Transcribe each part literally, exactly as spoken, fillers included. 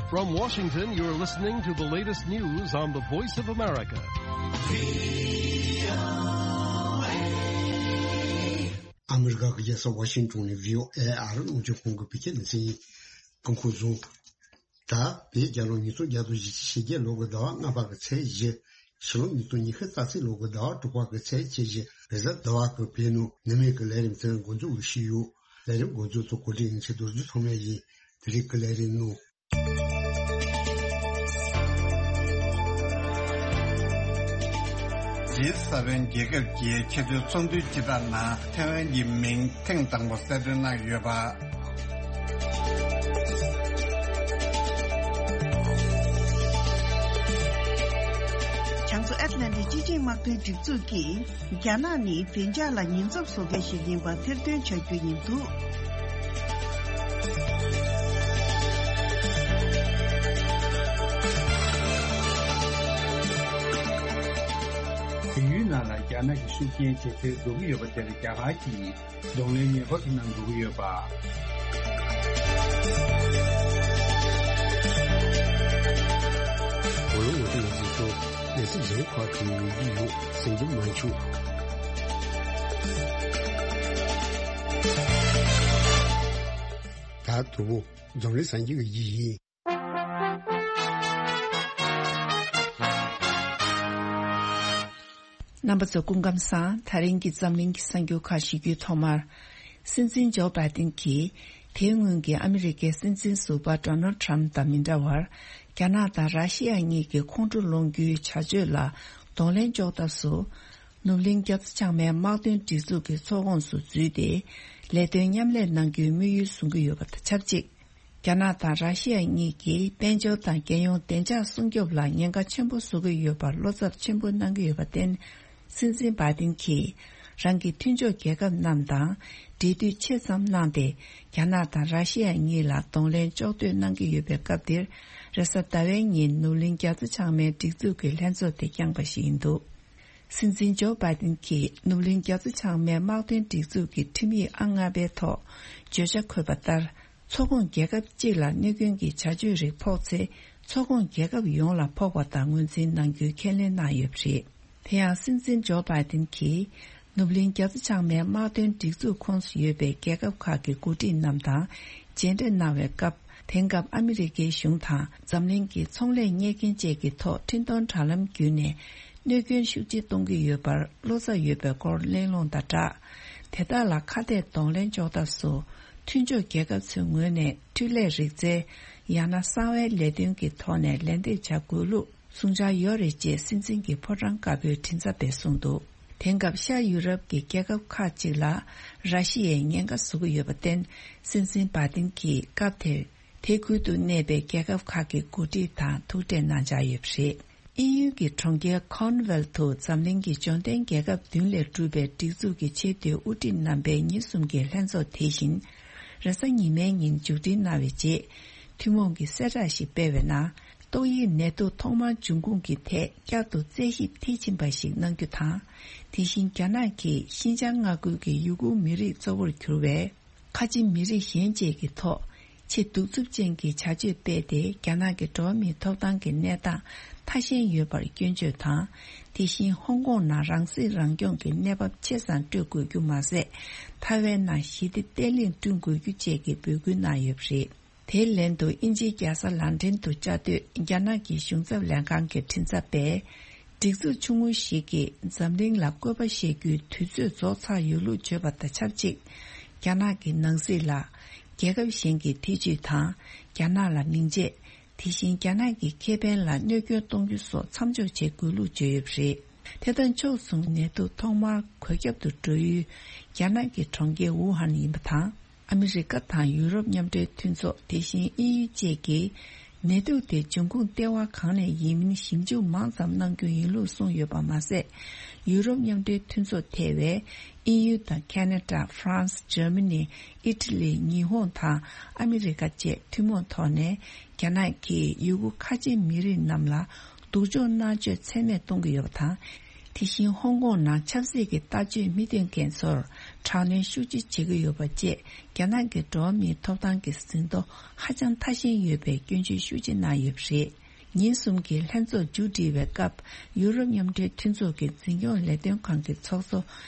From Washington, you're listening to the latest news on the Voice of America. ཨ་མི་རི་ཀ་གི་རྒྱལ་ས་ཝ་ཤིང་ཏོན་ནས་བྷི་ཨོ་ཨེ་ཨ་རི་རླུང་འཕྲིན་ཁང་གི་བོད་སྐད་སྡེ་ཚན་ཡིན། སྐུ་ཁམས་བཟང་། ད་བོད་རྒྱལ་ལོ་ཉིས་སྟོང་བརྒྱ་དང་བཞི་བཅུ་ཞེ་བརྒྱད་ལོ་གི་ཟླ་བ་ལྔ་པ་གི་ཚེས་བཞི། ཕྱི་ལོ་ཉིས་སྟོང་ཉི་ཤུ་རྩ་གཅིག་ལོ་གི་ཟླ་བ་དྲུག་པ་གི་ཚེས་ཁལ་གཅིག་རེས་གཟའ་ཟླ་བ་གི་བོད་ནང་ནུབ་སྨད་ཀྱི་ལས་རིམ་ཚན་འགོ་འཛུགས་ཞུས་ཡོད། ལས་རིམ་འགོ་འཛུགས་ཚོ་གོ་སྒྲིག་ཡིན་ཆེད་རྡོ་རྗེ་ཚང་མས་ཡིན། དེ་རིང་གི་ལས་རིམ་ནང་། རྗེས་ས་བོན་རྒྱལ་ཁབ་ཀྱི་ཆེས་མཐོའི་ཚོགས་འདུའི་སྤྱི་ཚོགས་ནང་ཐའེ་ཝན་གྱི་མིང་ཐེངས་དང་པོ་གསལ་སྟོན་གནང་ཡོད་པ། བྱང་མཚོ་ཨེཊ་ལན་ཊིག་སྤྱི་ཆིངས་དམག་དོན་སྒྲིག་འཛུགས་ཀྱིས། རྒྱ་ནག་ནི་བདེ་འཇགས་ལ་ཉེན་ཚབས་བཟོ་མཁན་ཞིག་ཡིན་པ་ཐེར་འདོན་བྱ་རྒྱུ་ཡིན་འདུག་བལ་ཡུལ་ནང་ལ་རྒྱ་ནག་གི་ཤུགས་རྐྱེན་ཇེ་ཆེར་འགྲོ་གི་ཡོད་པ་དེར་རྒྱ་གར་གྱིས་གདོང་ལེན་ངེས་པར་དུ་གནང་དགོས་ཀྱི་ཡོད་པ། གོ་ལོ་ངོ་སྤྲོད་ཡིན་ཚུལ་སོགས་གནས་ཚུལ་གཞན་ཁག་གི་ཡོང་གི་ཡོད་ཟེར་རྒྱུ་མ་བྱུང་། ད་དུ་བོ་འཛམ་གླིང་གསར་འགྱུར་གྱི་ཡིག་ཡིན། རྣམ་པ་ཚོ་སྐུ་ཁམས་བཟང་། ད་རིང་གི་འཛམ་གླིང་གི་གསར་འགྱུར་ཁག་ཞུ་རྒྱུའི་ཐོག་མར། སྲིད་འཛིན་ཇོ་བྷའི་ཏིན་གྱིས་དེའི་སྔོན་གྱི་ཨ་མི་རི་ཀའི་སྲིད་འཛིན་ཟུར་པ་ཌོ་ནལ་ཌི་ཊརམ་ཕི་དང་མི་འདྲ་བར། རྒྱ་ནག་དང་ར་ཤི་ཡ་གཉིས་ཀྱི་ཁོང་ཁྲོ་སློང་རྒྱུའི་བྱ་སྤྱོད་ལ་གདོང་ལེན་གཅོག་ཐབས་སུ། ནུབ་གླིང་རྒྱ་མཚོ་བྱང་མའི་དམག་དོན་སྒྲིག་འཛུགས་ཀྱི་ཚོགས་ཁོངས་སུ་འཛུལ་ཏེ། ལས་དོན་མཉམ་ལས་གནང་རྒྱུའི་དམིགས་ཡུལ་བཟུང་གི་ཡོད་པ་དང་ཆབས་ཅིག་རྒྱ་ནག་དང་ར་ཤི་ཡ་གཉིས་ཀྱིས་དཔལ་འབྱོར་དང་རྒྱལ་ཡོངས་བདེ་འཇགས་སྲུང་སྐྱོབ་ལ་ཉེན་ཁ་ཆེན་པོ་བཟོ་གི་ཡོད་པར་བློ་འཚབ་ཆེན་པོ་གནང་གི་ཡོད་པར་བརྟེན། སྲིད་འཛིན་བྷའི་ཏིན་གྱིས་རང་གི་མཐུན་ཕྱོགས་རྒྱལ་ཁབ་རྣམས་དང་འབྲེལ་མཐུད་ཆེ་ཙམ་གནང་སྟེ། རྒྱ་ནག་དང་ར་ཤི་ཡ་གཉིས་ལ་གདོང་ལེན་གཅོག་འདོད་གནང་གི་ཡོད་པའི་སྐབས་འདིར། རེས་གཟའ་ཟླ་བའི་ཉིན་ནུབ་གླིང་རྒྱ་མཚོ་བྱང་མའི་སྒྲིག་འཛུགས་ཀྱི་ལྷན་ཚོགས་དེ་བསྐྱངས་པ་ཞིག་ཡིན་འདུག་སྲིད་འཛིན་ཇོ་བྷའི་ཏིན་གྱིས་ནུབ་གླིང་རྒྱ་མཚོ་བྱང་མའི་དམག་དོན་སྒྲིག་འཛུགས་ཀྱི་ཁྲིམས་ཡིག་ཨང་ལྔ་པའི་ཐོག་བརྗོད་བྱ་འཁོད་པ་ལྟར། ཚོགས་ཁོངས་རྒྱལ་ཁབ་གཅིག་ལ་གནོད་སྐྱོན་གྱི་བྱ་སྤྱོད་རིགས་ཕོག་ཚེ། ཚོགས་ཁོངས་རྒྱལ་ཁབ་ཡོངས་ལ་ཕོག་པ་དང་ངོས་འཛིན་གནང་རྒྱུའི་ཁས་ལེན་གནང་ཡོད་པ་རེད། དེ་ཡང་སྲིད་འཛིན་ཇོ་བྷའི་ཏིན་གྱིས། ནུབ་གླིང་རྒྱ་མཚོ་བྱང་མའི་དམག་དོན་སྒྲིག་འཛུགས་ཁོངས་སུ་ཡོད་པའི་རྒྱལ་ཁབ་ཁག་གི་འགོ་ཁྲིད་རྣམས་དང་མཇལ་འཕྲད་གནང་བའི་སྐབས། དེང་སྐབས་ཨ་མི་རི་ཀའི་གཞུང་དང་འཛམ་གླིང་གི་ཚོང་ལས་གཉེར་མཁན་བཅས་ཀྱི་ཐོག་འཕྲིན་གཏོང་དྲ་ལམ་བརྒྱུད་ནས་གནོད་སྐྱོན་ཤུགས་ཆེ་གཏོང་གི་ཡོད་པར་བློ་འཚབ་ཡོད་པའི་སྐོར་གླེང་སློང་དང་སྦྲགས། དེ་དག་ལ་ཁ་གཏད་གདོང་ལེན་འཇོག་ཐབས་སུ། མཐུན་ཕྱོགས་རྒྱལ་ཁབ་ཚོའི་ངོས་ནས་འཕྲུལ་ལས་རིག་རྩལ། ཡང་ན་གསང་བའི་ལས་དོན་གྱི་ཐོག་ནས་ལན་འདེབས་བྱ་དགོས་ལུགས། གསུང་འཆར་ཡོད་རེད་ཅེས་སྲིད་འཛིན་གྱི་ཕོ་བྲང་དཀར་པོའི་མགྲིན་ཚབ་པས་གསུངས་འདུག་དེང་སྐབས་ཤར་ཡུ་རོབ་ཀྱི་རྒྱལ་ཁབ་ཁག་ཅིག་ལ་ར་ཤི་ཡས་ཉེན་ཁ་བཟོ་གི་ཡོད་པར་བརྟེན། སྲིད་འཛིན་བྷའི་ཏིན་གྱིས་སྐབས་དེར་དེ་ཁུལ་དུ་གནས་པའི་རྒྱལ་ཁབ་ཁག་གི་འགོ་ཁྲིད་དང་ཐུག་འཕྲད་གནང་འཆར་ཡོད་པ་རེད། དབྱིན་ཡུལ་གྱི་གྲོང་ཁྱེར་ཁོརན་ཝེལ་དུ་འཛམ་གླིང་གི་འབྱོར་ལྡན་རྒྱལ་ཁབ་བདུན་ལས་གྲུབ་པའི་སྒྲིག་འཛུགས་ཀྱི་ཆེས་མཐོའི་དབུ་ཁྲིད་རྣམ་པའི་ཉིན་གསུམ་གྱི་ལྷན་ཚོགས་དེ་བཞིན་རེས་གཟའ་ཉི་མའི་ཉིན་མཇུག་སྒྲིལ་གནང་བའི་རྗེས། ཐུན་མོང་གི་གསལ་བསྒྲགས་ཤིག་སྤེལ་བའི་ནང་། ཏོག་དབྱིབས་ནད་དུག་ཐོག་མར་འབྱུང་ཁུངས་ཀྱི་ཐད་བསྐྱར་དུ་རྩད་ཞིབ་མཐིལ་ཕྱིན་པ་ཞིག་གནང་རྒྱུ་དང་། དེ་བཞིན་རྒྱ་ནག་གིས་ཤིན་ཅང་མངའ་ཁུལ་གྱི་ཡུ་གུར་མི་རིགས་གཙོ་བོར་གྱུར་བའི་ཁ་ཆེ་མི་རིགས་གཞན་བཅས་ཀྱི་ཐོག་ཆེས་གདུག་རྩུབ་ཅན་གྱི་བྱ་སྤྱོད་སྤེལ་ཏེ། རྒྱ་ནག་གི་འགྲོ་བ་མིའི་ཐོབ་ཐང་གི་གནས་སྟངས་ཐ་ཞན་ཡོད་པར་སྐྱོན་བརྗོད་དང་། དེ་བཞིན་ཧོང་ཀོང་ནང་རང་སྲིད་རང་སྐྱོང་གི་གནས་བབ་ཆེ་སར་སྤྲོད་དགོས་རྒྱུ་མ་ཟད། ཐའེ་ཝན་ནང་ཞི་བདེ་བརྟན་ལྷིང་བསྐྲུན་དགོས་རྒྱུ་བཅས་ཀྱི་འབོད་སྐུལ་གནང་ཡོད་པ་རེད། དེའི་ལན་དུ་དབྱིན་ཇིའི་རྒྱལ་ས་ལན་ཀྲན་དུ་བཅའ་སྡོད་རྒྱ་ནག་གི་གཞུང་ཚབ་ལྷན་ཁང་གི་མགྲིན་ཚབ་པས། སྒྲིག་འཛུགས་ཆུང་ངུ་ཞིག་གིས་འཛམ་གླིང་ལ་བཀོད་པ་བཤད་རྒྱུའི་དུས་ཚོད་རྫོགས་ཚར་ཡོད་ལུགས་བརྗོད་པ་དང་ཆབས་ཅིག་རྒྱ་ནག་གི་ནང་སྲིད་ལ་རྒྱལ་ཁབ་གཞན་གྱི་ཐེ་ཇུས་དང་། རྒྱ་ནག་ལ་མིང་བརྗེ། དེ་བཞིན་རྒྱ་ནག་གི་ཁེ་ཕན་ལ་གནོད་སྐྱོན་གཏོང་རྒྱུ་སོགས་མཚམས་འཇོག་བྱེད་དགོས་ལུགས་བརྗོད་ཡོད་པ་རེད། དེ་དང་ཕྱོགས་མཚུངས་ནད་དུག་ཐོག་མར་འགོས་ཁྱབ་ཏུ་འགྲོ་ཡུལ་རྒྱ་ནག་གི་གྲོང་ཁྱེར་ཝུ་ཧན་ཡིན་པ་དང་། ཨ་མི་རི་ཀ་དང་ཡུ་རོབ་མཉམ་འབྲེལ་མཐུན་ཚོགས། དེ་བཞིན་དབྱིན་ཡུལ་བཅས་ཀྱིས་ནད་དུག་དེ་འབྱུང་ཁུངས་ལྟེ་བ་གང་ནས་ཡིན་མིན་ཞིབ་འཇུག་མང་ཙམ་གནང་རྒྱུ་ཡིན་ལུགས་གསུངས་ཡོད་པ་མ་ཟད། ཡུ་རོབ་མཉམ་འབྲེལ་མཐུན་ཚོགས་ཐེ་བའི་དབྱིན་ཡུལ་དང་ཁ་ན་ཌ། ཧྥ་རན་སི། འཇར་མ་ནི། ཨི་ཊ་ལི། ཉི་ཧོང་དང་ཨ་མི་རི་ཀ་བཅས་ཐུན་མོང་ཐོག་ནས་རྒྱ་ནག་གིས་ཡུ་གུར་ཁ་ཆེ་མི་རིགས་རྣམས་ལ་སྡུག་སྦྱོང་མནར་གཅོད་ཚད་མེད་གཏོང་གི་ཡོད་པ་དང་། དེ་བཞིན་ཧོང་ཀོང་ནང་ཆབ་སྲིད་ཀྱི་ལྟ་སྤྱོད་མི་སྟོན་མཁན་ཚོར་ དྲག་གནོན་ཤུགས་ཆེ་བྱེད་ཀྱི་ཡོད་པ་བཅས། རྒྱ་ནག་གི་འགྲོ་བ་མིའི་ཐོབ་ཐང་གི་ཟིན་ཐོ་ཧ་ཅང་ཐ་ཞན་ཡོད་པའི་སྐྱོན་བརྗོད་ཤུགས་ཆེ་གནང་ཡོད་པ་རེད། ཉིན་གསུམ་གྱི་ལྷན་ཚོགས་མཇུག་སྒྲིལ་བའི་སྐབས། ཡུ་རོབ་མཉམ་འབྲེལ་མཐུན་ཚོགས་ཀྱི་འཛིན་སྐྱོང་ལས་དོན་ཁང་གི་ཚོགས་གཙོ་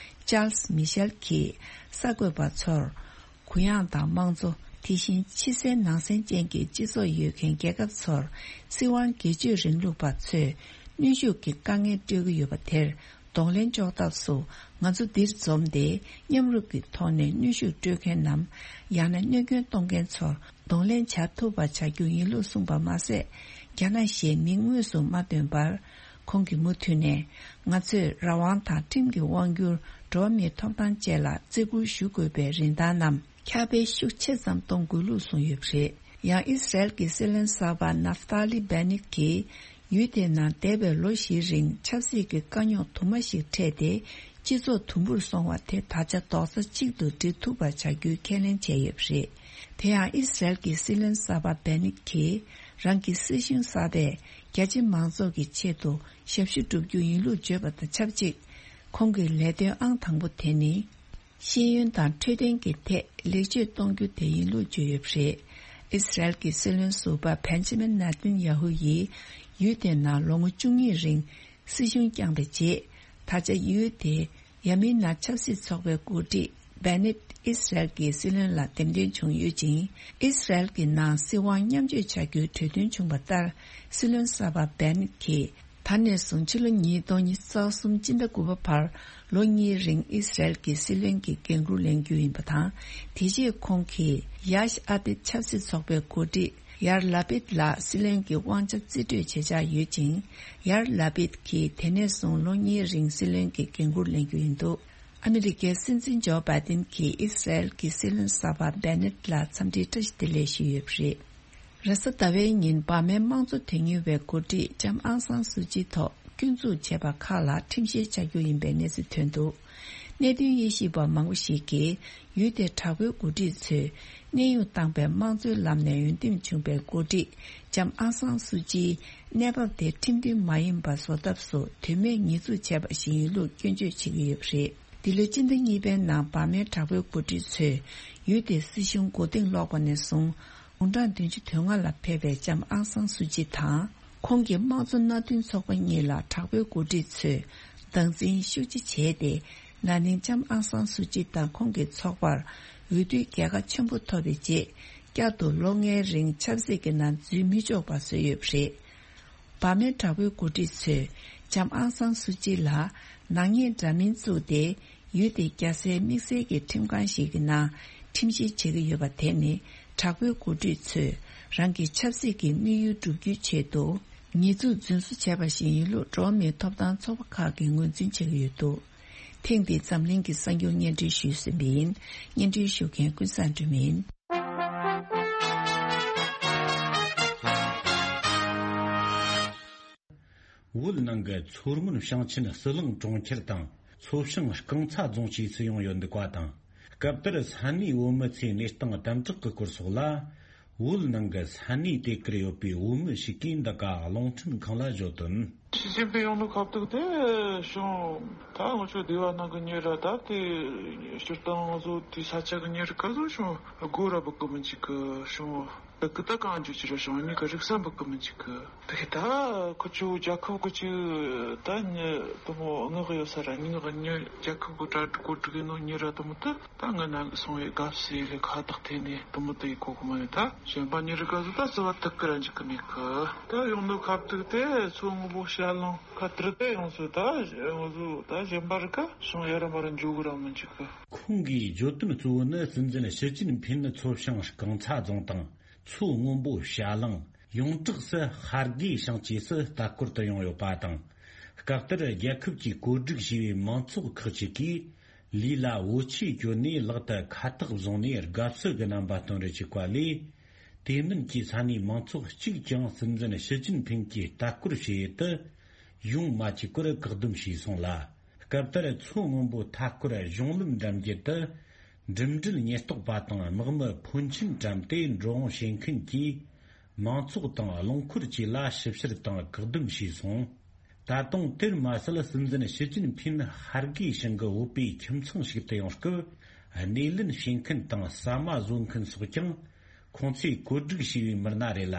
ཅཱལ་སི་མི་ཤེལ་གྱིས་གསར་འགོད་པ་ཚོར། གུ་ཡངས་དང་དམངས་གཙོ། དེ་བཞིན་ཕྱི་གསལ་ནང་གསལ་ཅན་གྱི་སྤྱི་ཚོགས་ཡོད་མཁན་རྒྱལ་ཁབ་ཚོར། སྲིད་དབང་སྒེར་གཅོད་རིང་ལུགས་པ་ཚོས་གནོན་ཤུགས་ཀྱི་དཀའ་ངལ་སྤྲོད་ཀྱི་ཡོད་པ་དེར། གདོང་ལེན་གཅོག་ཐབས་སུ། ང་ཚོ་འདིར་འཛོམས་ཏེ། མཉམ་རུབ་ཀྱི་ཐོག་ནས་གནོན་ཤུགས་སྤྲོད་མཁན་ནམ། ཡང་ན་གནོད་སྐྱོན་གཏོང་མཁན་ཚོར་གདོང་ལེན་བྱ་ཐུབ་པ་བྱ་རྒྱུ་ཡིན་ལུགས་གསུངས་པ་མ་ཟད། རྒྱ་ནག་ཞེས་མིང་དངོས་སུ་མ་བཏོན་པར། ཁོང་གིས་མུ་མཐུད་ནས། ང་ཚོས་རང་དབང་དང་ཁྲིམས་ཀྱི་དབང་བསྒྱུར། འགྲོ་བ་མིའི་ཐོབ་ཐང་བཅས་ལ་བརྩི་བཀུར་ཞུ་དགོས་པའི་རིན་ཐང་རྣམས། ཁྱབ་སྤེལ་ཤུགས་ཆེ་ཙམ་གཏོང་དགོས་ལུགས་གསུངས་ཡོད་པ་རེད། ཡང་ཨི་སི་རལ་གྱི་སྲིད་བློན་གསར་པ་ནབ་ཐ་ལི་བྷེ་ནེད་ཀྱིས། ཡུལ་དེའི་ནང་འདས་པའི་ལོ་བཞིའི་རིང་ཆབ་སྲིད་ཀྱི་དཀའ་རྙོག་དུ་མ་ཞིག་འཕྲད་དེ། སྤྱི་ཚོགས་དུམ་བུར་སོང་བ་དེ་ད་ཆ་རྡོག་རྩ་གཅིག་ཏུ་སྒྲིལ་ཐུབ་པ་བྱ་རྒྱུའི་ཁས་ལེན་བྱས་ཡོད་པ་རེད། དེ་ཡང་ཨི་སི་རལ་གྱི་སྲིད་བློན་གསར་པ་བྷེ་ནེད་ཀྱིས། རང་གི་སྲིད་གཞུང་གསར་པས་རྒྱ་ཆེ་མང་ཚོགས་ཀྱི་ཆེད་དུ་ཞབས་ཞུ་བསྒྲུབ་རྒྱུ་ཡིན་ལུགས་བརྗོད་པ་དང་ཆབས་ཅིག་ཁོང་གི་ལས་དོན་ཨང་དང་པོ་དེ་ནི། ཤེས་ཡོན་དང་འཕྲོད་བསྟེན་གྱི་ཐད་ལེགས་བཅོས་གཏོང་རྒྱུ་དེ་ཡིན་ལུགས་བརྗོད་ཡོད་པ་རེད། ཨི་སི་རལ་གྱི་སྲིད་བློན་ཟུར་པ་བྷེན་ཇི་མིན་ནེ་ཐན་ཡ་ཧུ་ཡིས་ཡུལ་དེའི་ནང་ལོ་ངོ་བཅུ་གཉིས་རིང་སྲིད་གཞུང་བསྐྱངས་པའི་རྗེས། ད་ཆ་ཡུལ་དེའི་ཡ་མི་ན་ཆབ་སྲིད་ཚོགས་པའི་འགོ་ཁྲིད་བྷེ་ནེད་ཨི་སི་རལ་གྱི་སྲིད་བློན་ལ་འདེམས་ཐོན་བྱུང་ཡོད་ཅིང་། ཨི་སི་རལ་གྱི་ནང་སྲིད་དབང་མཉམ་སྤྱོད་བྱ་རྒྱུའི་གྲོས་མཐུན་བྱུང་བ་ལྟར། སྲིད་བློན་གསར་པ་བྷེ་ནེད་ཀྱིས། ད་ནས་བཟུང་ཕྱི་ལོ་ཉིས་སྟོང་ཉི་ཤུ་རྩ་གསུམ་སྤྱི་ཟླ་དགུ་པ་བར་ལོ་གཉིས་རིང་ཨི་སི་རལ་གྱི་སྲིད་བློན་གྱི་འགན་འཁུར་ལེན་རྒྱུ་ཡིན་པ་དང་། དེ་རྗེས་ཁོང་གིས་ཡཱཤ་ཨ་ཏིད་ཆབ་སྲིད་ཚོགས་པའི་འགོ་ཁྲིད་ཡར་ལ་པིད་ལ་སྲིད་བློན་གྱི་དབང་ཆ་རྩིས་སྤྲོད་བྱེད་འཆར་ཡོད་ཅིང་། ཡར་ལ་པིད་ཀྱིས་དེ་ནས་བཟུང་ལོ་གཉིས་རིང་སྲིད་བློན་གྱི་འགན་འཁུར་ལེན་རྒྱུ་ཡིན་འདུག་ཨ་མི་རི་ཀའི་སྲིད་འཛིན་ཇོ་བྷའི་ཏིན་གྱིས་ཨི་སི་རལ་གྱི་སྲིད་བློན་གསར་པ་བྷེ་ནེད་ལ་འཚམས་འདྲིའི་བཀྲ་ཤིས་བདེ་ལེགས་ཞུས་ཡོད་པ་རེད། རེས་གཟའ་ཟླ་བའི་ཉིན་འབར་མའི་དམངས་གཙོ་དོན་གཉེར་བའི་འགོ་ཁྲིད་ལྕམ་ཨང་སང་སུའུ་ཅིའི་ཐོག་སྐྱོན་འཛུགས་བྱས་པ་ཁག་ལ་ཁྲིམས་བཤེར་བྱ་རྒྱུ་ཡིན་པའི་གནས་ཚུལ་ཐོན་འདུག་གནད་དོན་དབྱེ་ཞིབ་པ་མང་པོ་ཞིག་གིས་ཡུལ་དེའི་དྲག་པོའི་འགོ་ཁྲིད་ཚོས་གནས་དབྱུང་བཏང་པའི་དམངས་གཙོའི་ལམ་ནས་འོས་འདེམས་བྱུང་པའི་འགོ་ཁྲིད་ལྕམ་ཨང་སང་སུའུ་ཅིའི་གནས་བབ་དེ་ཁྲིམས་མཐུན་མ་ཡིན་པ་བཟོ་ཐབས་སུ་དོན་མེད་ཉེས་འཛུགས་བྱས་པ་ཞིག་ཡིན་ལུགས་སྐྱོན་བརྗོད་བྱེད་ཀྱི་ཡོད་པ་རེད། འདི་ལོའི་སྤྱི་ཟླ་གཉིས་པའི་ནང་འབར་མའི་དྲག་པོའི་འགོ་ཁྲིད་ཚོས་ཡུལ་དེའི་སྲིད་གཞུང་མགོ་རྟིང་སློག་པ་ནས་བཟུང་། དགུང་གྲངས་བདུན་ཅུ་དོན་ལྔ་ལ་ཕེབས་པའི་ལྕམ་ཨང་སང་སུའུ་ཅི་དང་། ཁོང་གི་དམངས་གཙོ་མནའ་མཐུན་ཚོགས་པ་གཉིས་ལ་དྲག་པོའི་འགོ་ཁྲིད་ཚོས་སྡང་འཛིན་ཤུགས་ཆེ་བྱས་ཏེ། ན་ནིང་ལྕམ་ཨང་སང་སུའུ་ཅི་དང་ཁོང་གི་ཚོགས་པར་འོས་བསྡུའི་རྒྱལ་ཁ་ཆེན་པོ་ཐོབ་པའི་རྗེས། བསྐྱར་དུ་ལོ་ལྔའི་རིང་ཆབ་སྲིད་ཀྱི་ནང་འཛུལ་མི་ཆོག་པ་བཟོས་ཡོད་པ་རེད། འབར་མའི་དྲག་པོའི་འགོ་ཁྲིད་ཚོས་ལྕམ་ཨང་སང་སུའུ་ཅི་ལ་ནག་ཉེས་འདྲ་མིན་བཙུགས་ཏེ། ཡུལ་དེའི་རྒྱལ་སའི་དམིགས་བསལ་གྱི་ཁྲིམས་ཁང་ཞིག་གི་ནང་ཁྲིམས་བཤེར་བྱེད་ཀྱི་ཡོད་པ་དེ་ནི། དྲག་པོའི་འགོ་ཁྲིད་ཚོས་རང་གི་ཆབ་སྲིད་ཀྱི་དམིགས་ཡུལ་བསྒྲུབ་རྒྱུའི་ཆེད་དུ། ཉེས་འཛུགས་རྫུན་བཟོ་བྱས་པ་ཞིག་ཡིན་ལུགས་འགྲོ་བ་མིའི་ཐོབ་ཐང་ཚོགས་པ་ཁག་གིས་ངོས་འཛིན་བྱེད་ཀྱི་ཡོད་འདུག་ཐེངས་འདིའི་འཛམ་གླིང་གི་གསར་འགྱུར་སྙན་སྒྲོན་ཞུས་ཟིན་པ་ཡིན། སྙན་སྒྲོན་ཞུ་མཁན་ཀུན་བཟང་སྒྲོལ་མ་ཡིན། བོད་ནང་གི་མཚོ་སྔོན་ཞིང་ཆེན་ཟི་ལིང་གྲོང་ཁྱེར་དང་མཚོ་བྱང་རྐང་ཚ་རྫོང་བཅས་སུ་ཡོང་ཡོད་འདུག་པ་དང་། སྐབས་དེར་ས་གནས་བོད་མི་ཚོས་གནས་སྟངས་དམ་དྲག་གི་སྐོར་སོགས་ལ། བོད་ནང་གི་ས་གནས་དེ་གར་ཡོད་པའི་བོད་མི་ཞིག་གིས་འདི་ག་རླུང་འཕྲིན་ཁང་ལ་བརྗོད་དོན། ཞི་ཅིན་ཕིང་ཡོང་ནོ་ཁ་ཐུག་དེ་བྱུང་། ད་ང་ཚོ་སྡེ་བ་ནང་གི་མྱི་ར་ད་དེ་སྤྱིར་བཏང་ང་ཚོ་དེ་ས་ཆ་གི་མྱི་ར་ག་ཚོད་བྱུང་། སྒོ་ར་བུད་གི་མི་འཇུག་གི་བྱུང་། ད་གི་ད་གང་འཇུག་ཅི་ར་བྱུང་། ནི་གི་རིག་ས་བུད་གི་མི་འཇུག་གི། དེ་གི་ད་ཁོ་ཚོ་རྒྱལ་ཁབ་གི་ཅིག་ད་ཉི་དུ་མོ་ངག་ཡོད་ས་ར། ཉི་ངག་ཉི་རྒྱལ་ཁབ་གི་གྲ་སྒྲིག་གོ་སྒྲིག་ཡིན་ནོ་མྱི་ར་དུ་མོ་ད། ད་ང་ནང་གི་སོང་བའི་དགའ་བསུ་ལས་ཁ་བཏགས་ཐེ་ནས་དུ་མོ་དེ་ཡི་གོ་གི་མ་ཡིན། ད་གཞན་པ་མྱི་རི་ག་ཟུ་ད་བརྩི་བ་ཐུབ་ཀི་ར་འཇིག་གི་མེད་གི། ད་ཡོང་ནོ་ཁ་བཏུག་དེ་མཚོ་སྔོན་པོ་བྱ་གླང་ཁ་དིར་དེ་ཡོང་སོ། ད་ང་ཚོ་ད་གཞན་པ་རི་ཀ་སོང་ཡ་ར་མ་ར་འཇུག་གི་ར་མི་འཇིག་གི། ཁོང་གིས་བརྗོད་དོན་གཙོ་བོ་ནི། སྲིད་འཛིན་ཞི་ཅིན་ཕིན་ནི་མཚོ་བྱང་རྐང་ཚ་རྫོང་དང་མཚོ་སྔོན་པོ་བྱ་གླང་། ཡོངས་གྲགས་སུ་ཤར་དགེ་ཞིང་བཅས་སུ་ལྟ་སྐོར་དུ་ཡོང་ཡོད་པ་དང་། སྐབས་དེར་རྒྱལ་ཁབ་ཀྱིས་བཀོད་སྒྲིག་བྱས་པའི་མང་ཚོགས་ཁག་ཅིག་གིས། ལུས་ལ་བོ་ཆས་གྱོན་ནས་ལག་ཏུ་ཁ་བཏགས་བཟུང་ནས་དགའ་བསུ་གི་རྣམ་པ་སྟོན་རུ་བཅུག་པ་ལས། དེ་མིན་གྱི་ས་གནས་མང་ཚོགས་གཅིག་ཀྱང་སྲིད་འཛིན་ཞི་ཅིན་ཕིང་གིས་ལྟ་སྐོར་བྱེད་ཡུལ་དུ་ཡོང་མ་བཅུག་པར་བཀག་སྡོམ་བྱས་སོང་ལ། སྐབས་དེར་མཚོ་སྔོན་པོ་མཐའ་སྐོར་གཞུང་ལམ་འགྲམ་རྒྱུད་དུ་འགྲིམ་འགྲུལ་ཉེན་རྟོག་པ་དང་དམག་མི་ཕོན་ཆེན་བཀྲམ་སྟེ་འགྲོ་འོང་བྱེད་མཁན་གྱིས་མང་ཚོགས་དང་རླངས་འཁོར་བཅས་ལ་ཞིབ་བཤེར་དང་བཀག་སྡོམ་བྱས་སོང་། ད་དུང་དེར་མ་ཟད། སྲིད་འཛིན་ཞི་ཅིན་ཕིན་ཧར་གོའི་ཞིང་གི་བོད་པའི་ཁྱིམ་ཚང་ཞིག་ཏུ་ཡོང་སྐབས། སྣེ་ལེན་བྱེད་མཁན་དང་ཟ་མ་བཟོ་མཁན་སོགས་ཀྱང་ཁོང་ཚོས་བཀོད་སྒྲིག་བྱས་པའི་མི་སྣ་རེད་ལ།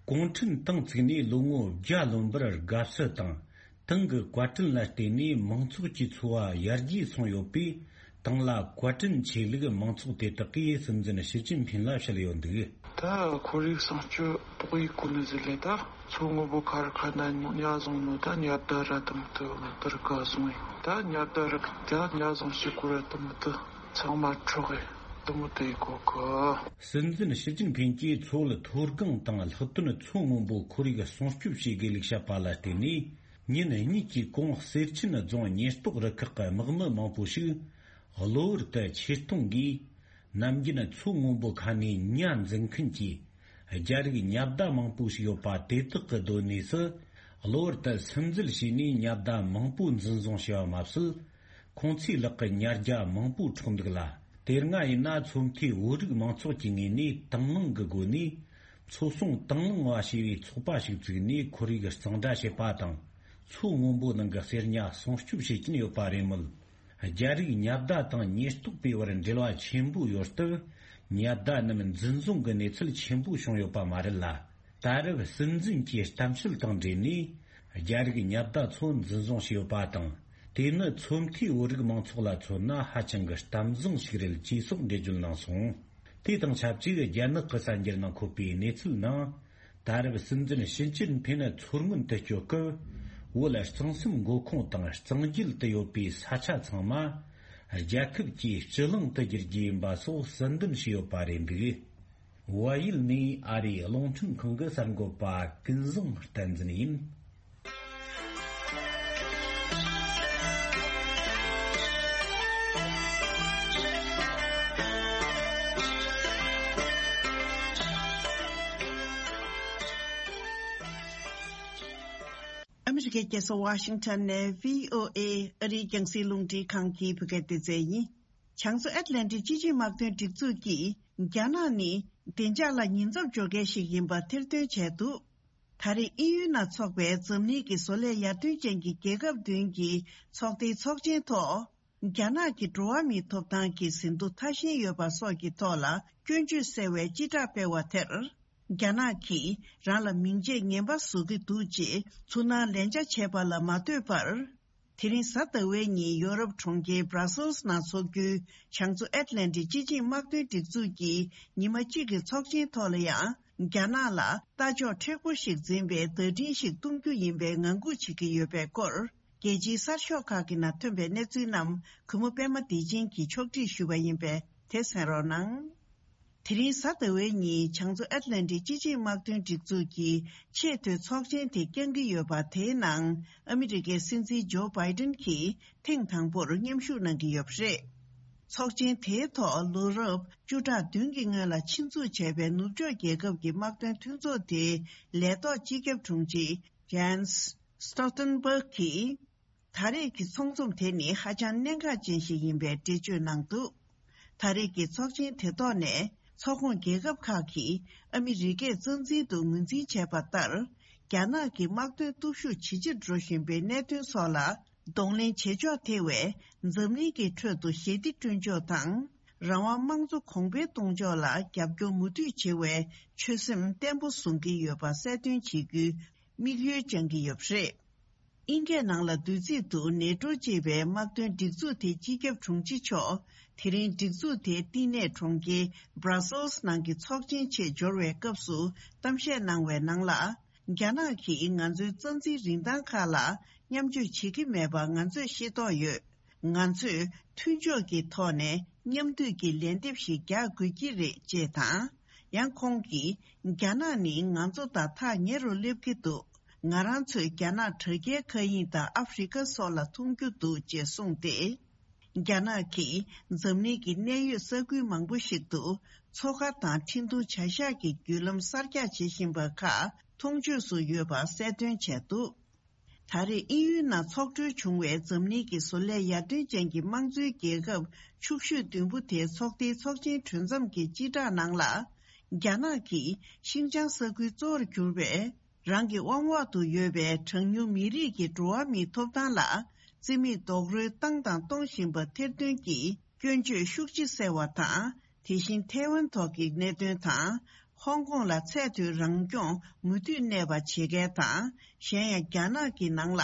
གུང་ཁྲན་ཏང་བཙུགས་ནས་ལོ་ངོ་བརྒྱ་ལོན་པར་དགའ་བསུ་དང་། ཏང་གི་བཀའ་དྲིན་ལ་བརྟེན་ནས་མང་ཚོགས་ཀྱི་འཚོ་བ་ཡར་རྒྱས་སོང་ཡོད་པས། ཏང་ལ་བཀའ་དྲིན་ཆེ་ལུགས་མང་ཚོགས་དེ་དག་གིས་སྲིད་འཛིན་ཞི་ཅིན་ཕིན་ལ་བཤད་ཡོད་འདུག། ད་ཁོར་ཡུག་སྲུང་སྐྱོབ་ཏོག་དབྱིབས་ཀོ་ནི་ཟི་ལེ་ད་མཚོ་སྔོན་པོ་མཁར་ཁ་ན་ཉ་བཟུང་ནོ་ད་ཉ་ད་ར་དམ་དུ་དར་ག་སོང་ཡིན། ད་ཉ་ད་ར་ད་ཉ་བཟུང་ཞིག་གོ་ར་དམ་དུ་ཚང་མ་འཕྲོག་གི་དུ་མོ་དེ་གོ་གི། སྲིད་འཛིན་ཞི་ཅིན་ཕིན་གྱིས་མཚོ་བོད་མཐོ་སྒང་དང་ལྷག་དོན་མཚོ་སྔོན་པོ་ཁོར་ཡུག་སྲུང་སྐྱོབ་བྱེད་དགོས་ལུགས་བཤད་པ་ལ་བརྟེན་ནས། ཉིན་གཉིས་ཀྱི་གོང་གསེར་ཆེན་རྫོང་ཉེན་རྟོག་རུ་ཁག་གི་དམག་མི་མང་པོ་ཞིག་གློ་བུར་དུ་ཆེད་གཏོང་གིས། ནམ་རྒྱུན་མཚོ་སྔོན་པོ་ཁ་ནས་ཉ་འཛིན་མཁན་གྱི་རྒྱ་རིགས་ཉ་བདག་མང་པོ་ཞིག་ཡོད་པ་དེ་དག་གི་སྡོད་གནས་སུ། གློ་བུར་དུ་སིམ་འཛུལ་བྱས་ནས་ཉ་བདག་མང་པོ་འཛིན་བཟུང་བྱས་པ་མ་ཟད། ཁོང་ཚོའི་ལག་གི་ཉ་རྒྱ་མང་པོ་འཕྲོག་འདུག་ལ། དེ་སྔ་ཡིན་ན་མཚོ་མཐའི་བོད་རིགས་མང་ཚོགས་ཀྱི་ངོས་ནས་དང་བླངས་ཀྱི་སྒོ་ནས། མཚོ་སྲུང་དང་བླངས་པ་ཞེས་པའི་ཚོགས་པ་ཞིག་བཙུགས་ནས་ཁོར་ཡུག་གཙང་སྦྲ་བྱེད་པ་དང་། མཚོ་སྔོན་པོ་ནང་གི་གསེར་ཉ་སྲུང་སྐྱོབ་བྱེད་ཀྱིན་ཡོད་པ་རེད་མོད། རྒྱ་རིགས་ཉ་བདག་དང་ཉེན་རྟོག་པའི་བར་འབྲེལ་བ་ཆེན་པོ་ཡོད་སྟབས། ཉ་བདག་རྣམས་འཛིན་བཟུང་གི་གནས་ཚུལ་ཆེན་པོ་བྱུང་ཡོད་པ་མ་རེད་ལ། ད་རེབ་སྲིད་འཛིན་གྱི་གཏམ་བཤད་དང་འབྲེལ་ནས། རྒྱ་རིགས་ཉ་བདག་ཚོ་འཛིན་བཟུང་བྱས་ཡོད་པ་དང་། དེ་ནི་མཚོ་མཐའི་བོད་རིགས་མང་ཚོགས་ལ་མཚོན་ན་ཧ་ཅང་གི་གཏམ་བཟང་ཞིག་རེད་ཅེས་སོགས་འགྲེལ་བརྗོད་གནང་སོང་། དེ་དང་ཆབས་ཅིག་རྒྱ་ནག་གི་གསར་འགྱུར་ནང་འཁོད་པའི་གནས་ཚུལ་ནང་། ད་རེབ་སྲིད་འཛིན་ཞི་ཅིན་ཕིན་མཚོ་སྔོན་དུ་སྐྱོད་སྐབས། བོད་གཙང་གསུམ་མགོ་ཁོངས་དང་གཙང་རྒྱུད་དུ་ཡོད་པའི་ས་ཆ་ཚང་མ། རྒྱལ་ཁབ་ཀྱི་སྤྱི་གླིང་དུ་བསྒྱུར་རྒྱུ་ཡིན་པ་སོགས་གསལ་འདོན་བྱས་ཡོད་པ་རེད་འདུག། བལ་ཡུལ་ནས་ཨ་རིའི་རླུང་འཕྲིན་ཁང་གི་གསར་འགོད་པ་ཀུན་བཟང་བསྟན་འཛིན་ཡིན། ཨ་མི་རི་ཀའི་རྒྱལ་ས་ཝ་ཤིང་ཊོན་ནས་བྷི་ཨོ་ཨེ་ཨ་རིའི་རྒྱང་སྲིང་རླུང་འཕྲིན་ཁང་གི་བོད་སྐད་སྡེ་ཚན་ཡིན། བྱང་མཚོ་ཨེཊ་ལན་ཊིག་སྤྱི་ཆིངས་དམག་དོན་སྒྲིག་འཛུགས་ཀྱིས་རྒྱ་ནག་ནི་བདེ་འཇགས་ལ་ཉེན་ཚབས་འཇོག་མཁན་ཞིག་ཡིན་པ་ཐེར་འདོན་བྱས་འདུག། ད་རེས་དབྱིན་ཡུལ་ནང་འཚོགས་པའི་འཛམ་གླིང་གི་བཟོ་ལས་ཡར་ཐོན་ཅན་གྱི་རྒྱལ་ཁབ་བདུན་གྱི་ཚོགས་སྡེའི་ཚོགས་ཆེན་ཐོག། རྒྱ་ནག་གི་འགྲོ་བ་མིའི་ཐོབ་ཐང་གི་ཟིན་ཐོ་ཐ་ཞན་ཡོད་པ་སོགས་ཀྱི་ཐོག་ལ་སྐྱོན་བརྗོད་སེལ་བའི་སྤྱི་བསྒྲགས་སྤེལ་བ་དེར། རྒྱ་ནག་གིས་རང་ལ་མིང་རྗེས་ངན་པ་བཟོ་གི་འདུག་ཅེས་ཚུར་སྣང་ལན་ཆ་བྱས་པ་ལ་མ་ལྟོས་པར། དེ་རིང་གཟའ་ཟླ་བའི་ཉིན་ཡོ་རོབ་གྲོང་ཁྱེར་Brussels་ནང་འཚོགས་རྒྱུའི་བྱང་མཚོ་ཨེཊ་ལན་ཊིག་སྤྱི་ཆིངས་དམག་དོན་སྒྲིག་འཛུགས་ཀྱི་ཉི་མ་གཅིག་གི་ཚོགས་ཆེན་ཐོག་ལ་ཡང་། རྒྱ་ནག་ལ་ལྟ་ཕྱོགས་མཁྲེགས་པོ་ཞིག་འཛིན་པའི་བརྡ་འཕྲིན་ཞིག་གཏོང་རྒྱུ་ཡིན་པའི་ངང་སྒུག་བྱེད་ཀྱི་ཡོད་པའི་སྐོར། རྒྱལ་སྤྱིའི་གསར་ཤོག་ཁག་གི་ནང་ཐོན་པའི་གནས་ཚུལ་རྣམས་གུས་མོ་པད་མ་བདེ་ཆེན་གྱིས་ཕྱོགས་སྒྲིག་ཞུས་པ་ཡིན་པས་དེ་གསན་རོགས་གནང་། དེ་རིང་གཟའ་ཟླ་བའི་ཉིན་བྱང་མཚོ་ཨེཊ་ལན་ཊིག་སྤྱི་ཆིངས་དམག་དོན་སྒྲིག་འཛུགས་ཀྱི་ཆེས་མཐོའི་ཚོགས་ཆེན་དེ་བསྐྱངས་ཀྱི་ཡོད་པ་དེའི་ནང་ཨ་མི་རི་ཀའི་སྲིད་འཛིན་ཇོ་བྷའི་ཏིན་གྱིས་ཐེངས་དང་པོར་མཉམ་ཞུགས་གནང་གི་ཡོད་པ་རེད། ཚོགས་ཆེན་དེའི་ཐོག་ལོ་རབས་བཅུ་ཕྲག་བདུན་གྱི་སྔོན་ལ་ཆེད་འཛུགས་བྱས་པའི་ནུབ་ཕྱོགས་རྒྱལ་ཁབ་ཀྱི་དམག་དོན་མཐུན་ཚོགས་དེའི་ལས་ཐོག་སྤྱི་ཁྱབ་དྲུང་ཆེ་Jens Stoltenberg་གིས། ད་རེས་ཀྱི་ཚོགས་འཛོམས་དེ་ནི་ཧ་ཅང་གནད་འགག་ཅན་ཞིག་ཡིན་པའི་འགྲེལ་བརྗོད་གནང་འདུག། ད་རེས་ཀྱི་ཚོགས་ཆེན་དེ་ཐོག་ནས་ཚོགས་ཁོངས་རྒྱལ་ཁབ་ཁག་གིས་ཨ་མི་རི་ཀས་རྩ་འཛིན་དུ་ངོས་འཛིན་བྱས་པ་ལྟར། རྒྱ་ནག་གི་དམག་དོན་སྟོབས་ཤུགས་ཇེ་ཆེར་འགྲོ་བཞིན་པའི་གནད་དོན་སོགས་ལ་གདོང་ལེན་བྱེད་ཕྱོགས་ཐེ་བའི་འཛམ་གླིང་གི་ཁྲོད་དུ་ཞི་བདེ་བསྐྲུན་ཕྱོགས་དང་། རང་དབང་དམངས་གཙོ་གོང་འཕེལ་གཏོང་ཕྱོགས་ལ་རྒྱབ་སྐྱོར་མུ་མཐུད་བྱེད་པའི་ཆོད་སེམས་བརྟན་པོ་བཟུང་གི་ཡོད་པ་གསལ་སྟོན་བྱེད་རྒྱུའི་དམིགས་ཡུལ་བཅངས་ཀྱི་ཡོད་པ་རེད། དབྱིན་སྐད་ནང་ལ་བསྡུས་ཚིག་ཏུ་ནེ་ཊོ་ཅེས་པའི་དམག་དོན་སྒྲིག་འཛུགས་དེའི་སྤྱི་ཁྱབ་དྲུང་ཆེ་མཆོག་དེ་རིང་སྒྲིག་འཛུགས་དེའི་བསྟི་གནས་གྲོང་ཁྱེར་Brussels་ནང་གི་ཚོགས་ཆེན་ཆེད་འབྱོར་བའི་སྐབས་སུ་གཏམ་བཤད་གནང་བའི་ནང་ལ། རྒྱ་ནག་གིས་ང་ཚོའི་རྩ་འཛིན་རིན་ཐང་ཁག་ལ་མཉམ་སྤྱོད་བྱེད་ཀྱི་མེད་པ་ང་ཚོས་ཤེས་རྟོགས་ཡོད། ང་ཚོས་མཐུན་ཕྱོགས་ཀྱི་ཐོག་ནས་མཉམ་འདུས་ཀྱི་ལན་འདེབས་ཤིག་རྒྱག་དགོས་ཀྱི་རེད་ཅེས་དང་། ཡང་ཁོང་གིས། རྒྱ་ནག་ནི་ང་ཚོ་དང་ཐག་ཉེ་རུ་སླེབས་ཀྱི་འདུག། ང་རང་ཚོས་རྒྱ་ནག་དྲ་རྒྱའི་མཁའ་དབྱིངས་དང་ཨ་ཧྥེ་རི་ཁ་སོགས་ལ་མཐོང་རྒྱུ་འདུག་ཅེས་གསུངས་ཏེ། རྒྱ་ནག་གིས་འཛམ་གླིང་གི་གནད་ཡོད་ས་ཁུལ་མང་པོ་ཞིག་ཏུ་མཚོ་ཁ་དང་འཕྲིན་ཐུང་བྱ་གཞག་གི་བརྒྱུད་ལམ་གསར་རྒྱག་བྱེད་བཞིན་པ་ཁག་མཐོང་ཆོས་སུ་ཡོད་པ་གསལ་སྟོན་བྱས་འདུག། ད་རེས་དབྱིན་ཡུལ་ནང་འཚོགས་གྲོལ་བྱུང་བའི་འཛམ་གླིང་གི་བཟོ་ལས་ཡར་ཐོན་ཅན་གྱི་དམངས་གཙོའི་རྒྱལ་ཁབ་ཕྱུག་ཤོས་བདུན་པོ་དེའི་ཚོགས་སྡེའི་ཚོགས་ཆེན་གྲོལ་མཚམས་ཀྱི་སྤྱི་བསྒྲགས་ནང་ལ། རྒྱ་ནག་གིས་ཤིན་ཅང་ས་ཁུལ་གཙོ་བོར་གྱུར་པའི་ རང་གི་དབང་འོག་ཏུ་ཡོད་པའི་གྲངས་ཉུང་མི་རིགས་ཀྱི་འགྲོ་བ་མིའི་ཐོབ་ཐང་ལ་རྩིས་མེད་རྡོག་རོལ་བཏང་དང་གཏོང་བཞིན་པ་ཐེར་འདོན་གྱིས་སྐྱོན་བརྗོད་ཤུགས་ཆེ་གསལ་བ་དང་། དེ་བཞིན་ཐའེ་ཝན་ཐོག་གི་གནད་དོན་དང་། ཧོང་ཀོང་ལ་ཚད་མཐོའི་རང་སྐྱོང་མུ་མཐུད་གནས་པ་བྱེད་མཁན་དང་། གཞན་ཡང་རྒྱ་ནག་གི་ནང་ལ་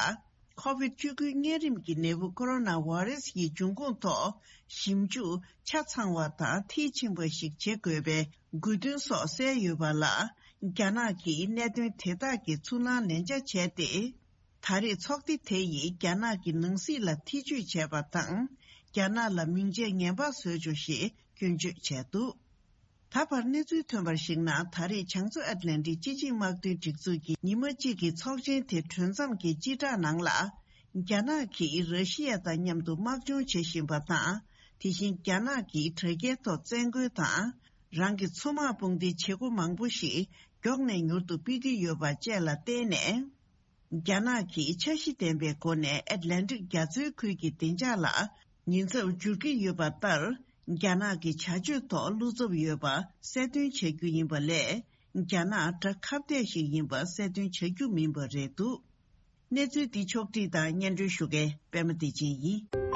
ཁོ་བིད་བཅུ་དགུ་གཉན་རིམས་ཀྱི་ནད་འབུ་ཀོ་རོ་ན་ཝེ་རེ་སི་ཡི་འབྱུང་ཁུངས་ཐོག་ཞིབ་འཇུག་ཆ་ཚང་བ་དང་མཐིལ་ཕྱིན་པ་ཞིག་བྱེད་དགོས་པའི་དགོས་འདུན་སོགས་གསལ་ཡོད་པ་ལ། རྒྱ་ནག་གིས་གནད་དོན་དེ་དག་གི་ཚུར་སྣང་ལན་ཆ་བྱས་ཏེ། ད་རེས་ཚོགས་སྡེ་དེ་ཡིས་རྒྱ་ནག་གི་ནང་སྲིད་ལ་ཐེ་བྱུས་བྱས་པ་དང་། རྒྱ་ནག་ལ་མིང་ཆད་ངན་པ་བཟོས་ཆོག་ཞེས་སྐྱོན་བརྗོད་བྱས་འདུག་ད་བར་གནས་ཚུལ་ཐོན་པར་གཞིགས་ན། ད་རེས་བྱང་མཚོ་ཨེཊ་ལན་ཊིག་སྤྱི་ཆིངས་དམག་དོན་སྒྲིག་འཛུགས་ཀྱི་ཉི་མ་གཅིག་གི་ཚོགས་ཆེན་དེ་གྲོལ་མཚམས་ཀྱི་སྤྱི་བསྒྲགས་ནང་ལ། རྒྱ་ནག་གིས་ར་ཤི་ཡ་དང་མཉམ་དུ་དམག་སྦྱོང་བྱེད་བཞིན་པ་དང་། དེ་བཞིན་རྒྱ་ནག་གིས་དྲ་རྒྱའི་ཐོག་བཙན་རྒོལ་དང་། རང་གི་མཚོ་དམག་དཔུང་སྡེའི་བྱེད་སྒོ་མང་པོ་ཞིག་མགྱོགས་ནས་མྱུར་དུ་སྤེལ་གྱི་ཡོད་པ་བཅས་ལ་བརྟེན་ནས། རྒྱ་ནག་གིས་འཆར་གཞི་ལྡན་པའི་སྒོ་ནས་ཨེཊ་ལན་ཊིག་རྒྱ་མཚོའི་ཁུལ་གྱི་བདེ་འཇགས་ལ་ཉེན་ཚབས་འགྱུར་གྱི་ཡོད་པ་ལྟར། རྒྱ་ནག་གི་བྱ་སྤྱོད་ཐོག་བློ་འཚབ་ཡོད་པ་གསལ་སྟོན་བྱ་རྒྱུ་ཡིན་པ་ལས། རྒྱ་ནག་དགྲ་ཁ་གཏད་ཞིག་ཡིན་པ་གསལ་སྟོན་བྱ་རྒྱུ་མིན་པ་རེད་འདུག་གནས་ཚུལ་འདི་ཕྱོགས་བསྒྲིགས་དང་སྙན་སྒྲོན་ཞུ་མཁན་པད་མ་བདེ་ཆེན་ཡིན།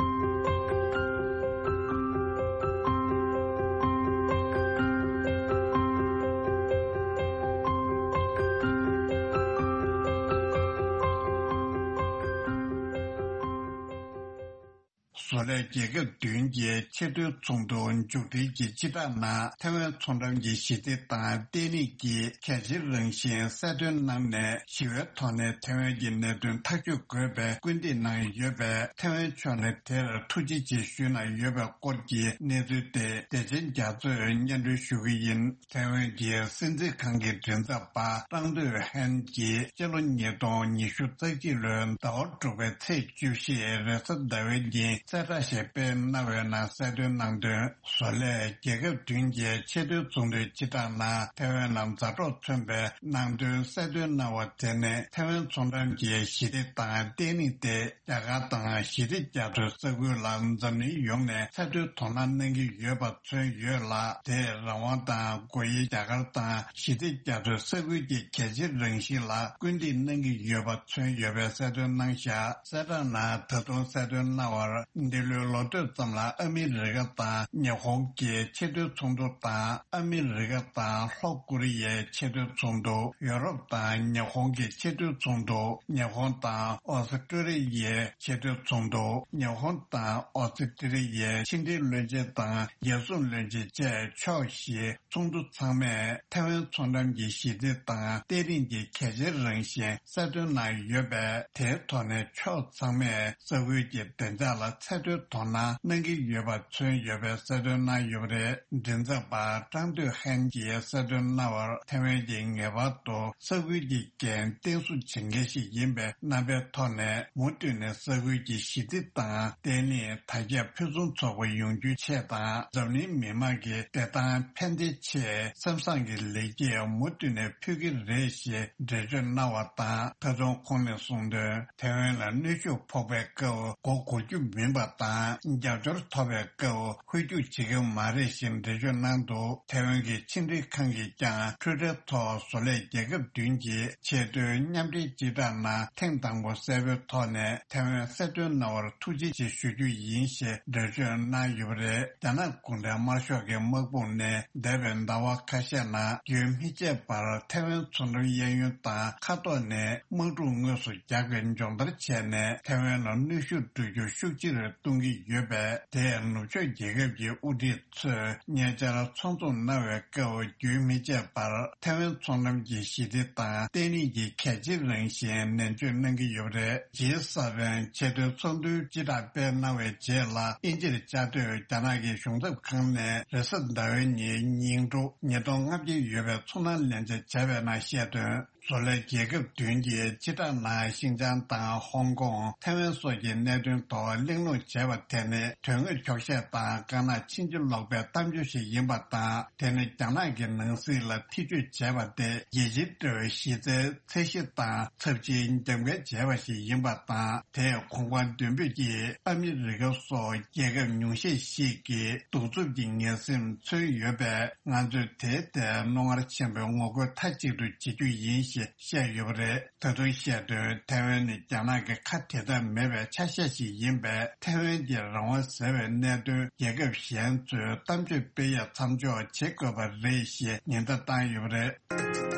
བཟོ་ལས་རྒྱལ་ཁབ་བདུན་གྱི་ཆེས་མཐོའི་ཚོགས་འདུ་མཇུག་སྒྲིལ་གྱི་སྤྱི་བསྒྲགས་ནང་། ཐའེ་ཝན་མཚོ་འགྲམ་གྱི་ཞི་བདེ་དང་བརྟན་ལྷིང་གི་གལ་ཆེའི་རང་བཞིན་གསལ་སྟོན་གནང་ནས། ཞི་བའི་ཐོག་ནས་ཐའེ་ཝན་གྱི་གནད་དོན་ཐག་གཅོད་དགོས་པའི་སྐུལ་འདེད་གནང་ཡོད་པས། ཐའེ་ཝན་ཕྱོགས་ནས་དེར་ཐུགས་རྗེ་ཆེ་ཞུས་གནང་ཡོད་པའི་སྐོར་གྱི་གནས་ཚུལ་དེ་བདེ་ཆེན་རྒྱ་མཚོས་སྙན་སྒྲོན་ཞུ་གི་ཡིན། ཐའེ་ཝན་གྱི་སྲིད་འཛིན་ཁང་གི་མགྲིན་ཚབ་པ་ཀྲང་ཏུའུ་ཧན་གྱིས་སྤྱི་ལོ་ཉིས་སྟོང་ཉི་ཤུ་རྩ་གཅིག་ལོའི་ཟླ་བ་དྲུག་པའི་ཚེས་བཅུ་བཞི་རེས་གཟའ་ཟླ་བའི་ཉིན་གསལ་བསྒྲགས་ཤིག་སྤེལ་གནང་བའི་ནང་གསལ་སྟོན་གནང་དོན། བཟོ་ལས་རྒྱལ་ཁབ་བདུན་གྱི་ཆེས་མཐོའི་ཚོགས་འདུའི་སྤྱི་བསྒྲགས་ནང་ཐའེ་ཝན་ལ་མཛའ་གྲོགས་མཚོན་པའི་ནང་དོན་གསལ་སྟོན་གནང་བ་དེ་ནི། ཐའེ་ཝན་མཚོ་འགྲམ་གྱི་ཞི་བདེ་དང་བརྟན་ལྷིང་དེ། རྒྱ་གར་དང་ཞི་བདེ་རྒྱ་མཚོའི་ས་ཁུལ་ལ་འཛམ་གླིང་ཡོངས་ནས་ཚད་མཐོའི་དོ་སྣང་གནང་གི་ཡོད་པ་མཚོན་ཡོད་ལ། དེས་རང་དབང་དང་སྒོ་དབྱེ་རྒྱ་གར་དང་ཞི་བདེ་རྒྱ་མཚོའི་ས་ཁུལ་གྱི་གལ་ཆེའི་རང་བཞིན་ལ་སྐུལ་འདེད་གནང་གི་ཡོད་པ་མཚོན་ཡོད་པའི་གསལ་སྟོན་གནང་བཞག་གསལ་བསྒྲགས་ནང་ད་དུང་གསལ་སྟོན་གནང་བར། འདི་ལོའི་ལོ་སྟོད་ཙམ་ལ་ཨ་མི་རི་ཀ་དང་ཉི་ཧོང་གི་ཆེས་མཐོའི་ཚོགས་འདུ་དང་། ཨ་མི་རི་ཀ་དང་ལྷོ་ཀོ་རི་ཡའི་ཆེས་མཐོའི་ཚོགས་འདུ། ཡོ་རོབ་དང་ཉི་ཧོང་གི་ཆེས་མཐོའི་ཚོགས་འདུ། ཉི་ཧོང་དང་ཨོ་སི་ཀྲོ་ལི་ཡའི་ཆེས་མཐོའི་ཚོགས་འདུ། ཉི་ཧོང་དང་ཨོ་སི་ཀྲོ་ལི་ཡའི་ཕྱི་འབྲེལ་བློན་ཆེན་དང་རྒྱལ་སྲུང་བློན་ཆེན་བཅས་ཕྱོགས་བཞིའི་ཚོགས་འདུ་ཚང་མས་ཐའེ་ཝན་མཚོ་འགྲམ་གྱི་ཞི་བདེ་དང་བརྟན་ལྷིང་གི་གལ་ཆེའི་རང་བཞིན་གསལ་སྟོན་གནང་ཡོད་པས། དེའི་ཐོག་ནས་ཕྱོགས་ཚང་མས་ས་ཁུལ་གྱི་བདེ་འཇགས་ལ་ཚད་མཐོའི་དོ་སྣང་གནང་གི་ཡོད་པ་མཚོན་ཡོད་པའི་གསལ་སྟོན་གནང་ཡོད་པ་རེད། མགྲིན་ཚབ་པ་ཀྲང་ཏུའུ་ཧན་གྱིས་གསལ་སྟོན་གནང་བར། ཐའེ་ཝན་གྱིས་ངེས་པར་དུ་ས་ཁུལ་གྱི་འགན་བརྟན་སྲུང་བྱེད་མཁན་ཞིག་ཡིན་པའི་རྣམ་པའི་ཐོག་ནས། མུ་མཐུད་ནས་ས་ཁུལ་གྱི་ཞི་བདེ་དང་བརྟན་ལྷིང་དར་རྒྱས་ཕུན་སུམ་ཚོགས་པ་ཡོང་རྒྱུའི་ཆེད་དང་། འཛམ་གླིང་མི་དམངས་ཀྱི་བདེ་ཐང་ཕན་བདེའི་ཆེད་སེམས་བཟང་གི་ལེགས་སྐྱེས་མུ་མཐུད་ནས་ཕུལ་གྱི་རེད་ཞེས་འགྲེལ་བརྗོད་གནང་བ་དང་། ད་དུང་ཁོང་ནས་གསུངས་དོན། ཐའེ་ཝན་ལ་གནོན་ཤུགས་ཕོག་པའི་སྐབས་མགོ་སྒུར་རྒྱུ་མིན་པ་དང་། རྒྱབ་སྐྱོར་ཐོབ་པའི་སྐབས་ཧུར་རྒྱུག་བྱེད་ཀྱི་མ་རེད་ཞེས་འགྲེལ་བརྗོད་གནང་འདུག་ཐའེ་ཝན་གྱི་ཕྱི་འབྲེལ་ཁང་གིས་ཀྱང་ཊུའི་ཊར་ཐོག་བཟོ་ལས་རྒྱལ་ཁབ་བདུན་གྱི་ཆེས་མཐོའི་མཉམ་འབྲེལ་སྤྱི་བསྒྲགས་ནང་ཐེངས་དང་པོ་གསལ་པོའི་ཐོག་ནས་ཐའེ་ཝན་གསལ་སྟོན་གནང་བར་ཐུགས་རྗེ་ཆེ་ཞུ་རྒྱུ་ཡིན་ཞེས་འགྲེལ་བརྗོད་གནང་ཡོད་པ་རེད། རྒྱ་ནག་གུང་ཁྲན་དམར་ཤོག་གི་དམག་དཔུང་ནས་འདས་པའི་ཟླ་བ་ཁ་ཤས་ནང་རྒྱུན་མི་ཆད་པར་ཐའེ་ཝན་མཚོ་འགྲམ་གཡས་གཡོན་དང་མཁའ་ཐོག་ནས་དམག་འཁྲུག་དངོས་སུ་རྒྱག་པའི་སྦྱོང་བརྡར་བྱས་ནས། ཐའེ་ཝན་ལ་གནོན་ཤུགས་སྤྲོད་རྒྱུ་ཤུགས་ཆེ་རུ་གཏོང་གི་ཡོད་པས། དེས་ནུབ་ཕྱོགས་རྒྱལ་ཁབ་ཀྱི་དབུ་ཁྲིད་ཚོས་ཉེ་ཆར་ཚོགས་འཛོམས་གནང་བའི་སྐབས་རྒྱུན་མི་ཆད་པར་ཐའེ་ཝན་མཚོ་འགྲམ་གྱི་ཞི་བདེ་དང་བརྟན་ལྷིང་གི་གལ་ཆེའི་རང་བཞིན་ནན་བརྗོད་གནང་གི་ཡོད་པ་རེད། ཇི་ས་ཕན་ཆེས་མཐོའི་ཚོགས་འདུའི་སྤྱི་བསྒྲགས་སྤེལ་གནང་བའི་རྗེས་ལ། དབྱིན་ཇིར་བཅའ་སྡོད་རྒྱ་ནག་གི་གཞུང་ཚབ་ཁང་ནས་རེས་གཟའ་ཟླ་བའི་ཉིན་ཉིན་དྲུག་ཉིས་སྟོང་ལྔ་བརྒྱ་ཡོད་པའི་ཚོར་སྣང་ལན་ཆ་བྱས་པའི་ནང་བཤད་དོན། བཟོ་ལས་རྒྱལ་ཁབ་བདུན་གྱི་སྤྱི་བསྒྲགས་ནང་ཤིན་ཅང་དང་ཧོང་ཀོང་། ཐའེ་ཝན་སོགས་ཀྱི་གནད་དོན་ཐོག་གླེང་སློང་བྱས་པ་དེ་ནི་དོན་དངོས་འཁྱོག་བཤད་དང་དཀར་ནག་ཕྱིན་ཅི་ལོག་པའི་གཏམ་བརྗོད་ཞིག་ཡིན་པ་དང་། དེ་ནི་རྒྱ་ནག་གི་ནང་སྲིད་ལ་ཐེ་བྱུས་བྱས་པ་སྟེ། རྒྱལ་སྤྱིའི་དྲ་བའི་གཞི་རྩའི་ཚད་གཞི་དང་ཚབས་ཆེའི་འགྱམ་འགལ་བྱས་པ་ཞིག་ཡིན་པ་དང་། དེས་གོང་དཔང་མདུན་སྤོས་ཀྱིས་ཨ་མི་རི་ཀ་སོགས་རྒྱལ་ཁབ་ཉུང་ཤས་ཤིག་གི་གདུག་རྩུབ་ཀྱི་ངན་སེམས་མཚོན་ཡོད་པས། ང་ཚོས་དེའི་ཐད་རྣོ་ངར་ཆེན་པོས་ངོ་རྒོལ་མཐའ་གཅིག་ཏུ་བྱེད་རྒྱུ་ཡིན་ ཞེས་བཤད་ཡོད་པ་རེད། ད་དུང་བཤད་དོན། ཐའེ་ཝན་ནི་རྒྱ་ནག་གི་ཁ་དེ་དག་མེད་པའི་ཆ་ཤས་ཤིག་ཡིན་པས། ཐའེ་ཝན་གྱི་རང་དབང་ཟེར་བའི་གནད་དོན་རྒྱལ་ཁབ་གཞན་ཚོས་གཏམ་བརྗོད་སྤེལ་ཡ་མཚམས་འཇོག་བྱེད་དགོས་པ་རེད་ཞེས་ཉེན་བརྡ་བཏང་ཡོད་པ་རེད།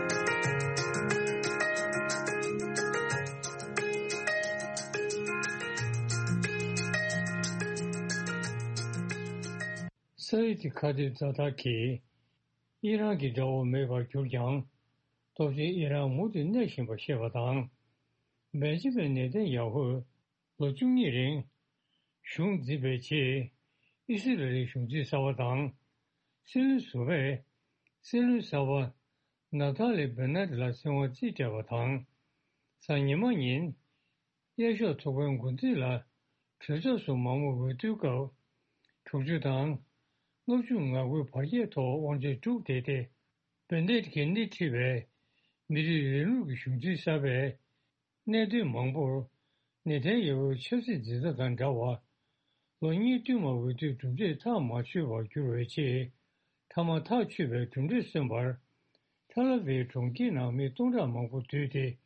ས་ཡུལ་དེ་ཁ་གཏད་ཛ་དྲག་གིས་ཨི་རན་གྱི་དགྲ་བོ་མེད་པར་གྱུར་ཀྱང་། སྟོབས་ཆེན་ཨི་རན་མུ་མཐུད་གནས་བཞིན་པ་ཤེས་པ་དང་། བེན་ཇི་མིན་ནེ་ཐན་ཡ་ཧུས་ལོ་བཅུ་གཉིས་རིང་གཞུང་འཛིན་པའི་རྗེས། ཨི་སི་རལ་གཞུང་འཛིན་གསར་པ་དང་། སྲིད་བློན་ཟུར་པས་སྲིད་བློན་གསར་པ་ནབ་ཐ་ལི་བེ་ནེད་ལ་སྲིད་དབང་རྩིས་སྤྲད་པ་དང་། གཟའ་ཉི་མ་ཉིན། དབྱར་ཞོགས་ཚོགས་པའི་འགོ་འཛིན་ལ་གྲོས་ཚོགས་སུ་མང་མོས་འོས་བསྡུའི་སྐབས། དྲུག་ཅུ་དང་ལྔ་བཅུ་ང་དགུའི་བར་ཁྱད་ཐོག་དབང་ཆ་དཀྲུགས་བསྡད་དེ། བེ་ནེད་ཀྱིས་སྣེ་ཁྲིད་པའི་མི་རིགས་རིང་ལུགས་ཀྱི་གཞུང་འཛིན་གསར་པས། གནད་དོན་མང་པོར་ནེ་ཐན་ཡ་ཧུའི་ཆབ་སྲིད་འཛིན་གྲྭ་དང་འདྲ་བར། ལོ་གཉིས་བསྟུད་མར་འོས་བསྡུའི་གྲུབ་འབྲས་ཐག་མ་ཆོད་པར་གྱུར་བའི་རྗེས། མཐའ་མ་ཐག་ཆོད་པའི་གྲུབ་འབྲས་སོན་པར། ཐ་ལ་ཝིའི་གྲོང་ཁྱེར་ནང་མི་སྟོང་ཕྲག་མང་པོ་འདུས་ཏེ་དགའ་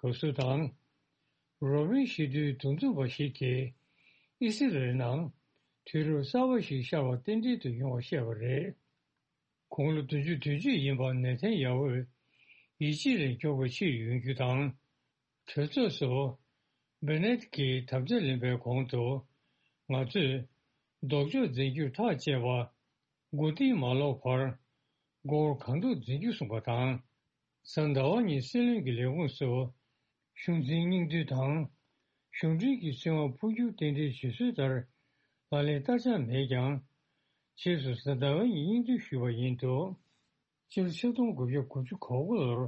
བསུ་དང་། རོ་བྷིན་སྤྱི་འཐུས་འདུ་འཛོམས་པ་ཞིག་གིས། ཨི་སི་རལ་ནང་དུས་རབས་གསར་པ་ཞིག་ཤར་བ་རྟེན་འབྲེལ་དུ་ཡོང་བ་བཤད་པ་རེད། དགུང་ལོ་བདུན་ཅུ་དོན་གཅིག་ཡིན་པ་ནེ་ཐན་ཡ་ཧུས་ཡིད་ཆེས་ལས་མགྱོགས་པ་ཕྱིར་ཡོང་རྒྱུ་དང་། གྲོས་ཚོགས་སུ་བེ་ནེད་ཀྱིས་དམ་བཅའ་ལེན་པའི་གོང་དུ། ང་ཚོས་ལྡོག་ཕྱོགས་འཛིན་སྐྱོང་ཐག་བཅད་པ། མགོ་རྟིང་མ་ལོག་པར་མགོ་བོར་གང་ཐུབ་འཛིན་རྒྱུ་གསུངས་པ་དང་། གཟའ་ཟླ་བ་ཉིན་སྲིད་བློན་གྱི་ལས་ཁུངས་སུ་གཞུང་འཛིན་སྙིང་བསྡུས་དང་། གཞུང་འབྲེལ་གྱི་སྲིད་དབང་འཕོ་འགྱུར་རྟེན་འབྲེལ་བྱེད་སྲོལ་ལྟར་ལག་ལེན་བསྟར་འཆར་མེད་ཀྱང་། རྗེས་སུ་གཟའ་ཟླ་བའི་ཉིན་སྙིང་བསྡུས་ཞུས་པ་ཡིན་འདུག་སྤྱི་ལོ་ཆིག་སྟོང་དགུ་བརྒྱ་དགུ་བཅུ་གོ་དགུ་ལོར་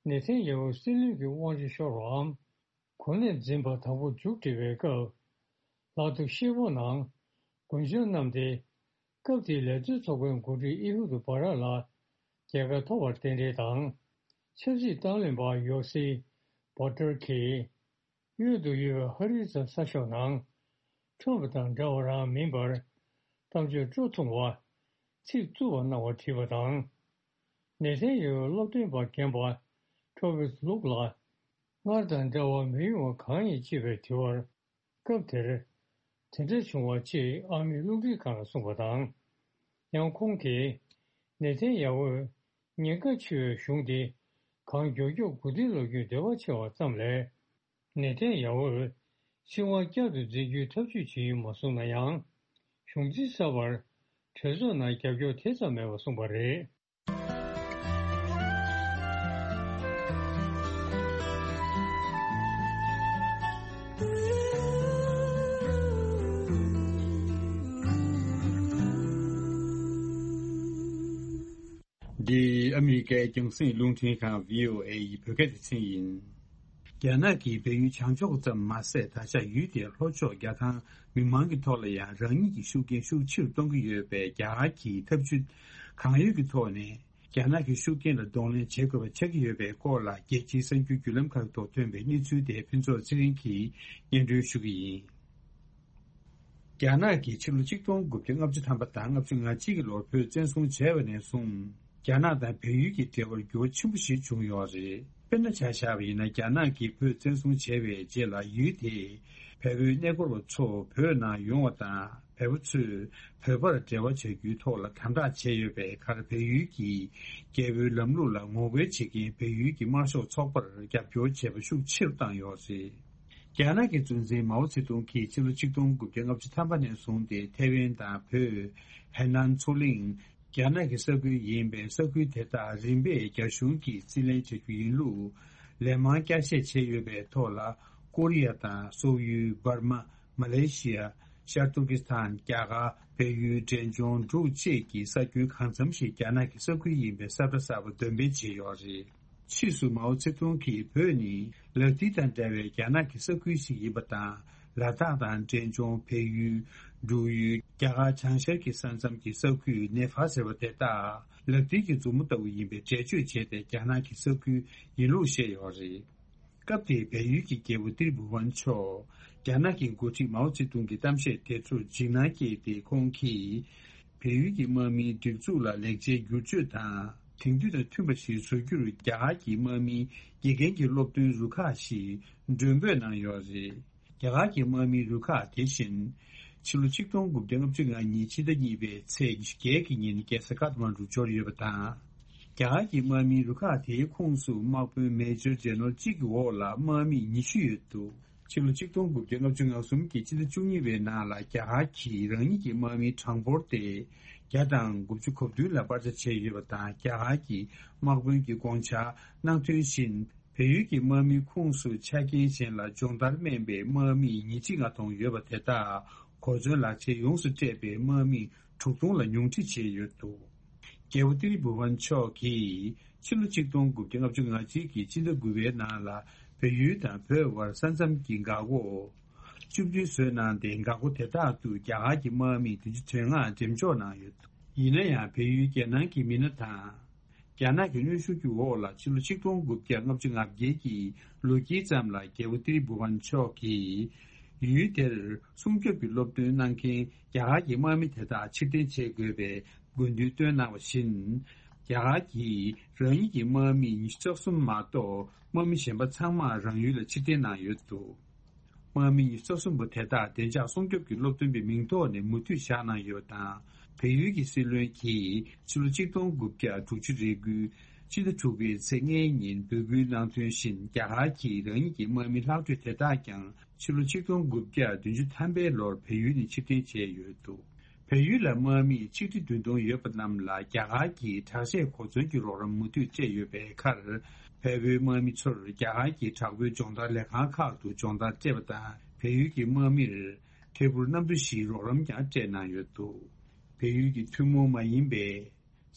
ནེ་ཐན་ཡ་ཧུ་སྲིད་བློན་གྱི་དབང་ཆ་ཤོར་བའམ། གོ་གནས་འཛིན་པ་དང་པོ་མཇུག་སྒྲིལ་བའི་སྐབས། ལག་ཏུ་ཤེལ་ཕོར་ནང་དགུན་ཆང་བསྣམས་ཏེ། སྐབས་དེའི་ལས་བཟོའི་ཚོགས་པའི་འགོ་ཁྲིད་ཨི་ཧུ་རུ་བྷ་ར་ལ་རྒྱལ་ཁ་ཐོབ་པར་རྟེན་འབྲེལ་དང་། ཆབ་སྲིད་བརྟན་ལྷིང་པ་ཡོ་སི་བྷོ་ཊར་གྱིས། གཡོན་དུ་ཡོད་པའི་ཧ་རི་ཛ་ས་ཤོག་ནང་། ཁྲོམ་པ་དང་འདྲ་བ་རང་མིན་པར། གཏམ་བརྗོད་སྤྲོ་ཐུང་བ། ཚིག་རྩུབ་པ་གནང་བ་བྲིས་པ་དང་། ནེ་ཐན་ཡ་ཧུའི་སློབ་སྟོན་པ་རྒན་པ་ཁྲོ་བིས་ལུག་ལ། སྔར་དང་འདྲ་བ་མི་ཡོང་བ་གང་ཡིན་ཅེས་པའི་དྲི་བར། སྐབས་དེར། དེ་འདྲ་བྱུང་བ་ཅེས་ཨ་མས་རླུང་འཕྲིན་ཁང་ལ་གསུངས་པ་དང་། ཡང་ཁོང་གིས། ནེ་ཐན་ཡ་ཧུའི་ཉེན་ཁ་ཆེ་བའི་གཞུང་དེ་གང་མགྱོགས་མགྱོགས་མགོ་རྟིང་སློག་རྒྱུའི་འདོད་པ་ཆེ་བ་ཙམ་ལས། ནེ་ཐན་ཡ་ཧུའི་སྲིད་དབང་བསྐྱར་དུ་འཛིན་རྒྱུའི་ཐབས་ཇུས་ཇི་ཡིན་མ་གསུངས་ན་ཡང་། གཞུང་འཛིན་གསར་པར་གྲོས་ཚོགས་ནང་རྒྱབ་སྐྱོར་དེ་ཙམ་མེད་པ་གསུངས་པ་རེད། འདི་ཨ་མི་རི་ཀའི་རྒྱང་སྲིང་རླུང་འཕྲིན་ཁང་བྷི་ཨོ་ཨེ་ཡི་བོད་སྐད་སྡེ་ཚན་ཡིན། རྒྱ་ནག་གིས་བལ་ཡུལ་བྱང་ཕྱོགས་ཙམ་མ་ཟད། ད་ཆ་ཡུལ་དེའི་ལྷོ་ཕྱོགས་རྒྱ་ཐང་མི་མང་གི་ཐོག་ལ་ཡང་རང་ཉིད་ཀྱི་ཤུགས་རྐྱེན་ཤུགས་ཆེ་རུ་གཏོང་གི་ཡོད་པའི་རྒྱ་གར་གྱི་ཐབས་ཇུས་གང་ཡོད་ཀྱི་ཐོག་ནས། རྒྱ་ནག་གི་ཤུགས་རྐྱེན་ལ་གདོང་ལེན་བྱེད་དགོས་པ་ཆགས་ཀྱི་ཡོད་པའི་སྐོར་ལ། རྒྱལ་སྤྱིའི་གསར་འགྱུར་བརྒྱུད་ལམ་ཁག་ཐོག་ཐོན་པའི་གནས་ཚུལ་དེ་ཕུན་ཚོགས་ཚེ་རིང་གིས་སྙན་སྒྲོན་ཞུ་གི་ཡིན། རྒྱ་ནག་གིས་ཕྱི་ལོ་ཆིག་སྟོང་དགུ་བརྒྱ་ལྔ་བཅུ་ཐམ་པ་དང་ལྔ་བཅུ་ང་གཅིག་གི་ལོར་བོད་བཙན་བཟུང་བྱས་པ་ནས་བཟུང་། རྒྱ་ནག་དང་བལ་ཡུལ་གྱི་འབྲེལ་བར་འགྱུར་བ་ཆེན་པོ་ཞིག་བྱུང་ཡོད་རེད། དཔེར་ན་ཆ་བཞག་པ་ཡིན་ན། རྒྱ་ནག་གིས་བོད་བཙན་བཟུང་བྱས་པའི་རྗེས་ལ། ཡུལ་དེས་བལ་པོའི་གནས་སྐོར་བ་ཚོ་བོད་ནང་ཡོང་བ་དང་། བལ་པོ་ཚོས་བོད་པར་འབྲེལ་བ་བྱ་རྒྱུའི་ཐོག་ལ་དམ་དྲག་བྱས་ཡོད་པའི་ཁར། བལ་ཡུལ་གྱི་རྒྱལ་པོའི་ལམ་ལུགས་ལ་ངོ་རྒོལ་བྱེད་མཁན་བལ་ཡུལ་གྱི་དམར་ཤོག་ཚོགས་པར་རྒྱབ་སྐྱོར་བྱས་པ་ཤུགས་ཆེ་རུ་བཏང་ཡོད་རེད། རྒྱ་ནག་གི་གཙོ་འཛིན་མའོ་ཙེ་ཏུང་གིས་ཕྱི་ལོ་ཆིག་སྟོང་དགུ་བརྒྱ་ལྔ་བཅུ་ཐམ་པ་ནས་བཟུང་སྟེ། ཐའེ་ཝན་དང་བོད། ཧའེ་ནན་མཚོ་གླིང་། རྒྱ་ནག་གི་ས་ཁུལ་ཡིན་པའི་ས་ཁུལ་དེ་དག་རིམ་པས་རྒྱ་གཞུང་གིས་རྩིས་ལེན་བྱ་རྒྱུ་ཡིན་ལུགས་ལན་མང་བསྐྱར་བཤད་བྱས་ཡོད་པའི་ཐོག་ལ། ཀོ་རི་ཡ་དང་སོག་ཡུལ། འབར་མ། མ་ལེ་ཤི་ཡ། ཤར་ཏུར་ཀི་སི་ཐན། རྒྱ་གར། བལ་ཡུལ། འབྲས་ལྗོངས། འབྲུག་བཅས་ཀྱི་ས་ཁུལ་གང་འཚམ་ཞིག་རྒྱ་ནག་གི་ས་ཁུལ་ཡིན་པའི་ས་ཁྲ་གསར་པ་འདོན་སྤེལ་བྱས་ཡོད་རེད། ཕྱིས་སུ་མའོ་ཙེ་ཏུང་གིས། བོད་ནི་ལག་མཐིལ་དང་འདྲ་བའི་རྒྱ་ནག་གི་ས་ཁུལ་ཞིག་ཡིན་པ་དང་། ལ་དྭགས་དང་། འབྲས་ལྗོངས། བལ་ཡུལ། འབྲུག་ཡུལ། རྒྱ་གར་བྱང་ཤར་གྱི་ས་མཚམས་ཀྱི་ས་ཁུལ། ནེ་ཕ་ཟེར་བ་དེ་དག་ལག་མཐིལ་གྱི་མཛུབ་མོ་ལྟ་བུ་ཡིན་པའི་འགྲེལ་བརྗོད་བྱས་ཏེ། རྒྱ་ནག་གི་ས་ཁུལ་ཡིན་ལུགས་བཤད་ཡོད་རེད། སྐབས་དེའི་བལ་ཡུལ་གྱི་རྒྱལ་པོ་ཏི་རི་བྷུ་ཝན་མཆོག་རྒྱ་ནག་གི་འགོ་ཁྲིད་མའོ་ཙེ་ཏུང་གི་གཏམ་བཤད་དེ་ཚོར་འཇིགས་སྣང་སྐྱེས་ཏེ། ཁོང་གིས་བལ་ཡུལ་གྱི་དམག་མིའི་སྒྲིག་འཛུགས་ལ་ལེགས་ཆའི་བསྒྱུར་བཅོས་དང་ དེང་དུས་དང་མཐུན་པ་ཞིག་བཟོ་རྒྱུར་རྒྱ་གར་གྱི་དམག་མིའི་དགེ་རྒན་གྱི་སློབ་སྟོན་རུ་ཁག་ཞིག་མགྲོན་འབོད་གནང་ཡོད་རེད། རྒྱ་གར་གྱི་དམག་མིའི་རུ་ཁག་དེ་བཞིན་ཕྱི་ལོ་ཆིག་སྟོང་དགུ་བརྒྱ་ལྔ་བཅུ་ང་གཉིས་ཕྱི་ཟླ་གཉིས་པའི་ཚེས་ཉི་ཤུ་བརྒྱད་ཀྱི་ཉིན་རྒྱལ་ས་ཀ་ཐ་མན་གྲུ་འབྱོར་ཡོད་པ་དང་། རྒྱ་གར་གྱི་དམག་མིའི་རུ་ཁག་དེའི་ཁོངས་སུ་དམག་དཔོན་མེ་ཇར་ཇེ་ནེ་རལ་གཅིག་གི་འོག་ལ་དམག་མི་ཉི་ཤུ་ཡོད་འདུག་ཕྱི་ལོ་ཆིག་སྟོང་དགུ་བརྒྱ་ལྔ་བཅུ་ང་གསུམ་གྱི་ཕྱི་ཟླ་བཅུ་གཉིས་པའི་ནང་ལ་རྒྱ་གར་གྱིས་རང་ཉིད་ཀྱི་དམག་མིའི་གྲངས་འབོར་དེ་བརྒྱ་དང་དགུ་བཅུ་གོ་བདུན་ལ་སྤར་ཆ་བྱས་ཡོད་པ་དང་། རྒྱ་གར་གྱི་དམག་དཔོན་གྱིས་དགོངས་འཆར་གནང་དོན་བཞིན། བལ་ཡུལ་གྱི་དམག་མིའི་ཁོངས་སུ་ཆ་རྐྱེན་གཞན་ལ་སྦྱོང་བརྡར་སྨན་པའི་དམག་མི་ཉིས་ཁྲི་ལྔ་སྟོང་ཡོད་པ་དེ་དག་གོ་མཚོན་ལག་ཆས་ཡོངས་སུ་སྤྲས་པའི་དམག་མི་དྲུག་སྟོང་ལ་ཉུང་འཕྲི་བྱས་ཡོད་འདུག་རྒྱལ་པོ་ཏི་རི་བྷུ་ཝན་མཆོག་གིས་ཕྱི་ལོ་ཆིག་སྟོང་དགུ་བརྒྱ་ལྔ་བཅུ་ང་གཅིག་གི་ཕྱི་ཟླ་དགུ་པའི་ནང་ལ་བལ་ཡུལ་དང་བོད་བར་ས་མཚམས་ཀྱི་འགག་སྒོ་བཅུ་བདུན་བཟོས་གནང་སྟེ། འགག་སྒོ་དེ་དག་ཏུ་རྒྱ་གར་གྱི་དམག་མི་བདུན་ཅུ་དོན་ལྔ་འགྲེམས་འཇོག་གནང་ཡོད་འདུག་ཡིན་ན་ཡང་། བལ་ཡུལ་རྒྱལ་ནང་གི་མི་སྣ་དང་། རྒྱ་ནག་གི་གནོན་ཤུགས་ཀྱི་འོག་ལ་ཕྱི་ལོ་ཆིག་སྟོང་དགུ་བརྒྱ་ལྔ་བཅུ་ང་བརྒྱད་ཀྱི་ལོ་དཀྱིལ་ཙམ་ལ་རྒྱལ་པོ་ཏི་རི་བྷུ་ཝན་མཆོག་གིས་ཡུལ་དེར་སྲུང་སྐྱོབ་ཀྱི་སློབ་སྟོན་གནང་མཁན་རྒྱ་གར་གྱི་དམག་མི་དེ་དག་ཕྱིར་འཐེན་བྱེད་དགོས་པའི་དགོས་འདུན་བཏོན་གནང་བ་བཞིན། རྒྱ་གར་གྱིས་རང་ཉིད་ཀྱི་དམག་མི་ཉི་ཤུ་རྩ་གསུམ་མ་གཏོགས་དམག་མི་གཞན་པ་ཚང་མ་རང་ཡུལ་ལ་ཕྱིར་འཐེན་གནང་ཡོད་འདུག་དམག་མི་ཉི་ཤུ་རྩ་གསུམ་པོ་དེ་དག་བདེ་འཇགས་སྲུང་སྐྱོབ་ཀྱི་སློབ་སྟོན་པའི་མིང་ཐོག་ནས་མུ་མཐུད་བཞག་གནང་ཡོད་པ་དང་། བལ་ཡུལ་གྱི་སྲིད་བློན་གྱིས་ཕྱི་ལོ་ཆིག་སྟོང་དགུ་བརྒྱ་དྲུག་ཅུ་རེ་དགུའི་ཕྱི་ཟླ་དྲུག་པའི་ཚེས་ལྔའི་ཉིན་འབོད་སྐུལ་གནང་དོན་བཞིན། རྒྱ་གར་གྱིས་རང་ཉིད་ཀྱི་དམག་མི་ལྷག་འཕྲོས་དེ་དག་ཀྱང་ཕྱི་ལོ་ཆིག་སྟོང་དགུ་བརྒྱ་བདུན་ཅུ་ཐམ་པའི་ལོར་བལ་ཡུལ་ནས་ཕྱིར་འཐེན་བྱས་ཡོད་འདུག་བལ་ཡུལ་ལ་དམག་མི་ཆིག་ཁྲི་བདུན་སྟོང་ཡོད་པ་རྣམས་ལ་རྒྱ་གར་གྱིས་དྲག་ཆས་གོ་མཚོན་གྱི་རོགས་རམ་མུ་མཐུད་སྤྲད་ཡོད་པའི་ཁར། བལ་པོའི་དམག་མི་ཚོར་རྒྱ་གར་གྱི་དྲག་པོའི་སྦྱོང་བརྡར་ལས་ཁང་ཁག་ཏུ་སྦྱོང་བརྡར་སྤྲད་པ་དང་། བལ་ཡུལ་གྱི་དམག་མིར་ཐད་འཕུར་གནམ་གྲུ་བཞིའི་རོགས་རམ་ཀྱང་སྤྲད་གནང་ཡོད་འདུག་བལ་ཡུལ་གྱི་ཐུན་མོང་མ་ཡིན་པའི་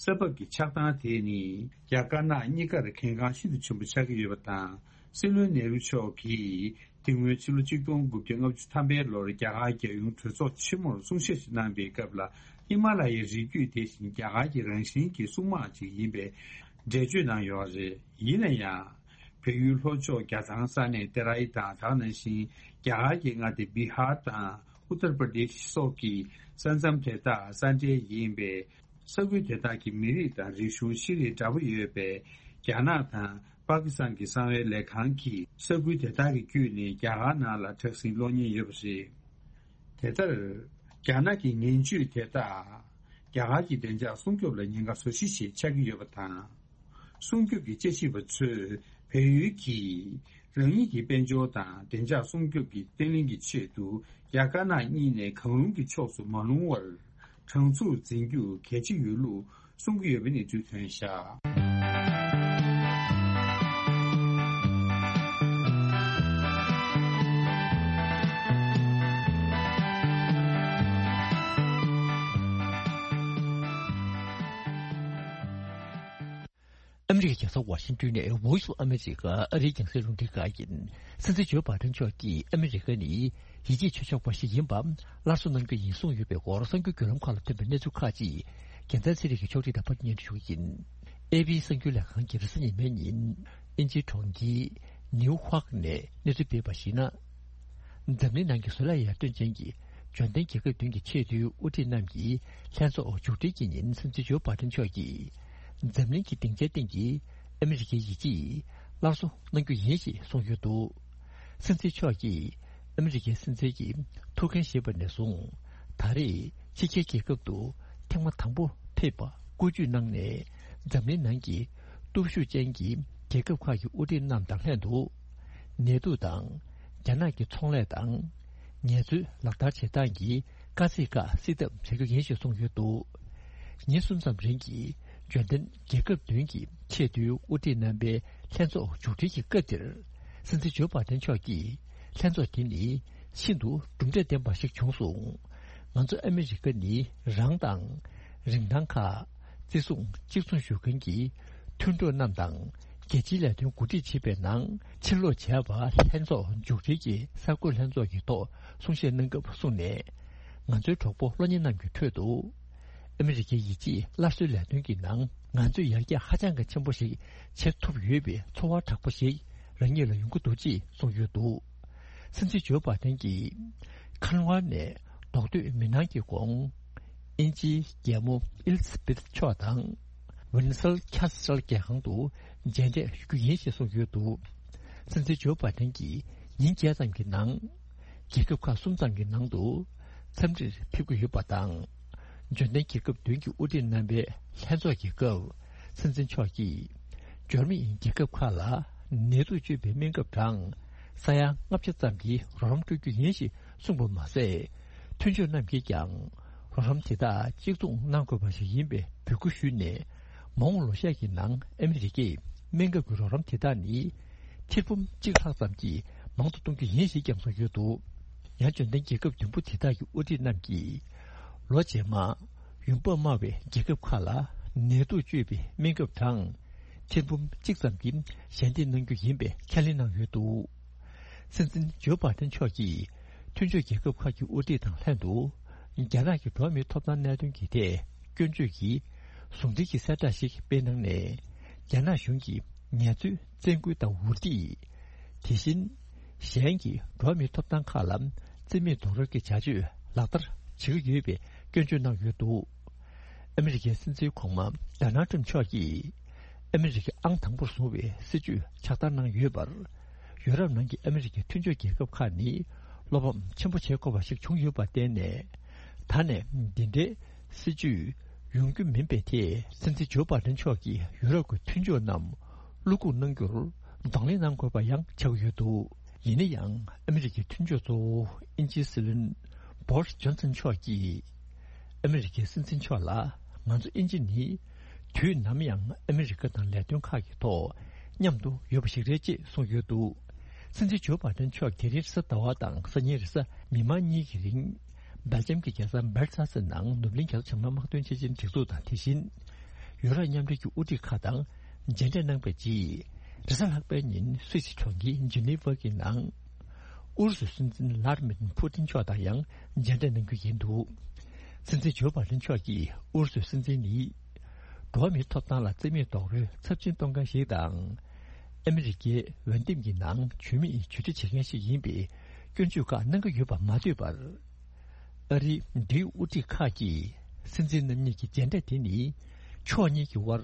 ས་བབ་ཀྱི་ཆགས་སྟངས་དེ་ནི་རྒྱ་དཀར་ནག་གཉིས་ཀར་གལ་འགངས་ཤིན་ཏུ་ཆེན་པོ་ཆགས་ཀྱི་ཡོད་པ་དང་། སྲིད་བློན་ནེ་རུ་མཆོག་གིས་དེ་སྔོན་ཕྱི་ལོ་ཆིག་སྟོང་དགུ་བརྒྱ་ལྔ་བཅུ་ཐམ་པའི་ལོར་རྒྱ་གར་རྒྱལ་ཡོངས་གྲོས་ཚོགས་ཆེན་མོར་གསུང་བཤད་ཞིག་གནང་པའི་སྐབས་ལ། ཧི་མ་ལ་ཡའི་རི་རྒྱུད་དེ་བཞིན་རྒྱ་གར་གྱི་རང་བཞིན་གྱི་སྲུང་དམག་ཅིག་ཡིན་པའི་འགྲེལ་བརྗོད་གནང་ཡོད་རེད། ཡིན་ན་ཡང་། བལ་ཡུལ་ལྷོ་ཕྱོགས་རྒྱ་ཐང་ས་གནས་ཏེ་རའི་དང་། དེ་ནང་བཞིན་རྒྱ་གར་གྱི་མངའ་སྡེ་བི་ཧར་དང་ཨུ་ཏར་པར་དེཤ་སོགས་ཀྱི་ས་མཚམས་དེ་དག་ས་འབྲེལ་ཡིན་པས། ས་ཁུལ་དེ་དག་གི་མི་རིགས་དང་རིག་གཞུང་ཤེས་རིག་འདྲ་པོ་ཡོད་པས། རྒྱ་ནག་དང་པ་ཀི་སི་ཐན་གྱི་གསང་བའི་ལས་ཁང་གིས་ས་ཁུལ་དེ་དག་གི་བརྒྱུད་ནས་རྒྱ་གར་ནང་ལ་དྲག་ཟིང་སློག་ཉེན་ཡོད་པ་རེད། དེ་ལྟར། རྒྱ་ནག་གི་ངན་ཇུས་དེ་དག་རྒྱ་གར་གྱི་བདེ་འཇགས་སྲུང་སྐྱོབ་ལ་ཉེན་ཁ་བཟོ་གཞི་ཞིག་ཆགས་ཀྱི་ཡོད་པ་དང་། སྲུང་སྐྱོབ་ཀྱི་དཔྱད་ཞིབ་པ་ཚོས་བལ་ཡུལ་གྱིས་རང་ཉིད་ཀྱི་དཔལ་འབྱོར་དང་བདེ་འཇགས་སྲུང་སྐྱོབ་ཀྱི་བརྟན་ལྷིང་གི་ཆེད་དུ། རྒྱ་དཀར་ནག་གཉིས་ནས་གང་རུང་གི་ཕྱོགས་སུ་མ་ལྷུང་བར་དྲང་ཚུགས་འཛིན་རྒྱུ་གལ་ཆེ་ཡོད་ལུགས་གསུང་གི་ཡོད་པའི་གནས་ཚུལ་ཐོན་བཞག་ཨ་མི་རི་ཀའི་རྒྱལ་ས་ཝ་ཤིང་ཏོན་ནས་Voice of America ཨ་རིའི་རྒྱང་སྲིང་རླུང་འཕྲིན་ཁང་ཡིན། སྲིད་འཛིན་ཇོ་བྷའི་ཌེན་མཆོག་གིས་ཨ་མི་རི་ཀ་ནི་ཡིད་ཆེས་ཆེ་ཤོས་པ་ཞིག་ཡིན་པ་སླར་གསོ་གནང་རྒྱུ་ཡིན་གསུངས་ཡོད་པའི་སྐོར་གསར་འགྱུར་བརྒྱུད་ལམ་ཁག་ལ་ཐོན་པའི་གནས་ཚུལ་ཁག་ཅིག་རྒྱལ་མཚན་ཚེ་རིང་གིས་ཕྱོགས་སྒྲིག་དང་པར་སྙན་སྒྲོན་ཞུ་གི་ཡིན། ཨེ་པི་གསར་འགྱུར་ལས་ཁང་གིས་རེས་གཟའ་ཉི་མའི་ཉིན་དབྱིན་ཇིའི་གྲོང་ཁྱེར་ནིའུ་ཧོག་ནས་གནས་ཚུལ་སྤེལ་བར་གཞིགས་ན། འཛམ་གླིང་ནང་གི་བཟོ་ལས་ཡར་ཐོན་ཅན་གྱི་འབྱོར་ལྡན་རྒྱལ་ཁབ་བདུན་གྱི་ཆེས་མཐོའི་དབུ་ཁྲིད་རྣམས་ཀྱི་ལྷན་ཚོགས་མཇུག་སྒྲིལ་གྱི་ཉིན་སྲིད་འཛིན་ཇོ་བྷའི་ཌེན་མཆོག་གིས། འཛམ་གླིང་གི་སྡིངས་ཆའི་སྟེང་གི་ཨ་མི་རི་ཀའི་ཡིད་ཆེས་སླར་གསོ་གནང་རྒྱུ་ཡིན་ཞེས་གསུངས་ཡོད་འདུག་སྲིད་འཛིན་མཆོག་གིས་ཨ་མི་རི་ཀའི་སྲིད་འཛིན་གྱི་ཐུགས་འགན་བཞེས་པ་ནས་བཟུང་། ད་རེས་ཕྱི་རྒྱལ་རྒྱལ་ཁབ་ཏུ་ཐེངས་མ་དང་པོ་ཕེབས་པ་བཀོད་ཇུས་གནང་ནས། འཛམ་གླིང་ནང་གི་སྟོབས་ཤུགས་ཅན་གྱི་རྒྱལ་ཁབ་ཁག་གི་དབུ་ཁྲིད་རྣམས་དང་ལྷན་དུ། ནེ་ཏུ་དང་རྒྱ་ནག་གི་ཚོང་ལས་དང་ངལ་རྩོལ་ལག་བསྟར་བྱེད་སྟངས་ཀྱི་དཀའ་ཚེགས་ཁག་སེལ་ཐབས་བྱ་རྒྱུ་ཡིན་ཞེས་གསུངས་ཡོད་འདུག་ཉིན་གསུམ་ཙམ་རིང་གི་འབྱོར་ལྡན་རྒྱལ་ཁབ་བདུན་གྱི་ཆེས་མཐོའི་དབུ་ཁྲིད་རྣམ་པའི་ལྷན་ཚོགས་མཇུག་སྒྲིལ་གྱི་སྐབས་དེར། སྲིད་འཛིན་ཇོ་བྷའི་ཌེན་མཆོག་གིས། ལྷན་ཚོགས་དེ་ནི་ཤིན་ཏུ་གྲུབ་འབྲས་ལྡན་པ་ཞིག་བྱུང་སོང་། ང་ཚོ་ཨ་མི་རི་ཀ་ནི་རང་དང་རིན་ཐང་ཁག་བརྩི་སྲུང་གཅིག་མཚུངས་ཞུ་མཁན་གྱི་མཐུན་གྲོགས་རྣམས་དང་རྒྱལ་སྤྱིའི་ལས་དོན་གོ་སྒྲིག་བྱེད་པའི་ནང་ཕྱིར་ལོག་བྱས་པ། ལྷན་ཚོགས་མཇུག་སྒྲིལ་གྱི་གསར་འགོད་ལྷན་ཚོགས་ཀྱི་ཐོག་གསུང་བཤད་གནང་སྐབས་གསུངས་ནས། ང་ཚོའི་གྲོགས་པོ་གློག་བརྙན་རྣམས་ཀྱི་ཁྲོད་དུ། ཨ་མི་རི་ཀའི་ཡིད་ཆེས་སླར་གསོའི་ལས་དོན་གྱི་ནང་ང་ཚོས་ཡར་རྒྱས་ཧ་ཅང་གི་ཆེན་པོ་ཞིག་བྱེད་ཐུབ་ཡོད་པའི་ཚོར་བ་དྲག་པོ་ཞིག་རང་ཉིད་ལ་ཡོང་གི་འདུག་ཅེས་གསུངས་ཡོད་འདུག་སྲིད་འཛིན་ཇོ་བྷའི་ཌེན་གྱིས་ཁན་ཝར་ནས་རྡོག་ཐོས་མི་སྣང་གི་གོང་། དབྱིན་ཇིའི་རྒྱལ་མོ་ཨེ་ལི་ཛ་བེད་མཆོག་དང་ ཝིན་སལ་ཁ་སལ་རྒྱལ་ཁང་དུ་མཇལ་འཕྲད་ཞུ་རྒྱུ་ཡིན་ཞེས་གསུངས་ཡོད་འདུག་སྲིད་འཛིན་ཇོ་བྷའི་ཌེན་གྱིས་ཉིན་བརྒྱད་ཙམ་གྱི་ནང་། རྒྱལ་ཁབ་ཁག་གསུམ་ཙམ་གྱི་ནང་དུ་འཚམས་འདྲིར་ཕེབས་ཀྱི་ཡོད་པ་དང་། འབྱོར་ལྡན་རྒྱལ་ཁབ་བདུན་གྱི་དབུ་ཁྲིད་རྣམ་པའི་ལྷན་ཚོགས་ཀྱི་སྐབས། སྲིད་འཛིན་མཆོག་གིས་འབྱོར་མེད་རྒྱལ་ཁབ་ཁག་ལ་ནད་དུག་བཅོས་པའི་སྨན་ཁབ་གྲངས་ས་ཡ་ལྔ་བརྒྱ་ཙམ་གྱི་རོགས་རམ་སྤྲོད་རྒྱུ་ཡིན་ཞེས་གསུངས་པ་མ་ཟད། མཐུན་ཕྱོགས་རྣམས་ཀྱིས་ཀྱང་རོགས་རམ་དེ་དག་གཅིག་མཚུངས་གནང་དགོས་པ་ཞིག་ཡིན་པའི་འབོད་སྐུལ་ཞུས་ནས། མ་འོངས་ལོ་ཤས་ཀྱི་ནང་ཨ་མི་རི་ཀས་སྨན་ཁབ་ཀྱི་རོགས་རམ་དེ་དག་ནི་ཐེར་འབུམ་གཅིག་ལྷག་ཙམ་གྱིས་མང་དུ་གཏོང་རྒྱུ་ཡིན་ཞེས་ཀྱང་གསུངས་ཡོད་འདུག་ཡང་འབྱོར་ལྡན་རྒྱལ་ཁབ་བདུན་པོ་དེ་དག་གི་དབུ་ཁྲིད་རྣམས་ཀྱིས་ལོ་རྗེས་མ་ཡོང་འབབ་དམའ་བའི་རྒྱལ་ཁབ་ཁག་ལ་ནད་དུག་བཅོས་པའི་སྨན་ཁབ་གྲངས་ཐེར་འབུམ་གཅིག་ཙམ་གྱིས་ཞལ་འདེབས་གནང་རྒྱུ་ཡིན་པའི་ཁས་ལེན་གནང་ཡོད་འདུག་སྲིད་འཛིན་ཇོ་བྷའི་ཌེན་མཆོག་གིས་མཐུན་ཕྱོགས་རྒྱལ་ཁབ་ཁག་གི་དབུ་ཁྲིད་དང་ལྷན་དུ། རྒྱ་ནག་གི་འགྲོ་བ་མིའི་ཐོབ་ཐང་གནད་དོན་གྱི་ཐད་སྐྱོན་བརྗོད་ཀྱི་ཟུང་འབྲེལ་གྱི་གསལ་བསྒྲགས་ཤིག་སྤེལ་གནང་ནས། རྒྱ་ནག་གཞུང་གིས་ངལ་རྩོལ་བཙན་སྐུལ་དང་འུར་སྒྲིག་དེ་བཞིན་གཞན་གྱི་འགྲོ་བ་མིའི་ཐོབ་ཐང་ཁག་ལ་བརྩི་མེད་རྡོག་རོལ་གྱི་བྱ་སྤྱོད་ལག་བསྟར་བྱེད་ཀྱི་ཡོད་པའི་སྐྱོན་བརྗོད་གནང་ཡོད་འདུག་ཨ་མི་རི་ཀའི་སྲིད་འཛིན་གོང་མ་ཌོ་ནལ་ཊམ་མཆོག་གིས་ཨ་མི་རི་ཀའི་ཨང་དང་པོར་བཟུང་བའི་སྲིད་ཇུས་ཕྱག་བསྟར་གནང་ཡོད་པར། ཡུ་རོབ་ནང་གི་ཨ་མི་རི་ཀའི་མཐུན་ཕྱོགས་རྒྱལ་ཁབ་ཁག་ནི་བློ་ཕམ་ཆེན་པོ་བྱེད་དགོས་པ་ཞིག་བྱུང་ཡོད་པར་བརྟེན་ནས། ད་ནས་འདི་འདྲའི་སྲིད་ཇུས་ཡོང་རྒྱུ་མིན་པའི་ཐད་སྲིད་འཛིན་ཇོ་བྷའི་ཌེན་མཆོག་གིས་ཡུ་རོབ་ཀྱི་མཐུན་ཕྱོགས་རྣམས་བློ་འགུག་གནང་རྒྱུར་གདོང་ལེན་གནང་དགོས་པ་ཡང་ཆགས་ཀྱི་ཡོད་འདུག་ཡིན་ན་ཡང་ཨ་མི་རི་ཀའི་མཐུན་ཕྱོགས་གཙོ་བོ་དབྱིན་ཇིའི་སྲིད་བློན་བྷོ་རིས་ཇོན་སན་མཆོག་གིས། ཨ་མི་རི་ཀའི་སྲིད་འཛིན་མཆོག་ལ་ང་ཚོ་དབྱིན་ཇི་ནི་དུས་ནམ་ཡང་ཨ་མི་རི་ཀ་དང་ལས་དོན་ཁག་གི་ཐོག་མཉམ་དུ་ཡོད་པ་ཞིག་རེད་ཅེས་གསུངས་ཡོད་འདུག་སྲིད་འཛིན་ཇོ་བྷའི་ཌེན་མཆོག་དེ་རིང་རེས་གཟའ་ཟླ་བ་དང་སང་ཉིན་རེས་གཟའ་མིག་དམར་གཉིས་ཀྱི་རིང་སྦེལ་ཇམ་གྱི་རྒྱལ་ས་སྦར་སེལ་སི་ནང་ནུབ་གླིང་རྒྱ་མཚོ་བྱང་མའི་དམག་དོན་ཆེད་ཆེན་སྒྲིག་འཛུགས་དང་། དེ་བཞིན་ཡུ་རོབ་མཉམ་འབྲེལ་གྱི་དབུ་ཁྲིད་ཁག་དང་མཇལ་འཕྲད་གནང་པའི་རྗེས། རེས་གཟའ་ལྷག་པའི་ཉིན་སུད་སི་གྲོང་ཁྱེར་ཇི་ནི་ཝ་གི་ནང་ཨུ་རུ་སུའི་སྲིད་འཛིན་ལར་མིན་ཕུ་ཏིན་མཆོག་དང་ཡང་མཇལ་འཕྲད་གནང་རྒྱུ་ཡིན་འདུག་སྲིད་འཛིན་ཇོ་བྷའི་ཌེན་མཆོག་གིས་ཨུ་རུ་སུའི་སྲིད་འཛིན་ནི། འགྲོ་བ་མིའི་ཐོབ་ཐང་ལ་བརྩི་མེད་རྡོག་རོལ་ཚབས་ཆེན་གཏོང་མཁན་ཞིག་དང་། ཨ་མི་རི་ཀའི་འོས་འདེམས་ཀྱི་ནང་ཇུས་མེད་ཇུས་འབྲས་བྱེད་མཁན་ཞིག་ཡིན་པའི་སྐྱོན་བརྗོད་ཁག་གནང་གི་ཡོད་པ་མ་ཐོས་པར། ཨ་རིའི་འབྲེལ་ཡོད་དབུ་ཁྲིད་ཁག་གིས་སྲིད་འཛིན་རྣམ་གཉིས་ཀྱི་མཇལ་འཕྲད་དེ་ནི་ཕྱོགས་གཉིས་ཀྱི་དབར་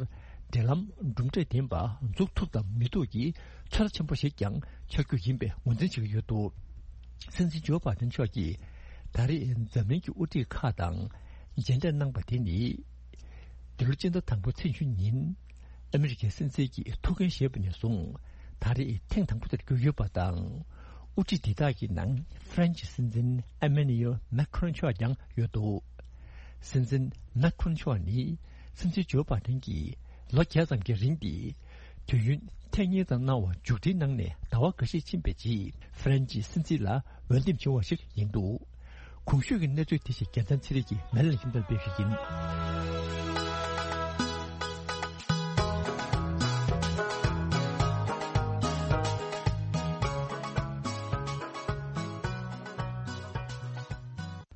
འབྲེལ་ལམ་གྲུབ་འབྲས་ལྡན་པ་འཛུགས་ཐུབ་དམ་མི་ཐུབ་ཀྱི་ཚོད་ལྟ་ཆེན་པོ་ཞིག་ཀྱང་ཆགས་རྒྱུ་ཡིན་པའི་ངོས་འཛིན་བྱེད་ཀྱི་ཡོད་འདུག་སྲིད་འཛིན་ཇོ་བྷའི་ཌེན་མཆོག་གིས་ད་རེས་འཛམ་གླིང་གི་དབུ་ཁྲིད་ཁག་དང་མཇལ་འཕྲད་གནང་པ་དེ་ནི། འདི་ལོ་སྤྱི་ཟླ་དང་པོ་ཚེས་བཅུ་ཉིན་ཨ་མི་རི་ཀའི་སྲིད་འཛིན་གྱི་ཐུགས་འགན་བཞེས་པ་ནས་བཟུང་ད་རེས་ཐེངས་དང་པོ་དེར་གྱུར་ཡོད་པ་དང་། དབུ་ཁྲིད་དེ་དག་གི་ནང་ཧྥ་རན་སིའི་སྲིད་འཛིན་ཨེ་མེ་ནུ་ཨེལ་མེ་ཁ་རོན་མཆོག་ཀྱང་ཡོད་འདུག་སྲིད་འཛིན་མེ་ཁ་རོན་མཆོག་ནི་སྲིད་འཛིན་ཇོ་བྷའི་ཌེན་གྱིས་ལོ་བརྒྱད་ཙམ་གྱི་རིང་དེ་དུས་ཡུན་ཐེངས་གཉིས་ཙམ་གནང་བ་མཇུག་སྒྲིལ་གནང་ནས་ཟླ་བ་འགའ་ཤས་ཕྱིན་པའི་རྗེས་ཧྥ་རན་སིའི་སྲིད་འཛིན་ལ་འོས་འདེམས་བྱུང་བ་ཞིག་ཡིན་འདུག་གོང་ཞུས་ཀྱི་གནས་ཚུལ་དེ་ཞིག་རྒྱལ་མཚན་ཚེ་རིང་གིས་མེ་ལ་ལྷིང་འདོན་སྤེལ་ཞིག་ཡིན།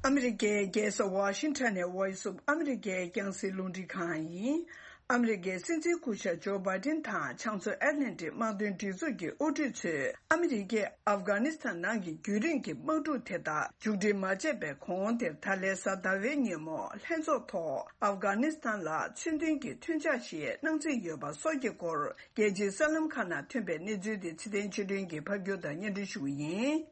ཨ་མི་རི་ཀའི་རྒྱལ་ས་ཝ་ཤིང་ཊོན་ནས་Voice of America་རྒྱང་སྲིང་རླུང་འཕྲིན་ཁང་ཡིན། ཨ་མི་རི་ཀའི་སྲིད་འཛིན་སྐུ་ཞབས་ཇོ་བྷའི་ཏིན་དང་ཕྱག་མཛོད་ཨེ་ཏི་ལན་ཏིག་དམག་དོན་སྒྲིག་འཛུགས་ཀྱི་དབུ་ཁྲིད་ཚོས་ཨ་མི་རི་ཀས་ཨབ་གྷ་ནི་སི་ཐན་ནང་གི་རྒྱུན་རིང་གི་དམག་འཁྲུག་དེ་དག་མཇུག་སྒྲིལ་མ་བྱས་པའི་གོང་དེར་ད་ལན་གཟའ་ཟླ་བའི་ཉིན་མོ་ལྷན་ཚོགས་ཐོག་ཨབ་གྷ་ནི་སི་ཐན་ལ་མཚོན་དོན་གྱི་མཐུན་ཕྱག་ཞིག་གནང་རྩིས་ཡོད་པ་སོགས་ཀྱི་སྐོར་རྒྱལ་སྤྱིའི་གསར་ལམ་ཁག་ནང་ཐོན་པའི་གནས་ཚུལ་དེ་ཚེ་བརྟན་ཆོས་སྒྲོན་གྱིས་ཕབ་སྒྱུར་དང་སྙན་སྒྲོན་ཞུ་གི་ཡིན།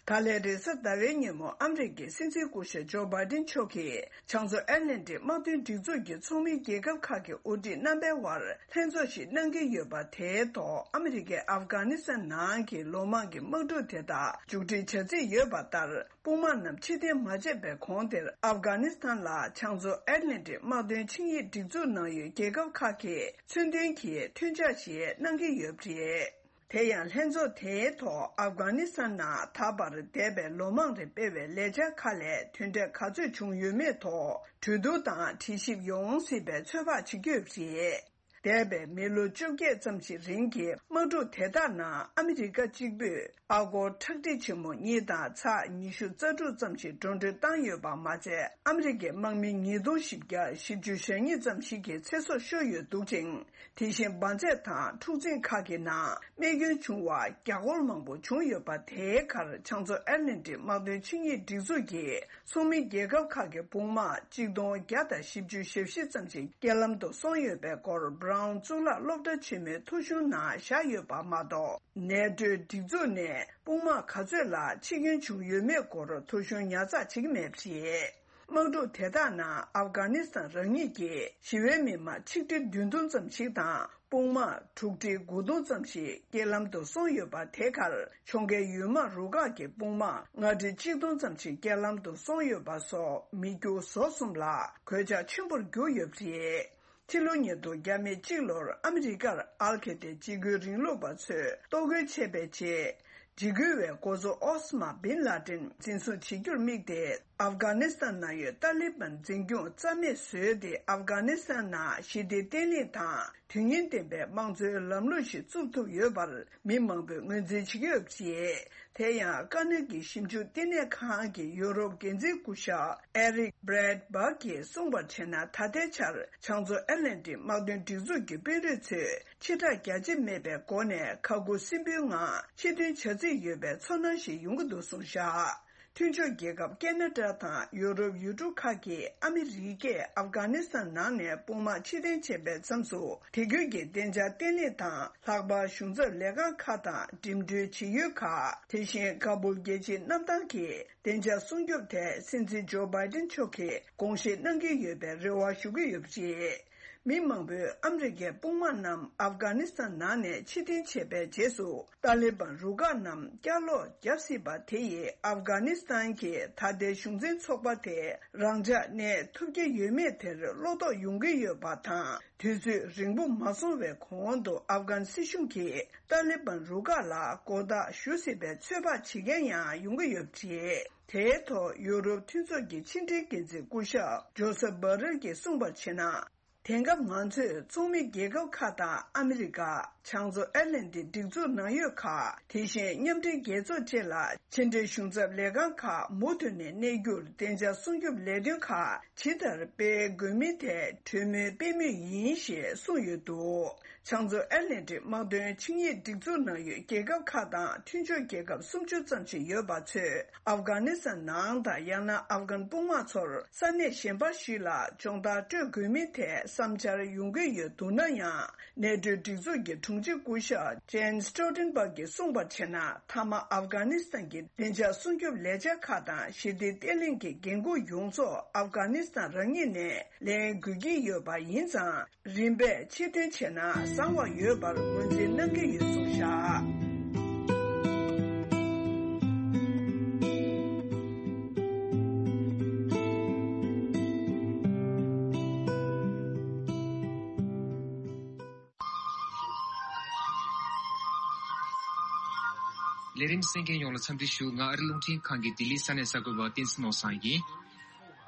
ད་ལན་རེས་གཟའ་ཟླ་བའི་ཉིན་མོ་ཨ་མི་རི་ཀའི་སྲིད་འཛིན་སྐུ་ཞབས་ཇོ་བྷའི་ཏིན་མཆོག་གིས་ཕྱག་མཛོད་ཨེ་ཏི་ལན་ཏིག་དམག་དོན་སྒྲིག་འཛུགས་ཀྱི་ཚོགས་མི་རྒྱལ་ཁབ་ཁག་གི་དབུ་ཁྲིད་རྣམ་པའི་དབར་ལྷན་ཚོགས་ཤིག་གནང་གི་ཡོད་པ། དེའི་ཐོག་ཨ་མི་རི་ཀས་ཨབ་གྷ་ནི་སི་ཐན་ནང་གི་ལོ་མང་གི་དམག་འཁྲུག་དེ་དག་མཇུག་སྒྲིལ་བྱ་རྩིས་ཡོད་པ་ལྟར། དཔུང་དམག་རྣམས་ཕྱིར་འཐེན་མ་བྱས་པའི་གོང་དེར་ཨབ་གྷ་ནི་སི་ཐན་ལ་ཕྱག་མཛོད་ཨེ་ཏི་ལན་ཏིག་དམག་དོན་ཆིངས་ཡིག་སྒྲིག་འཛུགས་ནང་ཡོད་རྒྱལ་ཁབ་ཁག་གིས་མཚོན་དོན་གྱི་མཐུན་ཕྱག་ཞིག་གནང་གི་ཡོད་པ་རེད། དེ་ཡང་ལྷན་ཚོགས་དེའི་ཐོག་ཨབ་གྷ་ནི་སི་ཐན་ནང་ད་བར་འདས་པའི་ལོ་མང་རིང་སྤེལ་བའི་ལས་འཆར་ཁག་ལས་དོན་འབྲས་ག་ཚོད་བྱུང་ཡོད་མེད་ཐོག་གྲོས་བསྡུར་དང་དྲི་ཞིབ་ཡོང་སྲིད་པའི་ཚོད་དཔག་བྱེད་ཀྱི་ཡོད་པ་རེད། འདས་པའི་མི་ལོ་བཅོ་བརྒྱད་ཙམ་ཞིག་རིང་གི་དམག་འཁྲུག་དེ་དག་ནང་ཨ་མི་རི་ཀ་གཅིག་པུས་ཨ་སྒོར་ཁྲག་ཁྲིག་ཆེན་མོ་གཉིས་དང་ཚེག་ཉི་ཤུ་རྩ་དྲུག་ཙམ་ཞིག་འགྲོ་གྲོན་བཏང་ཡོད་པ་མ་ཚད། ཨ་མི་རི་ཀའི་དམག་མི་ཉིས་སྟོང་བཞི་བརྒྱ་བཞི་བཅུ་ཞེ་གཉིས་ཙམ་ཞིག་གི་ཚེ་སྲོག་ཤོར་ཡོད་འདུག་ཅིང་། དེ་བཞིན་འབར་རྫས་དང་འཁྲུག་འཛིང་ཁག་གི་ནང་རྨས་སྐྱོན་བྱུང་བ་རྒྱ་སྒོར་མང་པོ་བྱུང་ཡོད་པ། དེའི་ཁར་བྱང་མཚོ་ཨེཊ་ལན་ཊིག་དམག་དོན་ཆིངས་ཡིག་སྒྲིག་འཛུགས་ཀྱི་ཚོགས་མི་རྒྱལ་ཁབ་ཁག་གི་དཔུང་དམག་གཅིག་སྟོང་བརྒྱ་དང་བཞི་བཅུ་ཞེ་བཞི་ཙམ་ཞིག་རྐྱེན་ལམ་དུ་སོང་ཡོད་པའི་སྐོར་Brown་གཙུག་ལག་སློབ་གྲྭ་ཆེན་མོའི་ཐོ་གཞུང་ནང་བཞག་ཡོད་པ་མ་གཏོགས། ནེ་ཊོའི་སྒྲིག་འཛུགས་ནས་དཔུང་དམག་ག་ཚོད་ལ་འཆི་སྐྱོན་བྱུང་ཡོད་མེད་སྐོར་ཐོ་གཞུང་ཉར་ཚགས་བྱེད་ཀྱི་མེད་པ་རེད། དམག་འཁྲུག་དེ་དག་ནང་ཨབ་གྷ་ནི་སི་ཐན་རང་ཉིད་ཀྱི་ཞི་བའི་མི་མང་ཆིག་ཁྲི་བདུན་སྟོང་ཙམ་ཞིག་དང་། དཔུང་དམག་དྲུག་ཁྲི་དགུ་སྟོང་ཙམ་ཞིག་རྐྱེན་ལམ་དུ་སོང་ཡོད་པ། དེ་གར་ཁྱོང་རྒན་ཡུལ་དམག་རུ་ཁག་གི་དཔུང་དམག་ལྔ་ཁྲི་གཅིག་སྟོང་ཙམ་ཞིག་རྐྱེན་ལམ་དུ་སོང་ཡོད་པ་སོགས་མི་རྒྱུ་ཟོག་གསུམ་ལ་གོད་ཆག་ཆེན་པོར་གྱུར་ཡོད་པ་རེད། ཕྱི་ལོ་ཉིས་སྟོང་བརྒྱ་མེད་གཅིག་ལོར་ཨ་མི་རི་ཀར་ཨལ་ཁེ་ཏའི་འཇིགས་སྐུལ་རིང་ལུགས་པ་ཚོས་གཏོར་རྒོལ་བྱས་པའི་རྗེས། འཇིགས་སྐུལ་བས་འགོ་གཙོ་ཨོ་སི་མ་བིན་ལ་ཏིན་འཛིན་བཟུང་བྱེད་རྒྱུར་དམིགས་ཏེ། ཨབ་གྷ་ནི་སི་ཐན་ནང་ཡོད་ཏཱ་ལི་བན་འཛིན་སྐྱོང་རྩ་མེད་བཟོས་ཏེ། ཨབ་གྷ་ནི་སི་ཐན་ནང་ཞི་བདེ་བརྟན་ལྷིང་དང་དོན་སྙིང་ལྡན་པའི་དམངས་གཙོའི་ལམ་ལུགས་ཤིག་བཙུགས་ཐུབ་ཡོད་པར་མི་མང་པོས་ངོས་འཛིན་བྱེད་ཀྱི་ཡོད་པ་རེད། དེ་ཡང་དཀའ་གནད་ཀྱི་ཞིབ་འཇུག་བསྟི་གནས་ཁང་གི་ཡུ་རོབ་འགན་འཛིན་སྐུ་ཞབས་ཨེ་རིག་བྷྲེད་སྦག་གིས་གསུངས་པར་བྱས་ན། ད་ལྟའི་ཆར་བྱང་མཚོ་ཨེཊ་ལན་ཊིག་དམག་དོན་སྒྲིག་འཛུགས་ཀྱི་དཔོན་རིགས་ཚོས་ཕྱིར་བསྒྲགས་རྒྱ་ཆེ་མེད་པའི་སྒོ་ནས་ཁ་ཁུ་སིམ་པོའི་ངང་ཕྱིར་འཐེན་བྱ་རྩིས་ཡོད་པའི་ཚོར་སྣང་ཞིག་ཡོང་གི་འདུག་གསུངས་བཞག་མཐུན་ཕྱོགས་རྒྱལ་ཁབ་ཁེ་ན་ཌ་དང་ཡུ་རོབ་ཡུལ་གྲུ་ཁག་གིས་ཨ་མི་རི་ཀས་ཨབ་གྷ་ནི་སི་ཐན་ནང་ནས་དཔུང་དམག་ཕྱིར་འཐེན་བྱས་པའི་མཚམས་སུ། དེ་ཁུལ་གྱི་བདེ་འཇགས་བརྟན་ལྷིང་དང་། ལྷག་པར་གཞུང་ཚབ་ལས་ཁང་ཁག་དང་འགྲིམ་འགྲུལ་བྱེད་ཡུལ་ཁག་དེ་བཞིན་ཀ་བུལ་རྒྱལ་སྤྱིའི་གནམ་ཐང་གི་བདེ་འཇགས་སྲུང་སྐྱོབ་ཐད་སྲིད་འཛིན་ཇོ་བྷའི་ཏིན་མཆོག་གིས་དགོངས་བཞེས་གནང་གི་ཡོད་པའི་རེ་བ་ཞུ་གི་ཡོད་པ་རེད། མི་མང་པོས་ཨ་མི་རི་ཀའི་དཔུང་དམག་རྣམས་ཨབ་གྷ་ནི་སི་ཐན་ནང་ནས་ཕྱིར་འཐེན་བྱས་པའི་རྗེས་སུ། ཏཱ་ལི་བན་རུ་ཁག་རྣམས་བསྐྱར་ལོག་བརྒྱབ་སྲིད་པ་དེ་ཡིས་ཨབ་གྷ་ནི་སི་ཐན་གྱི་ད་ལྟའི་གཞུང་འཛིན་ཚོགས་པ་དེ་རང་འཇགས་གནས་ཐུབ་ཀྱི་ཡོད་མེད་དེར་བློ་དོགས་ཡོང་གི་ཡོད་པ་དང་། དུས་ཚོད་རིང་པོ་མ་སོང་བའི་གོང་དུ་ཨབ་གྷན་སྲིད་གཞུང་གིས་ཏཱ་ལི་བན་རུ་ཁག་ལ་མགོ་བཏགས་ཞུ་སྲིད་པའི་ཚོད་དཔག་བྱེད་མཁན་ཡང་ཡོང་གི་ཡོད་པ་རེད། དེའི་ཐོག་ཡུ་རོབ་མཐུན་ཚོགས་ཀྱི་ཕྱི་འབྲེལ་འགན་འཛིན་སྐུ་ཞབས་ཇོ་སེབ་བྷ་རེལ་གྱིས་གསུངས་པར་བྱས་ན། དེང་སྐབས་ང་ཚོས་ཚོགས་མི་རྒྱལ་ཁབ་ཁག་དང་ཨ་མི་རི་ཀ། བྱང་མཚོ་ཨེཊ་ལན་ཏིག་སྒྲིག་འཛུགས་ནང་ཡོད་ཁག་དེ་བཞིན་མཉམ་འབྲེལ་རྒྱལ་ཚོགས་བཅས་ལ་ཕྱི་འབྲེལ་གཞུང་ཚབ་ལས་ཁང་ཁག་མུ་མཐུད་ནས་གནས་རྒྱུར་བདེ་འཇགས་སྲུང་སྐྱོབ་ལས་དོན་ཁག་ཇི་ལྟར་སྤེལ་དགོས་མིན་ཐད་གྲོས་མོལ་སྤེལ་མུས་ཡིན་ཞེས་གསུངས་ཡོད་འདུག་བྱང་མཚོ་ཨེཊ་ལན་ཏིག་དམག་དོན་ཆིངས་ཡིག་སྒྲིག་འཛུགས་ནང་ཡོད་རྒྱལ་ཁབ་ཁག་དང་མཐུན་ཕྱོགས་རྒྱལ་ཁབ་སུམ་ཅུ་ཙམ་ཞིག་ཡོད་པ་ཚོས། ཨབ་གྷ་ནི་སི་ཐན་ནང་དང་ཡང་ན་ཨབ་གྷན་དཔུང་དམག་ཚོར་ས་གནས་གཞན་པ་ཞིག་ལ་སྦྱོང་བརྡར་སྤྲོད་དགོས་མིན་ཐད་བསམ་འཆར་ཡོང་གི་ཡོད་འདུག་ན་ཡང་། ནེ་ཊོའི་སྒྲིག་འཛུགས་ཀྱི་དྲུང་ཆེ་སྐུ་ཞབས་ཇེན་སི་ཊོལ་ཊེན་བྷག་གིས་གསུངས་པར་བྱས་ན། མཐའ་མ་ཨབ་གྷ་ནི་སི་ཐན་གྱི་བདེ་འཇགས་སྲུང་སྐྱོབ་ལས་འཆར་ཁག་དང་ཞི་བདེ་བརྟན་ལྷིང་གི་འགན་འཁུར་ཡོངས་རྫོགས་ཨབ་གྷ་ནི་སི་ཐན་རང་ཉིད་ནས་ལེན་དགོས་ཀྱི་ཡོད་པ་ཡིན་ཙང་། རིམ་པས་ཕྱིར་འཐེན་བྱས་ན་བཟང་བ་ཡོད་པར་ངོས་འཛིན་གནང་གི་ཡོད་གསུངས་བཞག་ལས་རིམ་གསན་མཁན་ཡོངས་ལ་འཚམས་འདྲི་ཞུ། ང་ཨ་རི་རླུང་འཕྲིན་ཁང་གི་ལྡི་ལི་ས་གནས་གསར་འགོད་པ་བསྟན་འཛིན་ནོར་བཟང་ཡིན།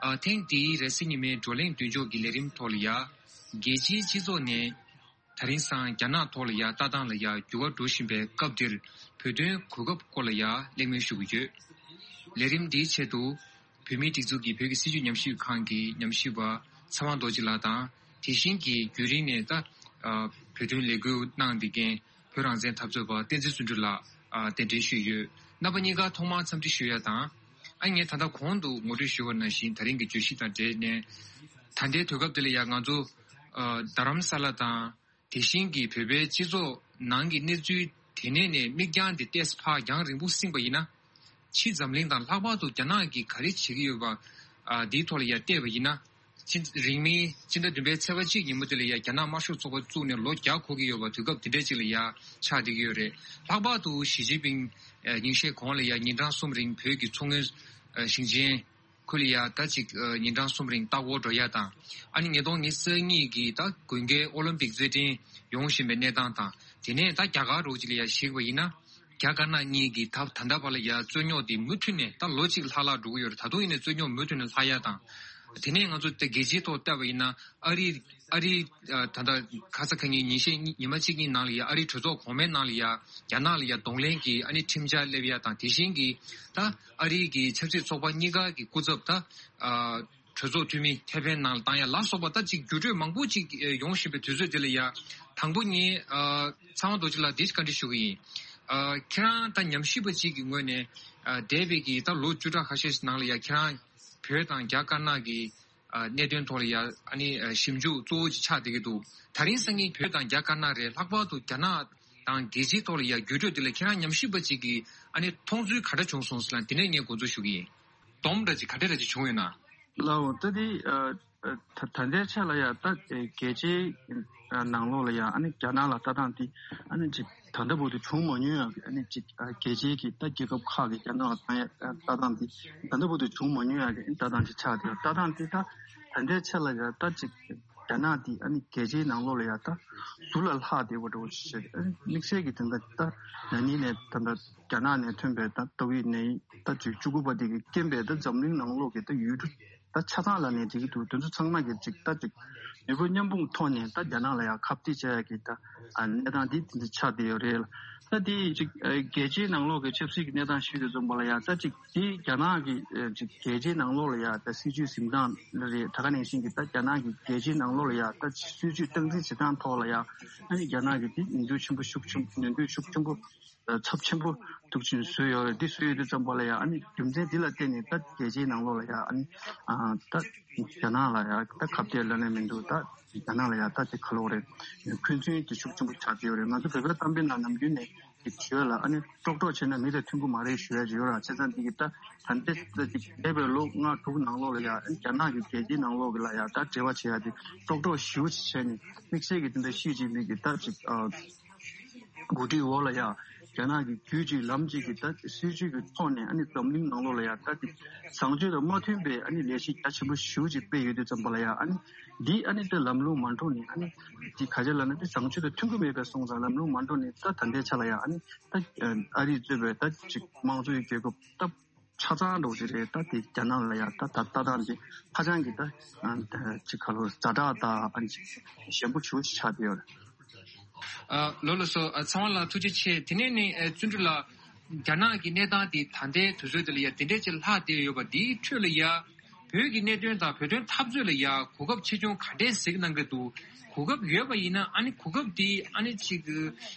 ཨ། ཐེངས་འདིའི་རེས་གཟའ་ཉི་མའི་བགྲོ་གླེང་མདུན་ལྕོག་གི་ལས་རིམ་ཐོག་ལ་ཡ། རྒྱལ་སྤྱིའི་སྤྱི་ཚོགས་ནས་ད་རིང་སང་རྒྱ་ནག་ཐོག་ལ་ཡ་ལྟ་སྟངས་ལ་ཡ་འགྱུར་བ་འགྲོ་བཞིན་པའི་སྐབས་འདིར་བོད་དོན་གོ་སྐབས་སྐོར་ལ་ཡ་གླེང་མོལ་ཞུ་གི་ཡོད། ལས་རིམ་འདིའི་ཆེད་དུ་བོད་མིའི་སྒྲིག་འཛུགས་ཀྱི་བོད་ཀྱི་སྲིད་བྱུས་ཉམས་ཞིབ་ཁང་གི་ཉམས་ཞིབ་པ་ཚེ་དབང་རྡོ་རྗེ་ལགས་དང་། དེ་བཞིན་གྱི་རྒྱུན་རིང་ནས་ད་ཨ་བོད་དོན་ལས་འགུལ་གནང་བསྡད་མཁན་བོད་རང་བཙན་འཐབ་རྩོད་པ་བསྟན་འཛིན་བརྩོན་འགྲུས་ལགས་ཨ་གདན་འདྲེན་ཞུས་ཡོད། རྣམ་པ་གཉིས་ཀ་ཐོག་མར་འཚམས་འདྲི་ཞུ་ཡ་དང་། ཨ་ངས་ད་ལྟ་གོང་དུ་ངོ་སྤྲོད་ཞུས་པ་ནང་བཞིན་ད་རིང་གི་བརྗོད་གཞི་དང་འབྲེལ་ནས། ད་ལྟའི་དུས་སྐབས་འདི་ལ་ཡང་ང་ཚོ་ཨ་རྡ་རམ་ས་ལ་དང་། དེ་བཞིན་གྱི་བོད་པའི་སྤྱི་ཚོགས་ནང་གི་གནས་ཚུལ་དེ་ནས་ནས་མིག་རྒྱང་དེ་ཏོག་ཙམ་ཕར་རྒྱང་རིང་པོ་བསྲིངས་པ་ཡིན་ན། ཕྱི་འཛམ་གླིང་དང་ལྷག་པར་དུ་རྒྱ་ནག་གིས་ག་རེ་བྱེད་ཀྱི་ཡོད་པ། ཨ་འདིའི་ཐོག་ལ་ཡ་བལྟས་པ་ཡིན་ན། ཕྱི་རིང་མིན་ཕྱི་ཟླ་བདུན་པའི་ཚེས་པ་གཅིག་ཉིན་མོ་དེ་ལ་ཡ་རྒྱ་ནག་དམར་ཤོག་ཚོགས་པ་བཙུགས་ནས་ལོ་བརྒྱ་འཁོར་གྱི་ཡོད་པ་དུས་སྐབས་དེ་འདྲ་ཅིག་ལ་ཡ་ཆགས་བསྡད་ཀྱི་ཡོད་རེད། ལྷག་པར་དུ་ཞི་ཅིན་ཕིང་ཉིན་ཤས་གོང་ལ་ཡ་ཉིན་གྲངས་གསུམ་རིང་བོད་ཀྱི་མཚོ་སྔོན་ཞིང་ཆེན། ཁུལ་ལ་ཡ་ད་ཅིག་ཉིན་གྲངས་གསུམ་རིང་ལྟ་སྐོར་འགྲོ་ཡ་དང་། ཨ་ནི་ཉིས་སྟོང་ཉི་ཤུ་རྩ་གཉིས་ཀྱི་ད་དགུན་ཁའི་ཨོ་ལིམ་པིག་རྩེད་འགྲན་ཡོང་བཞིན་པའི་གནས་སྟངས་དང་། དེ་ནས་ད་རྒྱ་གར་རོགས་ཅིག་ལ་ཡ་གཞིགས་པ་ཡིན་ན། རྒྱ་དཀར་ནག་གཉིས་ཀྱི་ད་ད་ལྟ་བར་ལ་ཡ་རྩོད་རྙོག་དེ་མུ་མཐུད་ནས་ད་ལོ་གཅིག་ལྷག་ལྷག་འགྲོ་གི་ཡོད་རེད། ད་དུང་ཡིན་ནའི་རྩོད་རྙོག་མུ་མཐུད་ནས་ལྷག་ཡ་དང་། དེ་ནས་ང་ཚོ་ད་རྒྱལ་སྤྱིའི་ཐོག་བལྟས་པ་ཡིན་ན་ཨ་རི། ཨ་རིའི་ཨ་ད་ལྟ་ཁ་ས་ཁ་ཉིན་ཉིན་ཤས་ཉི་མ་གཅིག་གཉིས་ནང་ལ་ཡ་ཨ་རིའི་གྲོས་ཚོགས་གོང་མའི་ནང་ལ་ཡ་རྒྱ་ནག་ལ་ཡ་གདོང་ལེན་གྱི་ཨ་ནི་ཁྲིམས་འཆར་སླེབས་ཡ་དང་དེ་བཞིན་གྱི་ད་ཨ་རིའི་གི་ཆབ་སྲིད་ཚོགས་པ་གཉིས་ཀ་གི་སྐུ་ཚབ་ད་ཨ་གྲོས་ཚོགས་འཐུས་མི་ཐེ་ཕན་ནང་ལ་བཏང་ཡ་ལ་སོགས་པ་ད་ཅིག་འགྱུར་འགྲོས་མང་པོ་ཅིག་ཡོང་བཞིན་པའི་དུས་ཚོད་འདི་ལ་ཡ་དང་པོ་ངས་ཨ་ཚང་བ་རྡོ་རྗེ་ལགས་འདི་བཀའ་འདྲི་ཞུ་གི་ཡིན། ཨ་ཁྱེད་རང་ད་ཉམས་ཞིབ་པ་ཅིག་གི་ངོས་ནས་ཨ་འདས་པའི་གི་ད་ལོ་བཅུ་ཕྲག་ཁ་ཤས་ནང་ལ་ཡ་ཁྱེད་རང་བོད་དང་རྒྱ་དཀར་ནག་གི་ཨ་གནད་དོན་ཐོག་ལ་ཡ་ཨ་ནི་ཨ་ཞིབ་འཇུག་གཙོ་བོ་ཅིག་ཆགས་བསྡད་ཀྱི་འདུག་ད་རིང་སང་ཉིན་བོད་དང་རྒྱ་དཀར་ནག་རེད། ལྷག་པར་དུ་རྒྱ་ནག་དང་རྒྱལ་སྤྱིའི་ཐོག་ལ་ཡ་འགྱུར་འགྲོས་དེ་ལ་ཁྱེད་རང་ཉམས་ཞིབ་པ་ཅིག་གིས་ཨ་ནི་མཐོང་ཚུལ་ག་འདྲ་བྱུང་སོང་ཟེར་ན་དེ་ནས་ངས་འགོ་འཛུགས་ཞུ་གི་ཡིན། སྡོམ་འདྲ་ཅིག་ག་འདྲ་འདྲ་ཅིག་བྱུང་ཡོད་ན། ལའོ་ད་དེ་ཨ་ཨ་ད་ད་ལྟའི་ཆ་ལ་ཡ་ད་ཨེ་རྒྱལ་སྤྱིའི་ཨ་ནང་ལོགས་ལ་ཡ་ཨ་ནི་རྒྱ་ནག་ལ་ལྟ་སྟངས་དེ་ཨ་ནི་ཅིག་ད་ལྟ་བར་དུ་བྱུང་མ་མྱོང་ཡ་གི་ཨ་ནི་ཅིག་ཨ་རྒྱལ་སྤྱིའི་གི་ད་རྒྱལ་ཁབ་ཁག་གི་རྒྱ་ནག་ལ་ལྟ་ཡ་ལྟ་སྟངས་དེ་ད་ལྟ་བར་དུ་བྱུང་མ་མྱོང་ཡ་གི་ལྟ་སྟངས་ཅིག་ཆགས་བསྡད་ཡོད། ལྟ་སྟངས་དེ་ད་ད་ལྟའི་ཆ་ལ་ཡ་ད་ཅིག་རྒྱ་ནག་དེ་ཨ་ནི་རྒྱལ་སྤྱིའི་ནང་ལོགས་ལ་ཡ་ད་ཟུར་ལ་ལྷག་བསྡད་པ་འདྲ་བོ་ཞིག་བྱས་ཨ་ནི་དམིགས་བསལ་གྱི་དེ་འདྲ་ད་ན་ནིང་ནས་ད་ལྟ་རྒྱ་ནག་ནས་ཐོན་པའི་ད་ཏོག་དབྱིབས་ནད་ཡམས་ད་ཅིག་བཅུ་དགུ་པ་དེ་གི་རྐྱེན་པས་ད་འཛམ་གླིང་ནང་ལོགས་ཀྱི་ད་ཡུལ་གྲུ་ད་ཆ་ཚང་ལ་ནས་འགྲིག་གི་འདུག་དེ་ཚོ་ཚང་མ་གི་ཅིག་ད་ཅིག་ནུས་པ་མཉམ་སྤུངས་ཐོག་ནས་ད་རྒྱ་ནག་ལ་ཡང་ཁ་གཏད་བྱ་ཡ་གི་ད་ཨ་གནས་སྟངས་འདི་དེ་འདྲ་ཆགས་བསྡད་ཡོད་རེད་ལ། ད་དེ་ཅིག་ཨ་རྒྱལ་སྤྱིའི་ནང་ལོགས་ཀྱི་ཆབ་སྲིད་ཀྱི་གནས་སྟངས་ཞུས་དུས་ཙམ་པ་ལ་ཡང་ད་ཅིག་དེ་རྒྱ་ནག་གི་ཨ་ཅིག་རྒྱལ་སྤྱིའི་ནང་ལོགས་ལ་ཡང་ད་སྲིད་བྱུས་འཛིན་སྟངས་རེད། ད་ག་ནང་བཞིན་གྱི་ད་རྒྱ་ནག་གི་རྒྱལ་སྤྱིའི་ནང་ལོགས་ལ་ཡང་ད་སྲིད་བྱུས་སྟངས་འཛིན་བྱེད་སྟངས་ཐོག་ལ་ཡང་ཨ་ནི་རྒྱ་ནག་གི་དེ་ནུས་འདོད་ཆེན་པོ་ཤུགས་ཆེན་པོ་ནུས་འདོད་ཤུགས་ཆེན་པོ། ཚབས་ཆེན་པོ་འདུག་ཅིང་བཟོས་ཡོད་རེད། འདི་བཟོས་ཡོད་དུས་ཙམ་པ་ལ་ཡང་ཨ་ནི་རྒྱུ་མཚན་འདི་ལ་བརྟེན་ནས་ད་རྒྱལ་སྤྱིའི་ནང་ལོགས་ལ་ཡང་ཨ་ནི་ཨ་ད་རྒྱ་ནག་ལ་ཡང་ད་ཁ་གཏད་ལོན་ནས་མི་འདུག་ད་རྒྱ་ནག་ལ་ཡང་ད་དེ་ག་ལོག་རེད། འཁོན་འཛིན་དེ་ཤུགས་ཆེན་པོ་ཆགས་ཀྱི་ཡོད་རེད། ང་ཚོ་བོད་པའི་གཏམ་དཔེ་ནང་ནམ་རྒྱུན་ནས་ཀྱི་བརྗོད་ལ་ཨ་ནི་ཀྲོག་ཀྲོག་བྱས་ན་མི་དང་མཐུན་གྱི་མ་རེད་ཞུ་ཡ་ཅིག་ཡོད་ར། བྱས་ཙང་འདི་གི་ད་ད་ལྟའི་ད་ཅིག་འདས་པའི་ལོ་ལྔ་དྲུག་ནང་ལོགས་ལ་ཡང་ཨ་ནི་རྒྱ་ནག་གི་རྒྱལ་སྤྱིའི་ནང་ལོགས་ལ་ཡང་ད་འབྲེལ་བ་བྱེད་ཡ་དེ་ཀྲོག་ཀྲོག་ཞེ་པོ་ཅིག་བྱས་ནས་དམིགས་བསལ་གྱི་དེ་འདྲ་ཤེས་ཀྱི་མི་གི་ད་ཅིག་ཨ། འགོ་ཁྲིད་འོག་ལ་ཡང་རྒྱ་ནག་གི་རྒྱུད་གཅིག་ལམ་གཅིག་གི་ད་སྲིད་བྱུས་ཀྱི་ཐོག་ནས་ཨ་ནི་འཛམ་གླིང་ནང་ལོགས་ལ་ཡང་ད་དེ་བཟང་སྤྱོད་དང་མ་མཐུན་པའི་ཨ་ནི་ལས་གཞི་རྒྱ་ཆེན་པོ་ཞེ་པོ་ཅིག་སྤེལ་ཡོད་དུས་ཙམ་པ་ལ་ཡང་ཨ་ནི་འདི་ཨ་ནི་ད་ལམ་ལྷོང་མ་འགྲོ་ནས་ཨ་ནི་འདི་ག་ཅི་ལབ་ན་འདི་བཟང་སྤྱོད་དང་མཐུན་གྱི་མེད་པའི་སོང་ཙང་ལམ་ལྷོང་མ་འགྲོ་ནས་ད་ད་ལྟའི་ཆ་ལ་ཡང་ཨ་ནི་ད་ཨ་རིས་གཙོས་པའི་ད་ཅིག་དམངས་གཙོའི་རྒྱལ་ཁབ་ད། ཆ་ཚང་འགྲོ་གི་རེད། ད་དེ་རྒྱ་ནག་ལ་ཡང་ད་ད་ལྟ་དང་དེ་ཧ་ཅང་གི་ད་ཅིག་ག་ལོ་ཛ་དྲག་དང་ཨ་ནི་ཞན་པོ་ཞེ་པོ་ཅིག་ཆགས་བསྡད་ཡོད་རེད། ཨ་ལགས་ལགས་སོ། ཨ་ཚང་མ་ལ་ཐུགས་རྗེ་ཆེ། དེ་ནས་ནི་ཨ་བརྩོན་འགྲུས་ལགས། རྒྱ་ནག་གི་གནས་སྟངས་དེ་ད་ལྟའི་དུས་ཚོད་དེ་ལ་ཡང་དེ་འདྲས་ཅིག་ལྷག་བསྡད་ཡོད་པ་འདིའི་ཁྲོད་ལ་ཡང་བོད་ཀྱི་གནད་དོན་དང་བོད་དོན་འཐབ་རྩོད་ལ་ཡང་གོ་སྐབས་ཆེ་ཆུང་ག་འདྲས་གཟིགས་གནང་གི་འདུག་གོ་སྐབས་ཡོད་པ་ཡིན་ན་ཨ་ནི་གོ་སྐབས་དེ་ཨ་ནི་ཅིག་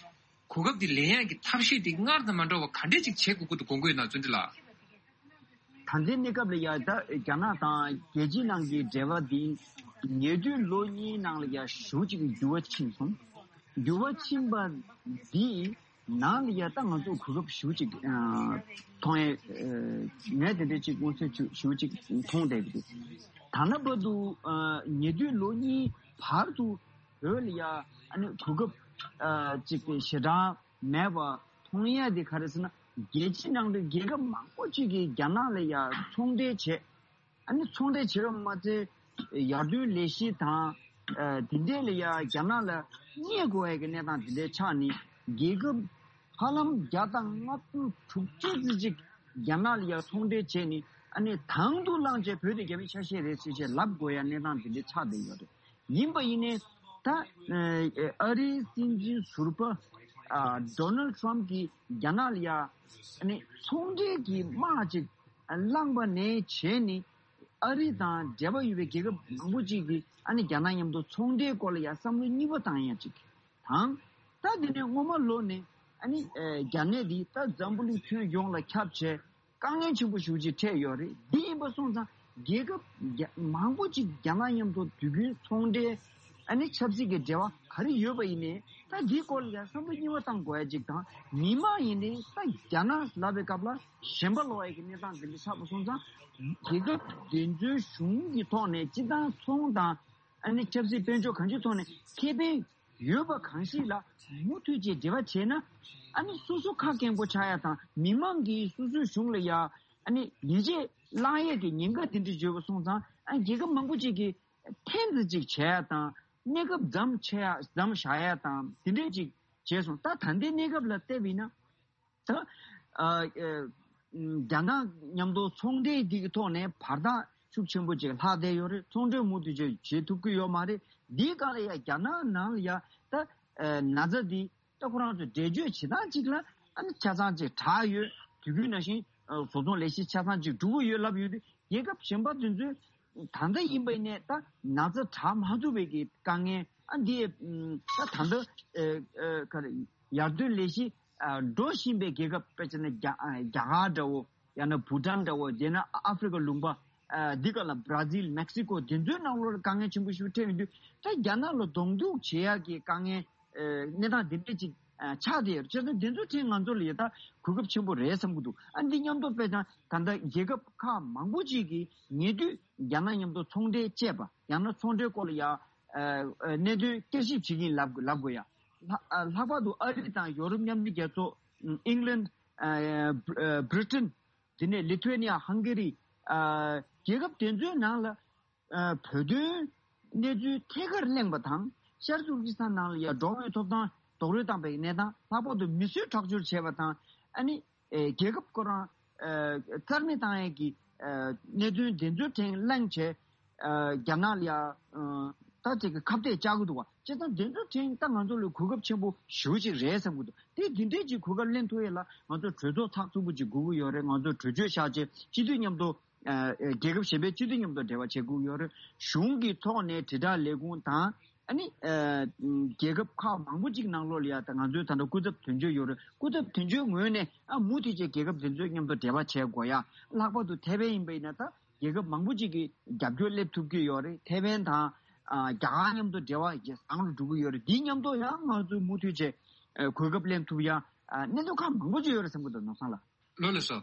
གོ་སྐབས་འདི་ལེན་ཡག་གི་ཐབས་ཤེས་འདི་སྔར་དང་མ་འདྲ་བ་ག་འདྲས་ཅིག་བྱེད་དགོས་ཀྱི་འདུག་དགོངས་ཀྱི་ཡོད་ན་བརྩོན་འགྲུས་ལགས། ད་ལྟའི་གནས་སྐབས་ལ་ཡ་ད་རྒྱ་ནག་དང་རྒྱལ་སྤྱི་ནང་གི་འབྲེལ་བ་འདི་ཉེ་དུས་ལོ་གཉིས་ནང་ལ་ཡ་ཞེ་པོ་ཅིག་འགྱུར་བ་ཕྱིན་སོང་། འགྱུར་བ་ཕྱིན་པ་འདི་ནང་ལ་ཡ་ད་ང་ཚོ་གོ་སྐབས་ཞེ་པོ་ཅིག་ཨ་མཐོང་ཡས་ཨ་ངས་དེ་འདྲས་ཅིག་མངོན་གསལ་ཞེ་པོ་ཅིག་མཐོང་བསྡད་ཀྱི་འདུག་ད་ལྟ་བར་དུ་ཨ་ཉེ་དུས་ལོ་གཉིས་བར་དུ་བོད་ལ་ཡ་ཨ་ནི་གོ་སྐབས་ཨ་ཅིག་ཞེ་དྲག་མེད་པ་མཐོང་ཡས་དེ་ག་རེ་ཟེར་ན། རྒྱལ་སྤྱི་ནང་དུ་རྒྱལ་ཁབ་མང་པོ་ཅིག་གིས་རྒྱ་ནག་ལ་ཡ་ཚོང་འབྲེལ་བྱས། ཨ་ནི་ཚོང་འབྲེལ་བྱས་པ་མ་ཚད་ཡར་ཐོན་ལས་གཞི་དང་ཨ་དེ་འདྲས་ལ་ཡ་རྒྱ་ནག་ལ་བསྙད་དགོས་ཡ་གི་གནས་སྟངས་དེ་འདྲས་ཆགས་ནས་རྒྱལ་ཁབ་ཧ་ལམ་བརྒྱ་དང་ལྔ་བཅུ་དྲུག་ཅུ་ཙམ་ཅིག་རྒྱ་ནག་ལ་ཡ་ཚོང་འབྲེལ་བྱས་ནས་ཨ་ནི་དང་དུ་བླངས་བྱས་བོད་དེ་རྒྱ་མིའི་ཆ་ཤས་རེད་ཟེར་བྱས་ལབ་དགོས་ཡ་གནས་སྟངས་དེ་འདྲས་ཆགས་བསྡད་ཡོད་རེད། ཡིན་པ་ཡིན་ནའི་ད་ཨ་རིའི་སྲིད་འཛིན་ཟུར་པ་ཨ་ཌོ་ནལ་ཊམ་གྱིས་རྒྱ་ནག་ལ་ཡ་ཨ་ནི་ཚོང་འབྲེལ་གྱི་དམག་ཅིག་བསླངས་པ་ནས་བྱས་ནས་ཨ་རི་དང་འབྲེལ་བ་ཡོད་པའི་རྒྱལ་ཁབ་མང་པོ་ཅིག་གིས་ཨ་ནི་རྒྱ་ནག་མཉམ་དུ་ཚོང་འབྲེལ་སྐོར་ལ་ཡ་བསམ་བློ་གཉིས་པ་བཏང་ཡ་ཅིག་དང་། ད་དེ་ནས་སྔོན་མ་ལོ་ནས་ཨ་ནི་ཨ་རྒྱ་ནག་འདི་ད་འཛམ་བུ་གླིང་ཁྱོན་ཡོངས་ལ་ཁྱབ་བྱས། དཀའ་ངལ་ཆེན་པོ་ཞེ་པོ་ཅིག་འཕྲད་ཡོད་རེད། འདི་ཡིན་པ་སོང་ཙང་རྒྱལ་ཁབ་རྒྱ་མང་པོ་ཅིག་རྒྱ་ནག་མཉམ་དུ་དུས་རྒྱུན་ཚོང་འབྲེལ་ཨ་ནི་ཆབ་སྲིད་ཀྱི་འབྲེལ་བ་ག་རེ་ཡོད་པ་ཡིན་ནའི་ད་འདིའི་སྐོར་ལ་ཡང་བསམ་བློ་གཉིས་པ་བཏང་དགོས་ཡ་ཅིག་དང་། མི་མང་ཡིན་ནའི་ད་རྒྱ་ནག་ལབ་པའི་སྐབས་ལ་ཞེན་པ་ལོག་ཡ་གི་གནས་སྟངས་འདི་འདྲ་ཆགས་པ་སོང་ཙང་རྒྱལ་ཁབ་དེ་ཚོའི་གཞུང་གི་ཐོག་ནས་སྤྱི་བཏང་ཚོང་དང་ཨ་ནི་ཆབ་སྲིད་དཔལ་འབྱོར་གང་ཅིའི་ཐོག་ནས་ཁེ་ཕན་ཡོད་པ་གང་ཞིག་ལ་མུ་མཐུད་ཅིག་འབྲེལ་བ་བྱས་ན། ཨ་ནི་སོ་སོ་ཁ་སྐྱེངས་པོ་ཆགས་ཡ་དང་མི་མང་གིས་སོ་སོའི་གཞུང་ལ་ཡ་ཨ་ནི་ཡིད་ཆེས་བླངས་ཡས་ཀྱི་ཉེན་ཁ་དེ་འདྲ་ཡོད་པ་སོང་ཙང་ཨ་རྒྱལ་ཁབ་མང་པོ་ཅིག་གིས་ཐེངས་འདི་ཅིག་བྱས་ཡ་དང་གནས་སྐབས་མཚམས་ཆད་ཡ་མཚམས་བཞག་ཡ་དང་དེ་འདྲས་ཅིག་བྱས་སོང་། ད་ད་ལྟའི་གནས་སྐབས་ལ་བལྟས་པ་ཡིན་ན། ད་ཨ་ཨ་རྒྱ་ནག་མཉམ་དུ་ཚོང་འབྲེལ་འདི་གི་ཐོག་ནས་བར་ཐག་ ཤུགས་ཆེན་པོ་ཅིག་ལྷག་བསྡད་ཡོད་རེད། ཚོང་འབྲེལ་མུ་མཐུད་བྱེད་བྱེད་ཐུབ་ཀྱི་ཡོད་མ་རེད། འདིའི་སྒང་ལ་ཡ་རྒྱ་ནག་ནང་ལ་ཡ་ད་ཨ་ན་ཚ་འདི་ད་ཁོ་རང་ཚོ་འགྲེལ་བརྗོད་བྱེད་སྟངས་གཅིག་ལ་ཨ་ནི་ཆ་ཚང་ཅིག་དྲག་ཡོད། དུས་རྒྱུན་ནང་བཞིན་ཨ་བཟོ་ཚོང་ལས་གཞི་ཆ་ཚང་ཅིག་འགྲོ་གི་ཡོད་ལབ་ཡོད་དུས། རྒྱལ་ཁབ་གཞན་པ་དེ་ཚོས་ད་ལྟ་ཡིན་པ་ཡིན་ནའི་ད་ན་ཚ་དྲག་མ་ཐུབ་པའི་གི་དཀའ་ངལ་ཨ་འདི་ད་ད་ལྟ་ཨ་ཨ་ག་རེ་ཡར་ཐོན་ལས་གཞི་ཨ་འགྲོ་བཞིན་པའི་རྒྱལ་ཁབ། དཔེ་བྱས་ན་རྒྱ་ཨ་རྒྱ་གར་འདྲ་བོ། ཡང་ན་བྷུ་ཊན་འདྲ་བོ། དེ་ན་ཨ་ཧྥེ་རི་ཁ་ལུང་པ་ཨ་འདི་ག་ལ་བྷ་ར་ཟིལ། མེག་སི་ཀོ། དེ་ཚོའི་ནང་ལོགས་ལ་དཀའ་ངལ་ཆེན་པོ་ཞིག་འཕྲད་ཡོང་དུས། ད་རྒྱ་ནག་ལ་གདོང་གཏུག་བྱེད་ཡག་གི་དཀའ་ངལ་ཨ་གནས་སྟངས་འདི་འདྲ་ཅིག་ཨ་ཆགས་བསྡད་ཡོད་རེད། བྱས་ཙང་དེ་ཚོ་ཐད་ང་ཚོ་ལ་ཡ་ད་གོ་སྐབས་ཆེན་པོ་རེད་བསམ་གྱི་འདུག་ཨ་འདི་མཉམ་དུ་དཔེ་དང་ད་ལྟ་རྒྱལ་ཁབ་ཁག་མང་པོ་ཅིག་གིས་ཉེ་དུས་རྒྱ་ནག་མཉམ་དུ་ཚོང་འབྲེལ་བཅད་པ། ཡང་ན་ཚོང་འབྲེལ་སྐོར་ལ་ཡ་ཨ་ཨ་གནད་དོན་བསྐྱར་ཞིབ་བྱེད་ཀྱིན་ལབ་དགོས་ལབ་དགོས་ཡ། ལྷག་ཨ་ལྷག་པར་དུ་ཨ་རི་དང་ཡོ་རོབ་མཉམ་འབྲེལ་རྒྱལ་ཚོགས། ཨིང་ལན། ཨ་བྷི་རི་ཏན། དེ་ནས་ལི་ཐུ་ཝེ་ནི་ཡ། ཧང་གེ་རི། ཨ་རྒྱལ་ཁབ་དེ་ཚོའི་ནང་ལ་ཨ་བོད་དོན་གནས་ཚུལ་ཐད་ཀར་གླེང་བ་དང་། ཤར་ཏུར་ཀི་སི་ཐན་ནང་ལ་ཡ་འགྲོ་བའི་ཐོབ་ཐང་རྡོག་རོལ་བཏང་པའི་གནས་སྟངས། ལྷག་པར་དུ་མི་གསོད་ཁྲག་སྦྱོར་བྱས་པ་དང་། ཨ་ནི་ཨེ་རྒྱལ་ཁབ་ཁོ་རང་ཨེ་རྩ་མེད་བཏང་ཡས་ཀྱི་ཨེ་གནད་དོན་དེ་ཚོའི་ཐད་གླེང་བྱས། ཨ་རྒྱ་ནག་ལ་ཡ་ཨ་ད་ཅིག་གི་ཁ་གཏད་བཅག་གི་འདུག་བ། བྱས་ཙང་དེ་ཚོའི་ཐད་ད་ང་ཚོ་ལ་གོ་སྐབས་ཆེན་པོ་ཞེ་པོ་ཅིག་རེད་བསམ་གྱི་འདུག་དེ་འདི་འདྲའི་ཅིག་གོ་སྐབས་ལེན་ཐུབ་ཡས་ལ་ང་ཚོ་གྲོས་ཚོགས་ཚགས་ཚུད་པོ་ཅིག་དགོས་ཀྱི་ཡོད་རེད། ང་ཚོ་གྲོས་ཆོད་བཞག་བྱས་སྤྱི་འཐུས་མཉམ་དུ་ཨ་ཨ་རྒྱལ་ཁབ་གཞན་པའི་སྤྱི་འཐུས་མཉམ་དུ་འབྲེལ་བ་བྱེད་དགོས་ཀྱི་ཡོད་རེད། གཞུང་གི་ཐོག་ནས་དྲིལ་བསྒྲགས་ལས་ཁུངས་དང་། ཨ་ནི་ཨ་རྒྱལ་ཁབ་ཁག་མང་པོ་ཅིག་ནང་ལོགས་ལ་ཡ་ད་ང་ཚོའི་ད་ལྟ་སྐུ་ཚབ་དོན་གཅོད་ཡོད་རེད། སྐུ་ཚབ་དོན་གཅོད་ངོས་ནས་ཨ་མུ་མཐུད་བྱས་རྒྱལ་ཁབ་དེ་ཚོའི་མཉམ་དུ་འབྲེལ་བ་བྱེད་དགོས་ཡ། ལྷག་པར་དུ་ཐའེ་ཝན་ཡིན་པ་ཡིན་ན་ད་རྒྱལ་ཁབ་མང་པོ་ཅིག་གིས་རྒྱབ་སྐྱོར་སླེབས་ཐུབ་ཀྱི་ཡོད་རེད། ཐའེ་ཝན་དང་ཨ་རྒྱ་གར་མཉམ་དུ་འབྲེལ་བ་ཇེ་བཟང་རུ་འགྲོ་གི་ཡོད་རེད། འདིའི་མཉམ་དུ་ཡང་ང་ཚོས་མུ་མཐུད་བྱས་ཨ་གོ་སྐབས་ལེན་ཐུབ་ཡ་ཨ་གནད་དོན་ཁག་མང་པོ་ཅིག་ཡོད་རེད་བསམ་གྱི་འདུག་ནོར་བཟང་ལགས། ལགས་སོ།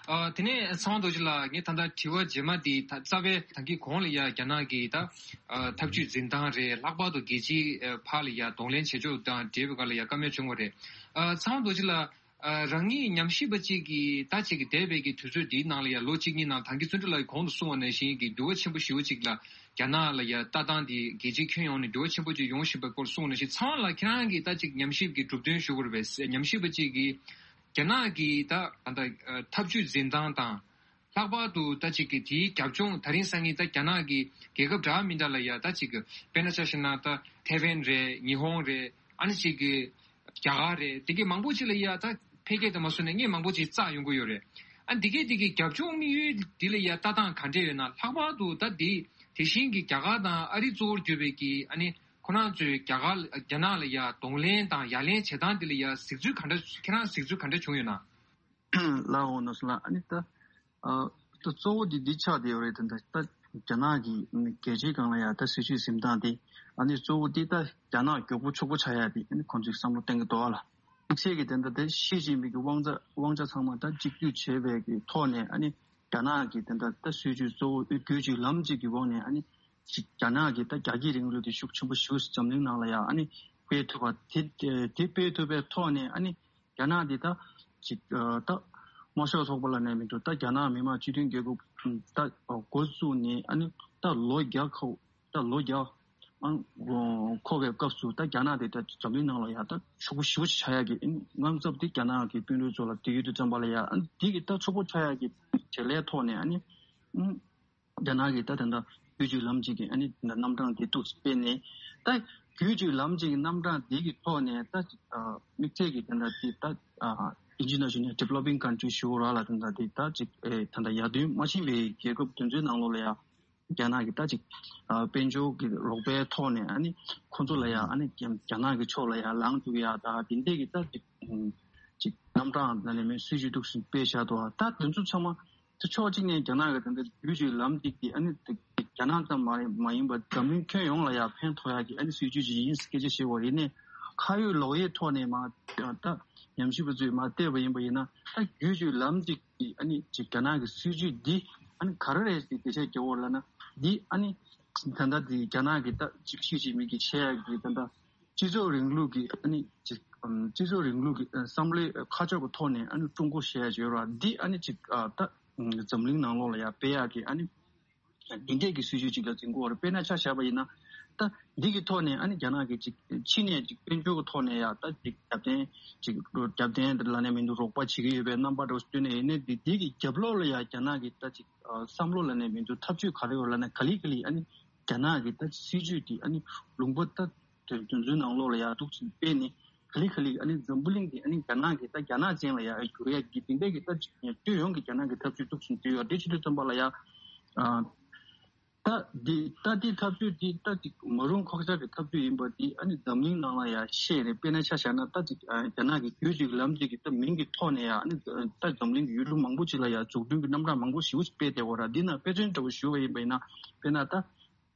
ཨ་དེ་ནས་ཚེ་དབང་རྡོ་རྗེ་ལགས། ངས་ད་ལྟ་དྲི་བ་རྗེས་མ་དེ་ད་རྩ་བའི་ད་གིན་གོང་ལ་ཡ་རྒྱ་ནག་གི་ད་ཨ་ཐབས་ཇུས་འཛིན་སྟངས་རེད། ལྷག་པར་དུ་རྒྱལ་སྤྱིའི་ཨ་ཕར་ལ་ཡ་གདོང་ལེན་བྱེད་ཕྱོགས་དང་འབྲེལ་བའི་སྒང་ལ་ཡ་བཀའ་མོལ་བྱུང་བ་རེད། ཨ་ཚེ་དབང་རྡོ་རྗེ་ལགས། ཨ་རང་ཉིད་ཉམས་ཞིབ་པ་གཅིག་གིས་ད་ཅིག་གི་འདས་པའི་གི་དུས་ཚོད་འདིའི་ནང་ལ་ཡ་ལོ་གཅིག་གཉིས་ནང་ད་གིན་བརྩོན་འགྲུས་ལགས་གོང་དུ་གསུངས་པ་ནང་བཞིན་གྱི་འགྱུར་བ་ཆེན་པོ་ཞེ་པོ་ཅིག་ལ་རྒྱ་ནག་ལ་ཡ་ལྟ་སྟངས་འདི་རྒྱལ་སྤྱིའི་ཁྱོན་ཡོངས་ནས་འགྱུར་བ་ཆེན་པོ་ཅིག་ཡོང་བཞིན་པའི་སྐོར་གསུངས་པ་ནང་བཞིན། ཚེ་དབང་ལགས་ཁྱེད་རང་གིས་ད་ཅིག་ཉམས་ཞིབ་ཀྱི་གྲུབ་དོན་ཞུ་དགོས་རེད་པས། ཉམས་ཞིབ་པ་གཅིག་གིས་རྒྱ་ནག་གི་ད་ད་ལྟ་ཐབས་ཇུས་འཛིན་སྟངས་དང་། ལྷག་པར་དུ་ད་ཅིག་གི་དེའི་རྒྱབ་ལྗོངས། ད་རིང་སང་ཉིན་ད་རྒྱ་ནག་གི་རྒྱལ་ཁབ་འདྲ་མི་འདྲ་ལ་ཡ་ད་ཅིག་གི་དཔེར་ན་ཆ་བཞག་ན་ད་ཐའེ་ཝན་རེད། ཉི་ཧོང་རེད། ཨ་ནི་ཅིག་གི་རྒྱ་གར་རེད། དེ་གི་མང་པོ་ཅིག་ལ་ཡ་ད་འཕེལ་རྒྱས་དང་མ་སོང་ནས་ངས་མང་པོ་ཅིག་བཙགས་ཡོང་གི་ཡོད་རེད། ཨ་འདི་གའི་དེ་གི་རྒྱབ་ལྗོངས་དམིགས་ཡུལ་འདི་ལ་ཡ་ལྟ་སྟངས་ག་འདྲས་ཡོད་ན། ལྷག་པར་དུ་ད་འདི་དེ་བཞིན་གྱི་རྒྱ་གར་དང་ཨ་རི་གཙོ་བོར་གྱུར་པའི་གི་ཨ་ནི་ཁོ་རང་ཚོས་རྒྱ་གར་རྒྱ་ནག་ལ་ཡ་གདོང་ལེན་དང་ཡ་ལན་བྱེད་སྟངས་འདི་ལ་ཡ་གཟིགས་ཚུལ་ག་འདྲ། ཁྱེད་རང་གཟིགས་ཚུལ་ག་འདྲ་བྱུང་ཡོད་ན། ལགས་འོ་ནོར་བཟང་ལགས། ཨ་ནི་ད་ཨ་ད་གཙོ་བོ་འདི་འདི་ཆགས་བསྡད་ཡོད་རེད། ད་ད་ད་རྒྱ་ནག་གི་རྒྱལ་སྤྱིའི་སྒང་ལ་ཡ་ད་སྲིད་ཇུས་འཛིན་སྟངས་དེ། ཨ་ནི་གཙོ་བོ་འདི་ད་རྒྱ་ནག་མགྱོགས་པོ་ཕྱུག་པོ་ཆགས་ཡ་དེ་ཨ་ནི་ཁོང་ཚོས་བསམ་བློ་གཏོང་གི་འདུག་ཨ་ལགས། དམིགས་བསལ་གྱི་དེ་འདྲ་དེ་ཞི་ཅིན་ཕིང་གི་དབང་ཆ་དབང་ཆ་ཚང་མ་ད་གཅིག་སྡུད་བྱས་པའི་གི་ཐོག་ནས། ཨ་ནི་རྒྱ་ནག་གི་དེ་འདྲ་ད་སྲིད་ཇུས་གཙོ་བོ་བརྒྱུད་བརྒྱུད་ལམ་གཅིག་གི་འོག་ནས། ཨ་ནི་ཅིག་རྒྱ་ནག་གི་ད་རྒྱ་སྐྱེད་རིང་ལུགས་དེ་ཤུགས་ཆེན་པོ་ཞེ་པོ་འཛམ་གླིང་ནང་ལ་ཡ་ཨ་ནི་སྤེལ་ཐུབ་པ་དེ། དེ་སྤེལ་ཐུབ་པའི་ཐོག་ནས་ཨ་ནི་རྒྱ་ནག་འདི་ད་ཅིག་ཨ་ད་དམར་ཤོག་ཚོགས་པ་ལབ་ནའི་མི་འདུག་ད་རྒྱ་ནག་མི་དམངས་སྤྱི་མཐུན་རྒྱལ་ཁབ་ད་འགོ་བཙུགས་ནས་ཨ་ནི་ད་ལོ་བརྒྱ་འཁོར། ད་ལོ་བརྒྱ་ཨང་འཁོར་བའི་སྐབས་སུ་ད་རྒྱ་ནག་དེ་ད་འཛམ་གླིང་ནང་ལ་ཡ་ད་ཕྱུག་པོ་ཞེ་པོ་ཆགས་ཡ་གི་ཨ་ནི་དངངས་འཚབ་དེ་རྒྱ་ནག་གི་དཔོན་རིགས་ཚོ་ལ་དེ་ཡོད་དུ་བརྩམས་པ་ལ་ཡ། ཨ་ནི་དེ་གི་ད་ཕྱུག་པོ་ཆགས་ཡ་གི་བྱེད་ལས་ཐོག་ནས། ཨ་ནི་ཨང་རྒྱ་ནག་གི་ད་དེ་འདྲ་བརྒྱུད་བརྒྱུད་ལམ་གཅིག་གི་ཨ་ནི་དེ་འདྲ་རྣམ་གྲངས་དེ་འདུག་སྤེལ་ནས། ད་བརྒྱུད་བརྒྱུད་ལམ་གཅིག་གི་རྣམ་གྲངས་དེ་གི་ཐོག་ནས་ད་ཅིག་ཨ་དམིགས་བསལ་གྱི་དེ་འདྲ་དེ་ད་ཨ་ཨིན་ཇི་ནང་བཞིན་ནས་ཌི་ཝེ་ལོ་པིང་ཀན་ཊི་རི་ཞུ་ར་ལ་དེ་འདྲ་དེ་ད་ཅིག་ཨེ་ད་ལྟ་ཡར་ཐོན་མ་ཕྱིན་པའི་རྒྱལ་ཁབ་དེ་ཚོའི་ནང་ལོགས་ལ་ཡ་རྒྱ་ནག་གི་ད་ཅིག་ཨ་དཔལ་འབྱོར་གྱི་རོགས་པའི་ཐོག་ནས། ཨ་ནི་ཁོང་ཚོ་ལ་ཡ་ཨ་ནི་རྒྱ་རྒྱ་ནག་གི་ཕྱོགས་ལ་ཡ་ལངས་ཐུབ་ཡ་ད་དེ་འདྲས་ཀྱི་ད་ཅིག་ཨ་ཅིག་རྣམ་གྲངས་ལ་ནས་མེད་སྲིད་ཇུས་འདུག་སེ་སྤེལ་བཞག་འདུག་ད་དེ་ཚོ་ཚང་མ་ད་ཕྱོགས་གཅིག་ནས་རྒྱ་ནག་གི་དེ་འདྲ་བརྒྱུད་བརྒྱུད་ལམ་གཅིག་གི་ཨ་ནི་རྒྱ་ནག་ཙམ་མ་མ་ཡིན་པར་འཛམ་གླིང་ཁྱོན་ཡོངས་ལ་ཡ་ཕན་ཐོགས་ཡ་གི་ཨ་ནི་སྲིད་ཇུས་ཅིག་ཡིན་སྐད་ཆ་བཤད་པ་ཡིན་ནའི། ཁ་ཡོད་ལོག་ཡོད་ཐོག་ནས་མར་ད་ཉམས་ཞིབ་པ་ཚོས་མར་བལྟས་པ་ཡིན་པ་ཡིན་ན། ད་བརྒྱུད་བརྒྱུད་ལམ་གཅིག་གི་ཨ་ནི་ཅིག་རྒྱ་ནག་གི་སྲིད་ཇུས་འདི་ཨ་ནི་ག་རེ་རེད་ཅེས་འགྲེལ་བཤད་རྒྱག་དགོས་ལབ་ན། འདི་ཨ་ནི་ད་ལྟ་འདི་རྒྱ་ནག་གི་ད་ཅིག་ཞི་ཅིན་ཕིང་གིས་བྱེད་ཡ་གི་ད་ལྟ་སྤྱི་ཚོགས་རིང་ལུགས་ཀྱི་ཨ་ནི་ཅིག་ཨམ་སྤྱི་ཚོགས་རིང་ལུགས་ཀྱི་ཨ་བསམ་བློའི་ཁ་ཕྱོགས་ཀྱི་ཐོག་ནས། ཨ་ནི་ཀྲུང་གོ་ཞེས་བརྗོད་ར་འདི་ཨ་ནི་ཅིག་ཨ་ད་འཛམ་གླིང་ནང་ལོགས་ལ་ཡ་སྤེལ་ཡག་གི་ཨ་ནི་འདི་འདྲས་ཀྱི་སྲིད་ཇུས་ཅིག་ལ་འཛིན་དགོས་རེད། དཔེར་ན་ཆ་བཞག་པ་ཡིན་ན། ད་འདི་གི་ཐོག་ནས་ཨ་ནི་རྒྱ་ནག་གི་ཅིག་ཕྱི་ནས་ཅིག་དཔལ་འབྱོར་གྱི་ཐོག་ནས་ཡ་ད་ཅིག་རྒྱབ་རྟེན་ཅིག་རྒྱབ་རྟེན་ལ་ནས་མི་འདུག་རོགས་པ་བྱེད་ཀྱི་ཡོད་པའི་རྣམ་པ་འདྲ་བོ་བསྟན་ནས་ཡིན་ནའི་འདི་འདི་གི་རྒྱབ་ལོགས་ལ་ཡ་རྒྱ་ནག་གི་ད་ཅིག་བསམ་བློ་ལ་ནས་མི་འདུག་ཐབས་ཇུས་ག་རེ་ཡོད་ལ་ནས་ག་ལེ་ག་ལེ་ཨ་ནི་རྒྱ་ནག་གི་ད་ཅིག་སྲིད་ཇུས་འདི་ཨ་ནི་ལུང་པ་ད་དེ་དོན་ཚུལ་ནང་ལོགས་ལ་ཡ་འདུག་ཅིག་སྤེལ་ནས་ག་ལེ་ག་ལེ་ཨ་ནི་འཛམ་བུ་གླིང་འདི་ཨ་ནི་རྒྱ་ནག་གི་ད་རྒྱ་ནག་ཅན་ལ་ཡ་གྱུར་ཡ་གི་དེ་འདྲ་གི་ད་ཅིག་སྤྱི་ཡོངས་ཀྱི་རྒྱ་ནག་གི་ཐབས་ཇུས་འདུག་ཅིག་སྤེལ་ཡོད་དེ་ཕྱི་དུས་ཙམ་པ་ལ་ཡ། ད་འདི་ད་འདི་ཐབས་ཇུས་འདི་ད་ཅིག་མ་རུང་ཁོག་ཆག་གི་ཐབས་ཇུས་ཡིན་པ་འདི་ཨ་ནི་འཛམ་གླིང་ནང་ལ་ཡ་བཤད་རེད། དཔེར་ན་ཆ་བཞག་ན་ད་ཅིག་རྒྱ་ནག་གི་རྒྱུད་ཅིག་ལམ་ཅིག་གི་ད་མིང་གི་ཐོག་ནས་ཡ་ཨ་ནི་ད་འཛམ་གླིང་གི་ཡུལ་གྲུ་མང་པོ་ཅིག་ལ་ཡ་འཛུགས་སྐྲུན་གྱི་རྣམ་གྲངས་མང་པོ་ཞེ་པོ་ཅིག་སྤེལ་བསྡད་ཡོད་རེད། འདི་ན་དཔེ་མཚོན་འདྲ་བོ་ཞུ་བ་ཡིན་པ་ཡིན་ན་དཔེར་ན་ད་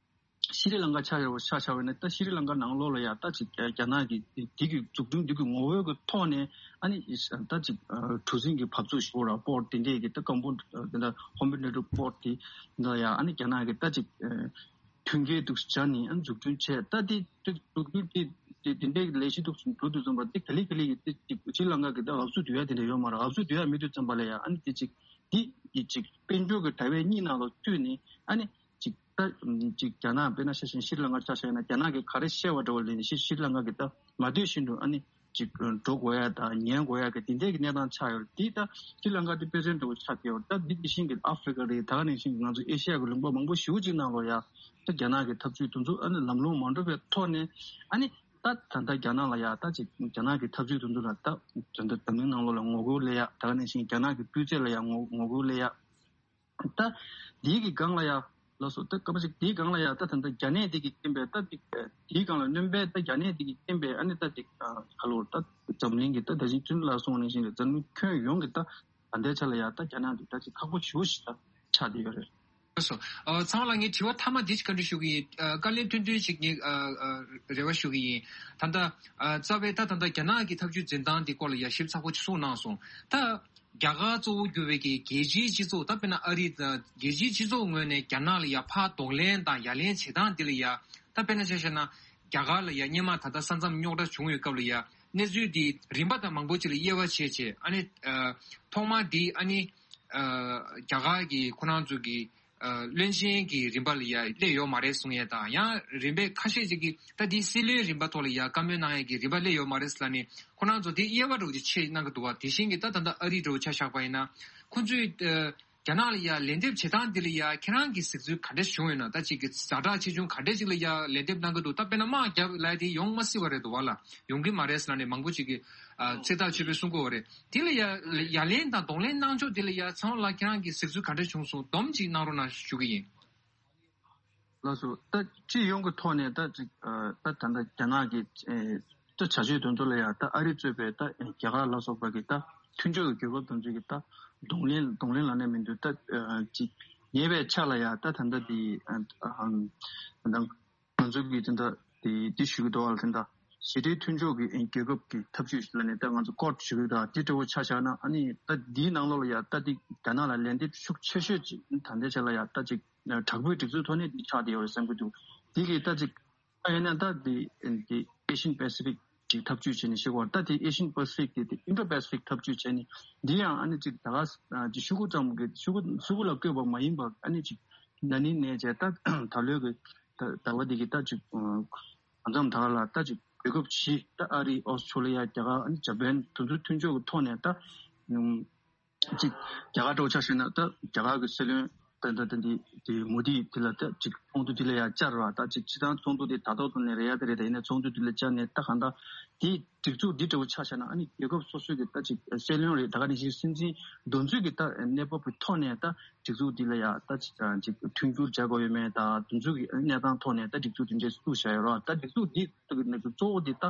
ཤི་རི་ལང་ཀ་ཆ་ཡོད་ཆ་བཞག་པ་ཡིན་ན་ད་ཤི་རི་ལང་ཀ་ནང་ལོགས་ལ་ཡ་ད་ཅིག་རྒྱ་ནག་གི་འདི་གི་འཛུགས་སྐྲུན་འདི་གི་ངོ་བོ་གི་ཐོག་ནས་ཨ་ནི་ད་ཅིག་གྲུ་གཟིངས་ཀྱི་འབབ་ཚུགས་ཞུ་ར་པོར་ཊི་དེ་འདྲས་ཀྱི་ད་ཀམ་པོ་ད་ཧོམ་པི་ནེ་ཊི་པོར་ཊི་དེ་འདྲ་ཡ་ཨ་ནི་རྒྱ་ནག་གི་ད་ཅིག་མཐུན་རྐྱེན་འདུག་སྦྱར་ནས་ཨ་ནི་འཛུགས་སྐྲུན་བྱས། ད་དེ་འཛུགས་སྐྲུན་དེ་དེ་དེ་འདྲའི་ལས་གཞི་འདུག་འགྲོ་དུས་ཙམ་པ་དེ་ག་ལེ་ག་ལེ་ཡིན་དེ་ཅིག་ཤྲི་ལང་ཀ་གི་ད་འབབ་ཚུགས་སྡུད་ཡ་དེ་འདྲ་ཡོད་མ་རེད། འབབ་ཚུགས་སྡུད་ཡ་མེད་དུས་ཙམ་པ་ལ་ཡ་ཨ་ནི་དེ་ཅིག་དེ་ཡི་ཅིག་དཔལ་འབྱོར་གྱི་དྲ་བའི་གཉིས་ནང་ལ་བཙུད་ནས་ཨ་ནི་ཅིག་ད་ཅིག་རྒྱ་ནག་དཔེར་ན་ཆ་བཞག་ན་ཤྲི་ལང་ཀ་ཆ་བཞག་ན་རྒྱ་ནག་གི་ག་རེ་བཤད་པ་འདྲ་བོ་ལས་ནས་ཤྲི་ལང་ཀ་གི་ད་མ་འདོད་བཞིན་དུ་ཨ་ནི་ཅིག་འགྲོ་དགོས་ཡ་དང་ཉན་དགོས་ཡ་གི་དེ་འདྲའི་གི་གནས་སྟངས་ཆགས་ཡོད་རེད། དེ་ད་ཤྲི་ལང་ཀ་དེ་དཔེ་མཚོན་འདྲ་བོ་ཆགས་བསྡད་ཡོད་རེད། ད་འདི་དེ་བཞིན་གི་ཨ་ཧྥི་རི་ཀ་རེད། ད་ག་ནང་བཞིན་གི་ང་ཚོ་ཨེ་ཤི་ཡ་གི་ལུང་པ་མང་པོ་ཞེ་པོ་ཅིག་ནང་ལོགས་ཡ་ད་རྒྱ་ནག་གི་ཐབས་ཇུས་དེ་ཚོ་ཨ་ནི་ལམ་ལྷོང་མ་འགྲོ་བའི་ཐོག་ནས་ཨ་ནི་ད་ད་ལྟ་རྒྱ་ནག་ལ་ཡ་ད་ཅིག་རྒྱ་ནག་གི་ཐབས་ཇུས་དེ་ཚོ་ལ་ད་ད་ལྟ་འཛམ་གླིང་ནང་ལོགས་ལ་ངོ་རྒོལ་སླེབས་ཡ། ད་ག་ནང་བཞིན་རྒྱ་ནག་གི་སྤུས་ཚད་ལ་ཡ་ངོ་ངོ་རྒོལ་སླེབས་ཡ། ད་འདིའི་གི་སྒང་ལ་ཡ་ལགས་སོ། ད་སྐར་མ་ཞིག་འདིའི་སྒང་ལ་ཡ་ད་ད་ལྟ་རྒྱ་ནད་འདི་གི་རྐྱེན་པས་ད་འདི་འདིའི་སྒང་ལ་སྣོན་པས་ད་རྒྱ་ནད་འདི་གི་རྐྱེན་པས་ཨ་ནི་ད་འདི་ག་ལོར་ད་འཛམ་གླིང་གི་ད་ད་ཅིག་བཙུན་ལ་སོང་ནས་བཞིན་འཛམ་གླིང་ཁྱོན་ཡོངས་ཀྱི་ད་ད་ལྟའི་ཆ་ལ་ཡ་ད་རྒྱ་ནག་འདི་ད་ཅིག་ཁག་པོ་ཞེ་པོ་ཞིག་ད་ཆགས་བསྡད་ཡོད་རེད། ལགས་སོ། ཨ་ཚང་ལ་ངས་དྲི་བ་མཐའ་མ་འདི་ཞིག་བཀའ་འདྲི་ཞུ་གི་ཡིན། ཨ་བཀའ་ལན་ཐུང་ཐུང་ཞིག་ངས་ཨ་ཨ་རེ་བ་ཞུ་གི་ཡིན། ད་ལྟ་ཨ་རྩ་བའི་ད་ད་ལྟ་རྒྱ་ནག་གི་ཐབས་ཇུས་འཛིན་སྟངས་འདི་སྐོར་ལ་ཡ་ཞིབ་ཚགས་པོ་ཅིག་གསུངས་གནང་སོང་། ད་རྒྱ་གར་གཙོ་བོ་གྱུར་བའི་གི་རྒྱལ་སྤྱིའི་སྤྱི་ཚོགས་ད་དཔེར་ན་ཨ་རི་དང་རྒྱལ་སྤྱིའི་སྤྱི་ཚོགས་ངོས་ནས་རྒྱ་ནག་ལ་ཡ་ཕར་གདོང་ལེན་དང་ཡ་ལན་བྱེད་སྟངས་འདི་ལ་ཡ་ད་དཔེར་ན་ཆ་བཞག་ན་རྒྱ་གར་ལ་ཡ་སྔོན་མ་ད་ལྟ་ས་མཚམས་རྙོག་དྲ་བྱུང་བའི་སྐབས་ལ་ཡ་གནས་ཚུལ་འདི་རིམ་པ་དང་མང་པོ་ཅིག་ལ་དབྱེ་བ་ཕྱེ་བྱས་ཨ་ནི་ཨ་ཐོག་མ་འདི་ཨ་ནི་ཨ་རྒྱ་གར་གྱི་ཁོ་རང་ཚོ་གི་ཨ་བློན་ཆེན་གྱི་རིམ་པ་ལ་ཡ་སླེབས་ཡོད་མ་རེད་གསུང་ཡས་དང་ཡང་རིམ་པས་ཁ་ཤས་ཅིག་གིས་ད་འདི་སྲིད་བློན་རིམ་པ་ཐོག་ལ་ཡ་བཀའ་མོལ་གནང་ཡས་ཀྱི་རིམ་པ་སླེབས་ཡོད་མ་རེད་ཟེར་ལབ་ནས་ཁོ་རང་ཚོ་འདི་དབྱེ་བ་འདྲ་བོ་ཅིག་ཕྱེ་གནང་གི་འདུག་བ། དེ་བཞིན་གྱི་ད་ད་ལྟ་ཨ་རི་འདྲ་བོ་ཆ་བཞག་པ་ཡིན་ན་ཁོ་ཚོས་ཨ་རྒྱ་ནག་ལ་ཡ་ལན་འདེབས་བྱེད་སྟངས་འདི་ལ་ཡ་ཁྱེད་རང་གི་གཟིགས་ཚུལ་ག་འདྲ་བྱུང་ཡོད་ན། ད་ཅིག་གི་ཛ་དྲག་ཆེ་ཆུང་ག་འདྲ་ཅིག་ལ་ཡ་ལན་འདེབས་གནང་གི་འདུག་ད་དཔེར་ན་དམག་རྒྱབ་ལབ་དེ་ཡོང་མ་སྲིད་པ་རེད་འདུག་བ་ལ། ཡོང་གི་མ་རེད་ཟེར་ལབ་ནས་མང་པོ་ཅིག་གིས་ཨ་ཚོད་ལྟ་བྱེད་པའི་གསུང་གི་ཡོད་རེད། དེ་ལ་ཡ་ཡ་ལན་དང་གདོང་ལེན་གནང་ཕྱོགས་དེ་ལ་ཡ་ཚང་ལ་ཁྱེད་རང་གི་གཟིགས་ཚུལ་ག་འདྲ་བྱུང་སོང་སྡོམ་ཅིག་གནང་རོགས་གནང་ཞུ་གི་ཡིན། ལགས་སོ། ད་སྤྱི་ཡོངས་ཀྱི་ཐོག་ནས་ད་ཅིག་ཨ་ད་ད་ལྟ་རྒྱ་ནག་གི་ཨེ་ད་བྱ་སྤྱོད་དེ་ཚོ་ལ་ཡ་ད་ཨ་རི་གཙོས་པའི་ད་རྒྱ་གར་ལ་སོགས་པ་གི་ད་མཐུན་ཕྱོགས་ཀྱི་རྒྱལ་ཁབ་དེ་ཚོ་གི་ད་གདོང་ལེན་གདོང་ལེན་ལབ་ནས་མི་འདུག་ད་ཨ་ཅིག་ཉེ་བའི་ཆ་ལ་ཡ་ད་ད་ལྟ་དེ་ཨ་ཨ་ད་ང་ཚོ་གི་དེ་འདྲ་དེ་དེ་ཞུ་གི་འདུག་བ་ལ། དེ་འདྲ་ཞི་བདེའི་མཐུན་ཕྱོགས་ཀྱི་རྒྱལ་ཁབ་ཀྱི་ཐབས་ཇུས་ཤིག་ལ་ནི་ད་ང་ཚོ་ཀོཊ་ཞུ་གི་འདུག་དེ་འདྲ་བོ་ཆ་བཞག་ན་ཨ་ནི་ད་འདིའི་ནང་ལོགས་ལ་ཡ་ད་དེ་རྒྱ་ནག་ལ་ལན་འདེབས་ཤུགས་ཆེ་ཤོས་ཅིག་ད་ལྟའི་ཆ་ལ་ཡ་ད་ཅིག་དྲག་པོའི་སྒྲིག་འཛུགས་ཐོག་ནས་འདི་ཆགས་བསྡད་ཡོད་རེད་བསམ་གྱི་འདུག་དེ་གི་ད་ཅིག་ད་ཡིན་ན་ད་དེ་དེ་ཨེ་ཤན་པེ་སི་ཕིག་ཅིག་ཐབས་ཇུས་བྱས་ནས་ཤེས་དགོས། ད་དེ་ཨེ་ཤན་པེ་སི་ཕིག་དེ་དེ་ཨིན་ཌོ་པེ་སི་ཕིག་ཐབས་ཇུས་བྱས་ནས་འདི་ཡང་ཨ་ནི་ཅིག་ད་ག་ཅིག་ཤུ་གུ་ཙམ་གི་ཤུ་གུ་ཤུ་གུ་ལ་བཀོད་པ་མ་ཡིན་པ་ཨ་ནི་ཅིག་ན་ནིང་ནས་བྱས་ད་ད་ལོའི་གི་ད་ད་བ་འདི་གི་ད་ཅིག་ཨ་མཚམས་ད་ག་ལ་ད་ཅིག་རྒྱལ་ཁབ་བཞི་ད་ཨ་རི་ཨོ་སི་ཁྲུ་ལི་ཡ་རྒྱ་གར་ཨ་ནི་ཇ་པན་དེ་ཚོའི་མཐུན་ཕྱོགས་ཀྱི་ཐོག་ནས་ད་ཨུམ་ཅིག་རྒྱ་གར་འདྲ་བོ་ཆ་བཞག་ན་ད་རྒྱ་གར་གྱི་སྲིད་བློན་ད་ད་ད་འདི་དེ་མོ་དི་དེ་ལ་ད་ཅིག་ཚོགས་འདུ་དེ་ལ་ཡ་བཅར་བ་ད་ཅིག་སྤྱི་བཏང་ཚོགས་འདུ་དེ་ད་ཐོག་ཏུ་ནས་རེད་ཡ་ད་རེད། ད་ཡིན་ན་ཚོགས་འདུ་དེ་ལ་བཅར་ནས་ད་གང་ལྟར་དེ་སྒྲིག་འཛུགས་འདི་འདྲ་བོ་ཆ་བཞག་ན་ཨ་ནི་རྒྱལ་ཁབ་སོ་སོའི་གི་ད་ཅིག་སྲིད་བློན་རེད། ད་ག་ནང་བཞིན་སྲིད་འཛིན་འདེམས་ཚོད་ཀྱི་ད་གནས་བབ་ཀྱི་ཐོག་ནས་ད་སྒྲིག་འཛུགས་འདི་ལ་ཡ་ད་ཅིག་ཅིག་མཐུན་འགྱུར་བྱ་དགོས་ཡོད་མེད་ད་དེ་ཚོ་གི་གནས་སྟངས་ཐོག་ནས་ད་སྒྲིག་འཛུགས་འདི་འདྲས་བཙུགས་བཞག་ཡོད་རེད། ད་སྒྲིག་འཛུགས་འདི་གཙོ་བོ་འདི་ད་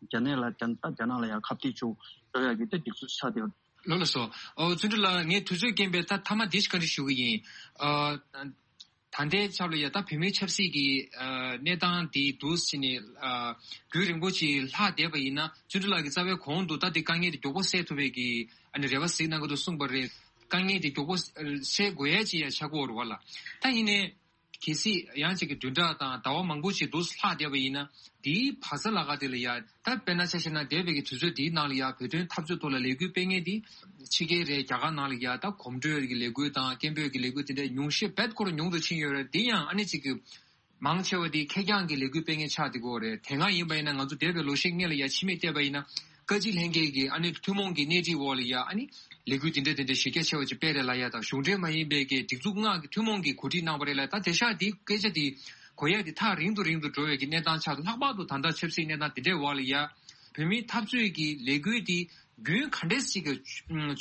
རྒྱ་ནག་ལ་རྒྱ་ད་རྒྱ་ནག་ལ་ཡ་ཁ་གཏད་གཅོག་འགྲོ་ཡ་གི་ད་སྒྲིག་འཛུགས་ཆགས་བསྡད་ཡོད། ལགས་ལགས་སོ། ཨོ་བརྩོན་འགྲུས་ལགས་ངས་དུས་ཚོད་རྐྱེན་པས་ད་མཐའ་མ་འདི་ཞིག་བཀའ་འདྲི་ཞུ་གི་ཡིན། ཨ་ད་ལྟའི་ཆར་ལ་ཡ་ད་བོད་མིའི་ཆབ་སྲིད་ཀྱི་ཨ་གནས་སྟངས་འདི་འདུག་ཟེར་ནས་ཨ་རྒྱུན་རིང་པོ་ཅིག་ལྷག་བསྡད་པ་ཡིན་ན་བརྩོན་འགྲུས་ལགས་ཀྱིས་རྩ་བའི་གོང་དུ་ད་འདི་དཀའ་ངལ་འདི་མགྱོགས་པོ་སེལ་ཐུབ་པའི་གི་ཨ་ནི་རེ་བ་གཟིགས་གནང་གི་འདུག་གསུངས་པ་རེད། དཀའ་ངལ་འདི་མགྱོགས་པོ་སེལ་དགོས་ཡ་ཅིག་ཡ་ཆགས་ཀྱི་ཡོད་རེད་བ་ལ། ད་ཡིན་ནའི། གལ་སྲིད་ཡང་ཅིག་གི་བདུན་ཕྲག་དང་ཟླ་བ་མང་པོ་ཞིག་འདུག་ལྷག་བསྡད་པ་ཡིན་ན་དེའི་བར་ས་ལ་ཁ་དེ་ལ་ཡ་ད་དཔེར་ན་ཆ་བཞག་ན་འདས་པའི་གི་དུས་ཚོད་དེའི་ནང་ལ་ཡ་བོད་དོན་འཐབ་རྩོད་ཐོག་ལ་ལས་འགུལ་སྤེལ་མཁན་དེ་ཕྱི་རྒྱལ་རེད། རྒྱ་གར་ནང་ལ་ཡ་ད་གོམ་བགྲོད་ཀྱི་ལས་འགུལ་དང་སྐད་འབོད་ཀྱི་ལས་འགུལ་དེ་འདྲ་ཉུང་ཤས་རྦད་ཁོ་རང་ཉུང་དུ་ཕྱིན་ཡོད་རེད། དེ་ཡང་ཨ་ནི་ཅིག་གི་ མང་ཆེ་བ་དེ་ཁེར་རྐྱང་གི་ལས་འགུལ་སྤེལ་མཁན་ཆགས་བསྡད་ཀྱི་ཡོད་རེད། དེ་སྔ་ཡིན་པ་ཡིན་ན་ང་ཚོ་འདས་པའི་ལོ་ཤས་སྔོན་ལ་ཡ་ཕྱི་མིག་བལྟས་པ་ཡིན་ན་བཀའ་སྤྱི་ལྷན་རྒྱས་ཀྱི་ཨ་ནི་ཐུན་མོང་གི་སྣེ་ཁྲིད་འོག་ལ་ཡ་ཨ་ནི་ལས་འགུལ་དེ་འདྲ་དེ་འདྲ་གཞི་རྒྱ་ཆེ་བ་ཅིག་སྤེལ་རེད་ལབ་ཡ་དང་། གཞུང་འབྲེལ་མ་ཡིན་པའི་གི་སྒྲིག་འཛུགས་ལྔ་གི་ཐུན་མོང་གི་གོ་སྒྲིག་གནང་བ་རེད་ལབ་ཡ། ད་དེང་སང་དེ་སྐད་ཆ་དེ་གོ་ཡ་དེ་ཐག་རིང་དུ་རིང་དུ་འགྲོ་བའི་གི་གནས་སྟངས་ཆགས་འདུག། ལྷག་པར་དུ་ད་ལྟ་ཆབ་སྲིད་གནས་སྟངས་དེ་འདྲའི་འོག་ལ་ཡ་བོད་མིའི་འཐབ་རྩོད་ཀྱི་ལས་འགུལ་དེ་རྒྱུན་ག་འདྲས་ཞིག་གི་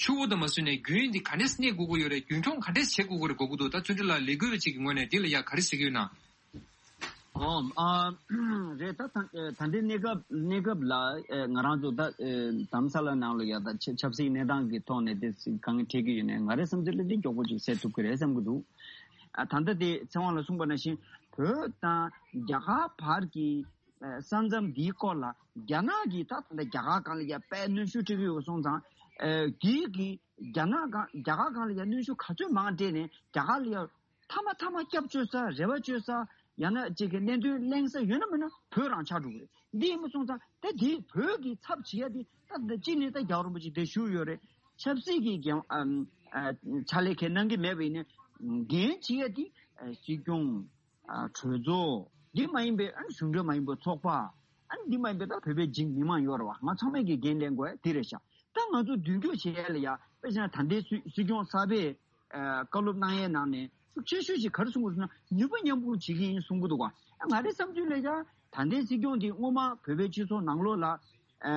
ཆུ་བོ་དང་མ་བཟོས་ནས་རྒྱུན་འདི་ག་འདྲས་གནས་དགོས་ཀྱི་ཡོད་རེད། རྒྱུན་འཁྱོངས་ག་འདྲས་བྱེད་དགོས་ཀྱི་རེད་དགོས་ཀྱི་འདུག། ད་བརྩོན་འགྲུས་ལགས་ལས་འགུལ་བ་ཅིག་གི་ངོས་ནས་འདི་ལ་ཡ་ག་རེ་ཟེར་གྱི་ཡོད་ན། ཨོ། ཨ། རེད། ད་ད་ད་ལྟའི་གནས་སྐབས་གནས་སྐབས་ལ་ཨེ་ང་རང་ཚོ་ད་ཨེ་དྷ་རམ་ས་ལ་ནང་ལ་ཡ་ད་ཆ་ཆབ་སྲིད་གནས་སྟངས་ཀྱི་ཐོག་ནས་དེ་གང་འཕྲད་ཀྱི་ཡོད་ནས་ང་རའི་བསམ་ཚུལ་ལ་འདི་མགྱོགས་པོ་ཅིག་གསལ་ཐུབ་ཀྱི་རེད་བསམ་གྱི་འདུག། ཨ། ད་ལྟ་དེ་ཚེ་དབང་ལ་གསུངས་པ་ནང་བཞིན་བོད་དང་རྒྱ་གར་བར་གྱི་ཨེ་ས་མཚམས་འདིའི་སྐོར་ལ་རྒྱ་ནག་གིས་ད་ད་ལྟ་རྒྱ་གར་སྒང་ལ་ཡ་དཔེ་གནོན་ཤུགས་སྤྲད་ཀྱི་ཡོད་སོང་ཙང་། ཨེ་གིས་གིས་རྒྱ་ནག་སྒང་རྒྱ་གར་སྒང་ལ་ཡ་གནོན་ཤུགས་ག་ཚོད་མང་སྤྲད་ནས་རྒྱ་གར་ལ་ཡ་མཐའ་མ་མཐའ་མ་སྐྱབས་བཅོལ་ས་རེ་བ་བཅོལ་ས། ཡང་ན་ཅིག་གི་གནད་དོན་གླེང་ས་ཡོད་ན་མེད་ན་བོད་རང་ཆགས་འགྲོ་གི་རེད། འདི་ཡིན་པ་སོང་ཙང་ད་འདི་བོད་ཀྱི་ཚབ་བྱེད་ཡ་འདི་ད་ད་གཅིག་ནས་ད་རྒྱལ་བ་རིན་པོ་ཆེ་དེ་བཞུགས་ཡོད་རེད། ཆབ་སྲིད་ཀྱི་འགན་ཨམ་ཨ་ཕྱག་ལས་ཁས་གནང་གི་མེད་པ་ཡིན་ན་འགན་བྱེད་ཡ་འདི་ཨ་སྲིད་སྐྱོང་། ཨ་གྲོས་ཚོགས། འདི་མ་ཡིན་པའི་ཨ་ནི་གཞུང་འབྲེལ་མ་ཡིན་པའི་ཚོགས་པ། ཨ་ནི་འདི་མ་ཡིན་པའི་ད་བོད་པའི་འཇིགས་མི་མང་ཡོད་རེད་བ། ང་ཚང་མས་ཀྱི་འགན་ལེན་དགོས་ཡ་འདི་རེད་ཤག། ད་ང་ཚོ་མདུན་སྐྱོད་བྱེད་ཡ་ལ་ཡ་དཔེ་བྱས་ན་ད་ལྟའི་སྲིད་སྲིད་སྐྱོང་གསར་པས་ཨ་བཀའ་སློབ་གནང་ཡའི་ནང་ནས་ཤུགས་ཆེ་ཤོས་ཤིག་ག་རེ་གསུང་གི་ཟེར་ན་ནུས་པ་མཉམ་སྤུངས་བྱེད་ཀྱི་ཡིན་གསུང་གི་འདུག་བ། ཨ་ང་རའི་བསམ་ཚུལ་ལ་ཡ་ད་ལྟའི་སྲིད་སྐྱོང་འདི་སྔོན་མ་བོད་པའི་སྤྱི་ཚོགས་ནང་ལོགས་ལ་ཨ་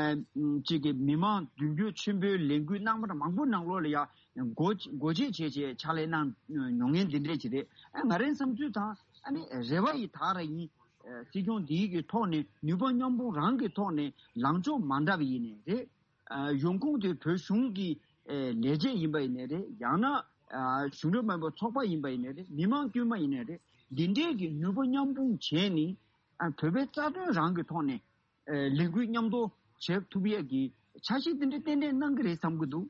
ཅིག་གི་མི་མང་མདུན་སྐྱོད་ཆེན་པོའི་ལས་འགུལ་གནང་བ་མང་པོ་ནང་ལོགས་ལ་ཡ་སྒོ་སྒོ་འབྱེད་བྱས་བྱས་ཕྱག་ལས་གནང་མྱོང་མཁན་འདི་འདྲས་ཅིག་རེད། ཨ་ང་རའི་བསམ་ཚུལ་དང་ཨ་ནི་རེ་བ་ཡི་དག་ར་ཡིན། ཨ་སྲིད་སྐྱོང་འདིའི་གི་ཐོག་ནས་ནུས་པ་མཉམ་སྤུངས་རང་གི་ཐོག་ནས་ལངས་ཕྱོགས་མ་འདྲ་བ་ཡིན་ནའི་རེད། ཨ་ཡོང་ཁུངས་དེ་བོད་གཞུང་གི་ཨ་ལས་བྱེད་ཡིན་པ་ཡིན་ནའི་རེད། ཡང་ན་ཨ་གཞུང་འབྲེལ་མ་ཡིན་པའི་ཚོགས་པ་ཡིན་པ་ཡིན་ནའི་རེད། མི་མང་དཀྱུས་མ་ཡིན་ནའི་རེད། འདི་འདྲའི་གི་ནུས་པ་མཉམ་སྤུངས་བྱས་ནས་ཨ་བོད་པའི་རྩ་དོན་རང་གི་ཐོག་ནས་ཨ་ལས་འགུལ་མཉམ་དུ་བྱེད་ཐུབ་ཡས་ཀྱི་འཆར་གཞི་དེ་འདྲ་ཏན་ཏན་གནང་གི་རེད་བསམ་གྱི་འདུག།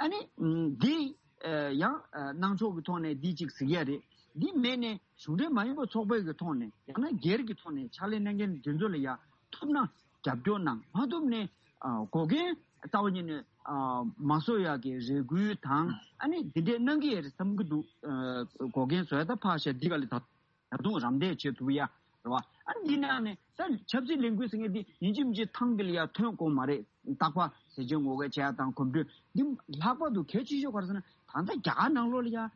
ཨ་ནི་ཨ་འདི་ཨ་ཡང་ཨ་གནང་ཕྱོགས་ཀྱི་ཐོག་ནས་འདི་གཅིག་གཟིགས་ཡས་རེད། འདི་མེད་ནས་གཞུང་འབྲེལ་མ་ཡིན་པའི་ཚོགས་པའི་གི་ཐོག་ནས་ཡང་ན་སྒེར་གྱི་ཐོག་ནས་ཕྱག་ལས་གནང་མཁན་འདི་ཚོ་ལ་ཡ་ཐུབ་ན་རྒྱབ་སྐྱོར་གནང་། མ་ཐུབ་ནས་ཨ་འགོག་རྐྱེན་རྩ་བ་ཉིད་ནས་ཨ་མ་བཟོ་ཡག་གི་རེ་སྐུལ་དང་ཨ་ནི་འདི་འདྲས་གནང་གི་ཡོད་རེད་བསམ་གྱི་འདུག། ཨ་འགོག་རྐྱེན་བཟོ་ཡ་ད་ཕར་བཞག། འདི་ག་ལ་ད་ད་དུང་རམ་འདེགས་བྱེད་ཐུབ་ཡ་རེད་བ། ཨ་ནི་འདི་ནང་ནས་ད་ཆབ་སྲིད་ལས་འགུལ་ཟེར་མཁན་འདི་ཡིན་གཅིག་མིན་གཅིག་ཐང་འདི་ལ་ཡ་ཐོན་དགོས་མ་རེད། རྟག་པར་ཟས་བཅད་ངོ་རྒོལ་བྱེད་ཡ་དང་གོམ་བགྲོད་འདི་ལྷག་པར་དུ་གལ་ཆེ་ཤོས་ག་རེ་ཟེར་ན་ད་ལྟ་རྒྱ་གར་ནང་ལོགས་ལ་ཡ། ཨེ་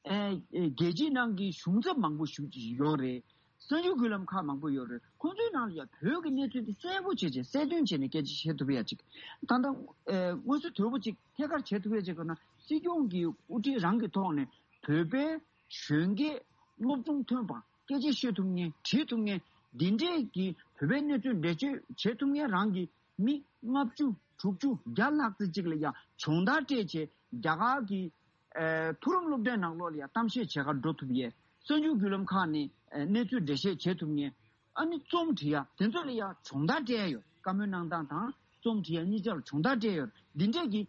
ཨེ་རྒྱལ་སྤྱིའི་ནང་གི་གཞུང་ཚབ་མང་པོ་ཞིག་ཡོད་རེད། གསར་འགྱུར་བརྒྱུད་ལམ་ཁག་མང་པོ་ཡོད་རེད། ཁོང་ཚོའི་ནང་ལ་ཡང་བོད་ཀྱི་གནས་ཚུལ་དེ་གསལ་པོ་བྱས་བྱས་གསལ་སྟོན་བྱས་ནས་སྐད་ཆ་བཤད་ཐུབ་ཡ་ཅིག། ད་ལྟ་ཨེ་དངོས་སུ་དོད་པོ་ཅིག་ཐད་ཀར་བྱེད་ཐུབ་ཡ་ཅིག་དགོས་ན་སྲིད་སྐྱོང་གི་དབུ་ཁྲིད་རང་གི་ཐོག་ནས་བོད་པའི་གཞོན་སྐྱེས་སློབ་སྦྱོང་ཐོན་པ་སྐད་ཆ་བཤད་ཐུབ་མཁན་བྲིས་ཐུབ་མཁན་འདི་འདྲས་ཀྱི་བོད་པའི་གནས་ཚུལ་འགྲེལ་བརྗོད་བྱེད་ཐུབ་མཁན་རང་གི་མི་ལྔ་བཅུ་དྲུག་ཅུ་བརྒྱ་ལྷག་ཙམ་ཅིག་ལ་ཡང་སྦྱོང་བརྡར་སྤྲད་བྱས་རྒྱ་གར་གྱི་ཨེ་མཐོ་རིམ་སློབ་གྲྭའི་ནང་ལོགས་ལ་ཡང་གཏམ་བཤད་བྱེད་གར་འགྲོ་ཐུབ་ཡས། གསར་འགྱུར་བརྒྱུད་ལམ་ཁག་ནས་ཨེ་གནས་ཚུལ་འགྲེལ་བཤད་བྱེད་ཐུབ་མཁན། ཨ་ནི་རྩོམ་འབྲི་ཡ་དེ་ཚོ་ལ་ཡང་སྦྱོང་བརྡར་སྤྲད་ཡ་ཡོད། བཀའ་མོལ་གནང་སྟངས་དང་རྩོམ་འབྲི་ཡ་གཉིས་ཆར་སྦྱོང་བརྡར་སྤྲད་ཡ་ཡོད། འདི་འདྲས་ཀྱི་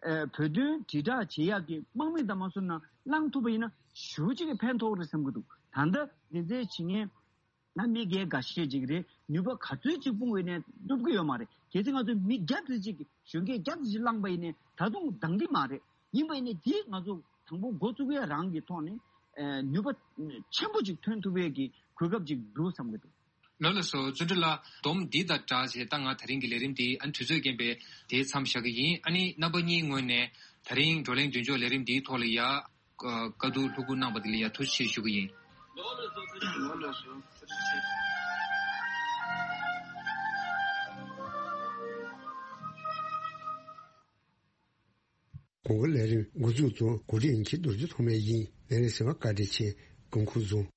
ཨེ་བོད་དོན་དྲིལ་བསྒྲགས་བྱེད་ཡག་གི་དམག་མི་དང་མ་སོང་ན་བླངས་ཐུབ་པ་ཡིན་ན་ཞེ་པོ་ཅིག་གི་ཕན་ཐོགས་རེད་བསམ་གྱི་འདུག། ད་ལྟ་འདི་ཚོའི་བྱེད་མཁན་ན་མི་སྒེར་འགའ་ཤས་ཅིག་རེད། ནུས་པ་ག་ཚོད་ཅིག་སྤུངས་པ་ཡིན་ནའི་ཐུབ་ཀྱི་ཡོད་མ་རེད། གལ་སྲིད་ང་ཚོས་མི་བརྒྱ་ཙམ་ཅིག་གིས་གཞོན་སྐྱེས་བརྒྱ་ཙམ་ཅིག་བླངས་པ་ཡིན་ནའི་ད་དུང་འདང་གི་མ་རེད། ཡིན་པ་ཡིན་ནའི་དེས་ང་ཚོ་དང་པོ་འགོ་བཙུགས་ཡ་རང་གི་ཐོག་ནས་ཨེ་ནུས་པ་ཆེན་པོ་ཅིག་ཐོན་ཐུབ་ཡས་ཀྱི་གོ་སྐབས་ཅིག་འདུག་བསམ་གྱི་འདུག། ལགས་ལགས་སོ། བརྩོན་འགྲུས་ལགས། སྡོམ་འདི་དང་སྦྲགས་བྱས་ད་ང་ད་རིང་གི་ལས་རིམ་འདི་ཨ་ནི་དུས་ཚོད་རྐྱེན་པས་དེའི་མཚམས་བཞག་གི་ཡིན། ཨ་ནི་རྣམ་པ་གཉིས་ངོས་ནས་ད་རིང་བགྲོ་གླེང་མདུན་ལྕོག་ལས་རིམ་འདིའི་ཐོག་ལ་ཡ། བཀའ་བསྡུར་ལྷུག་པོ་གནང་བ་དེ་ལ་ཡ་ཐུགས་རྗེ་ཆེ་ཞུ་གི་ཡིན། གོང་གི་ལས་རིམ་འགོ་འཛུགས་དང་གོ་སྒྲིག་མཁན་རྡོ་རྗེ་ཐོགས་མེད་ཡིན། ལས་རིམ་གསན་པར་བཀའ་དྲིན་ཆེ། སྐུ་ཁམས་བཟང་།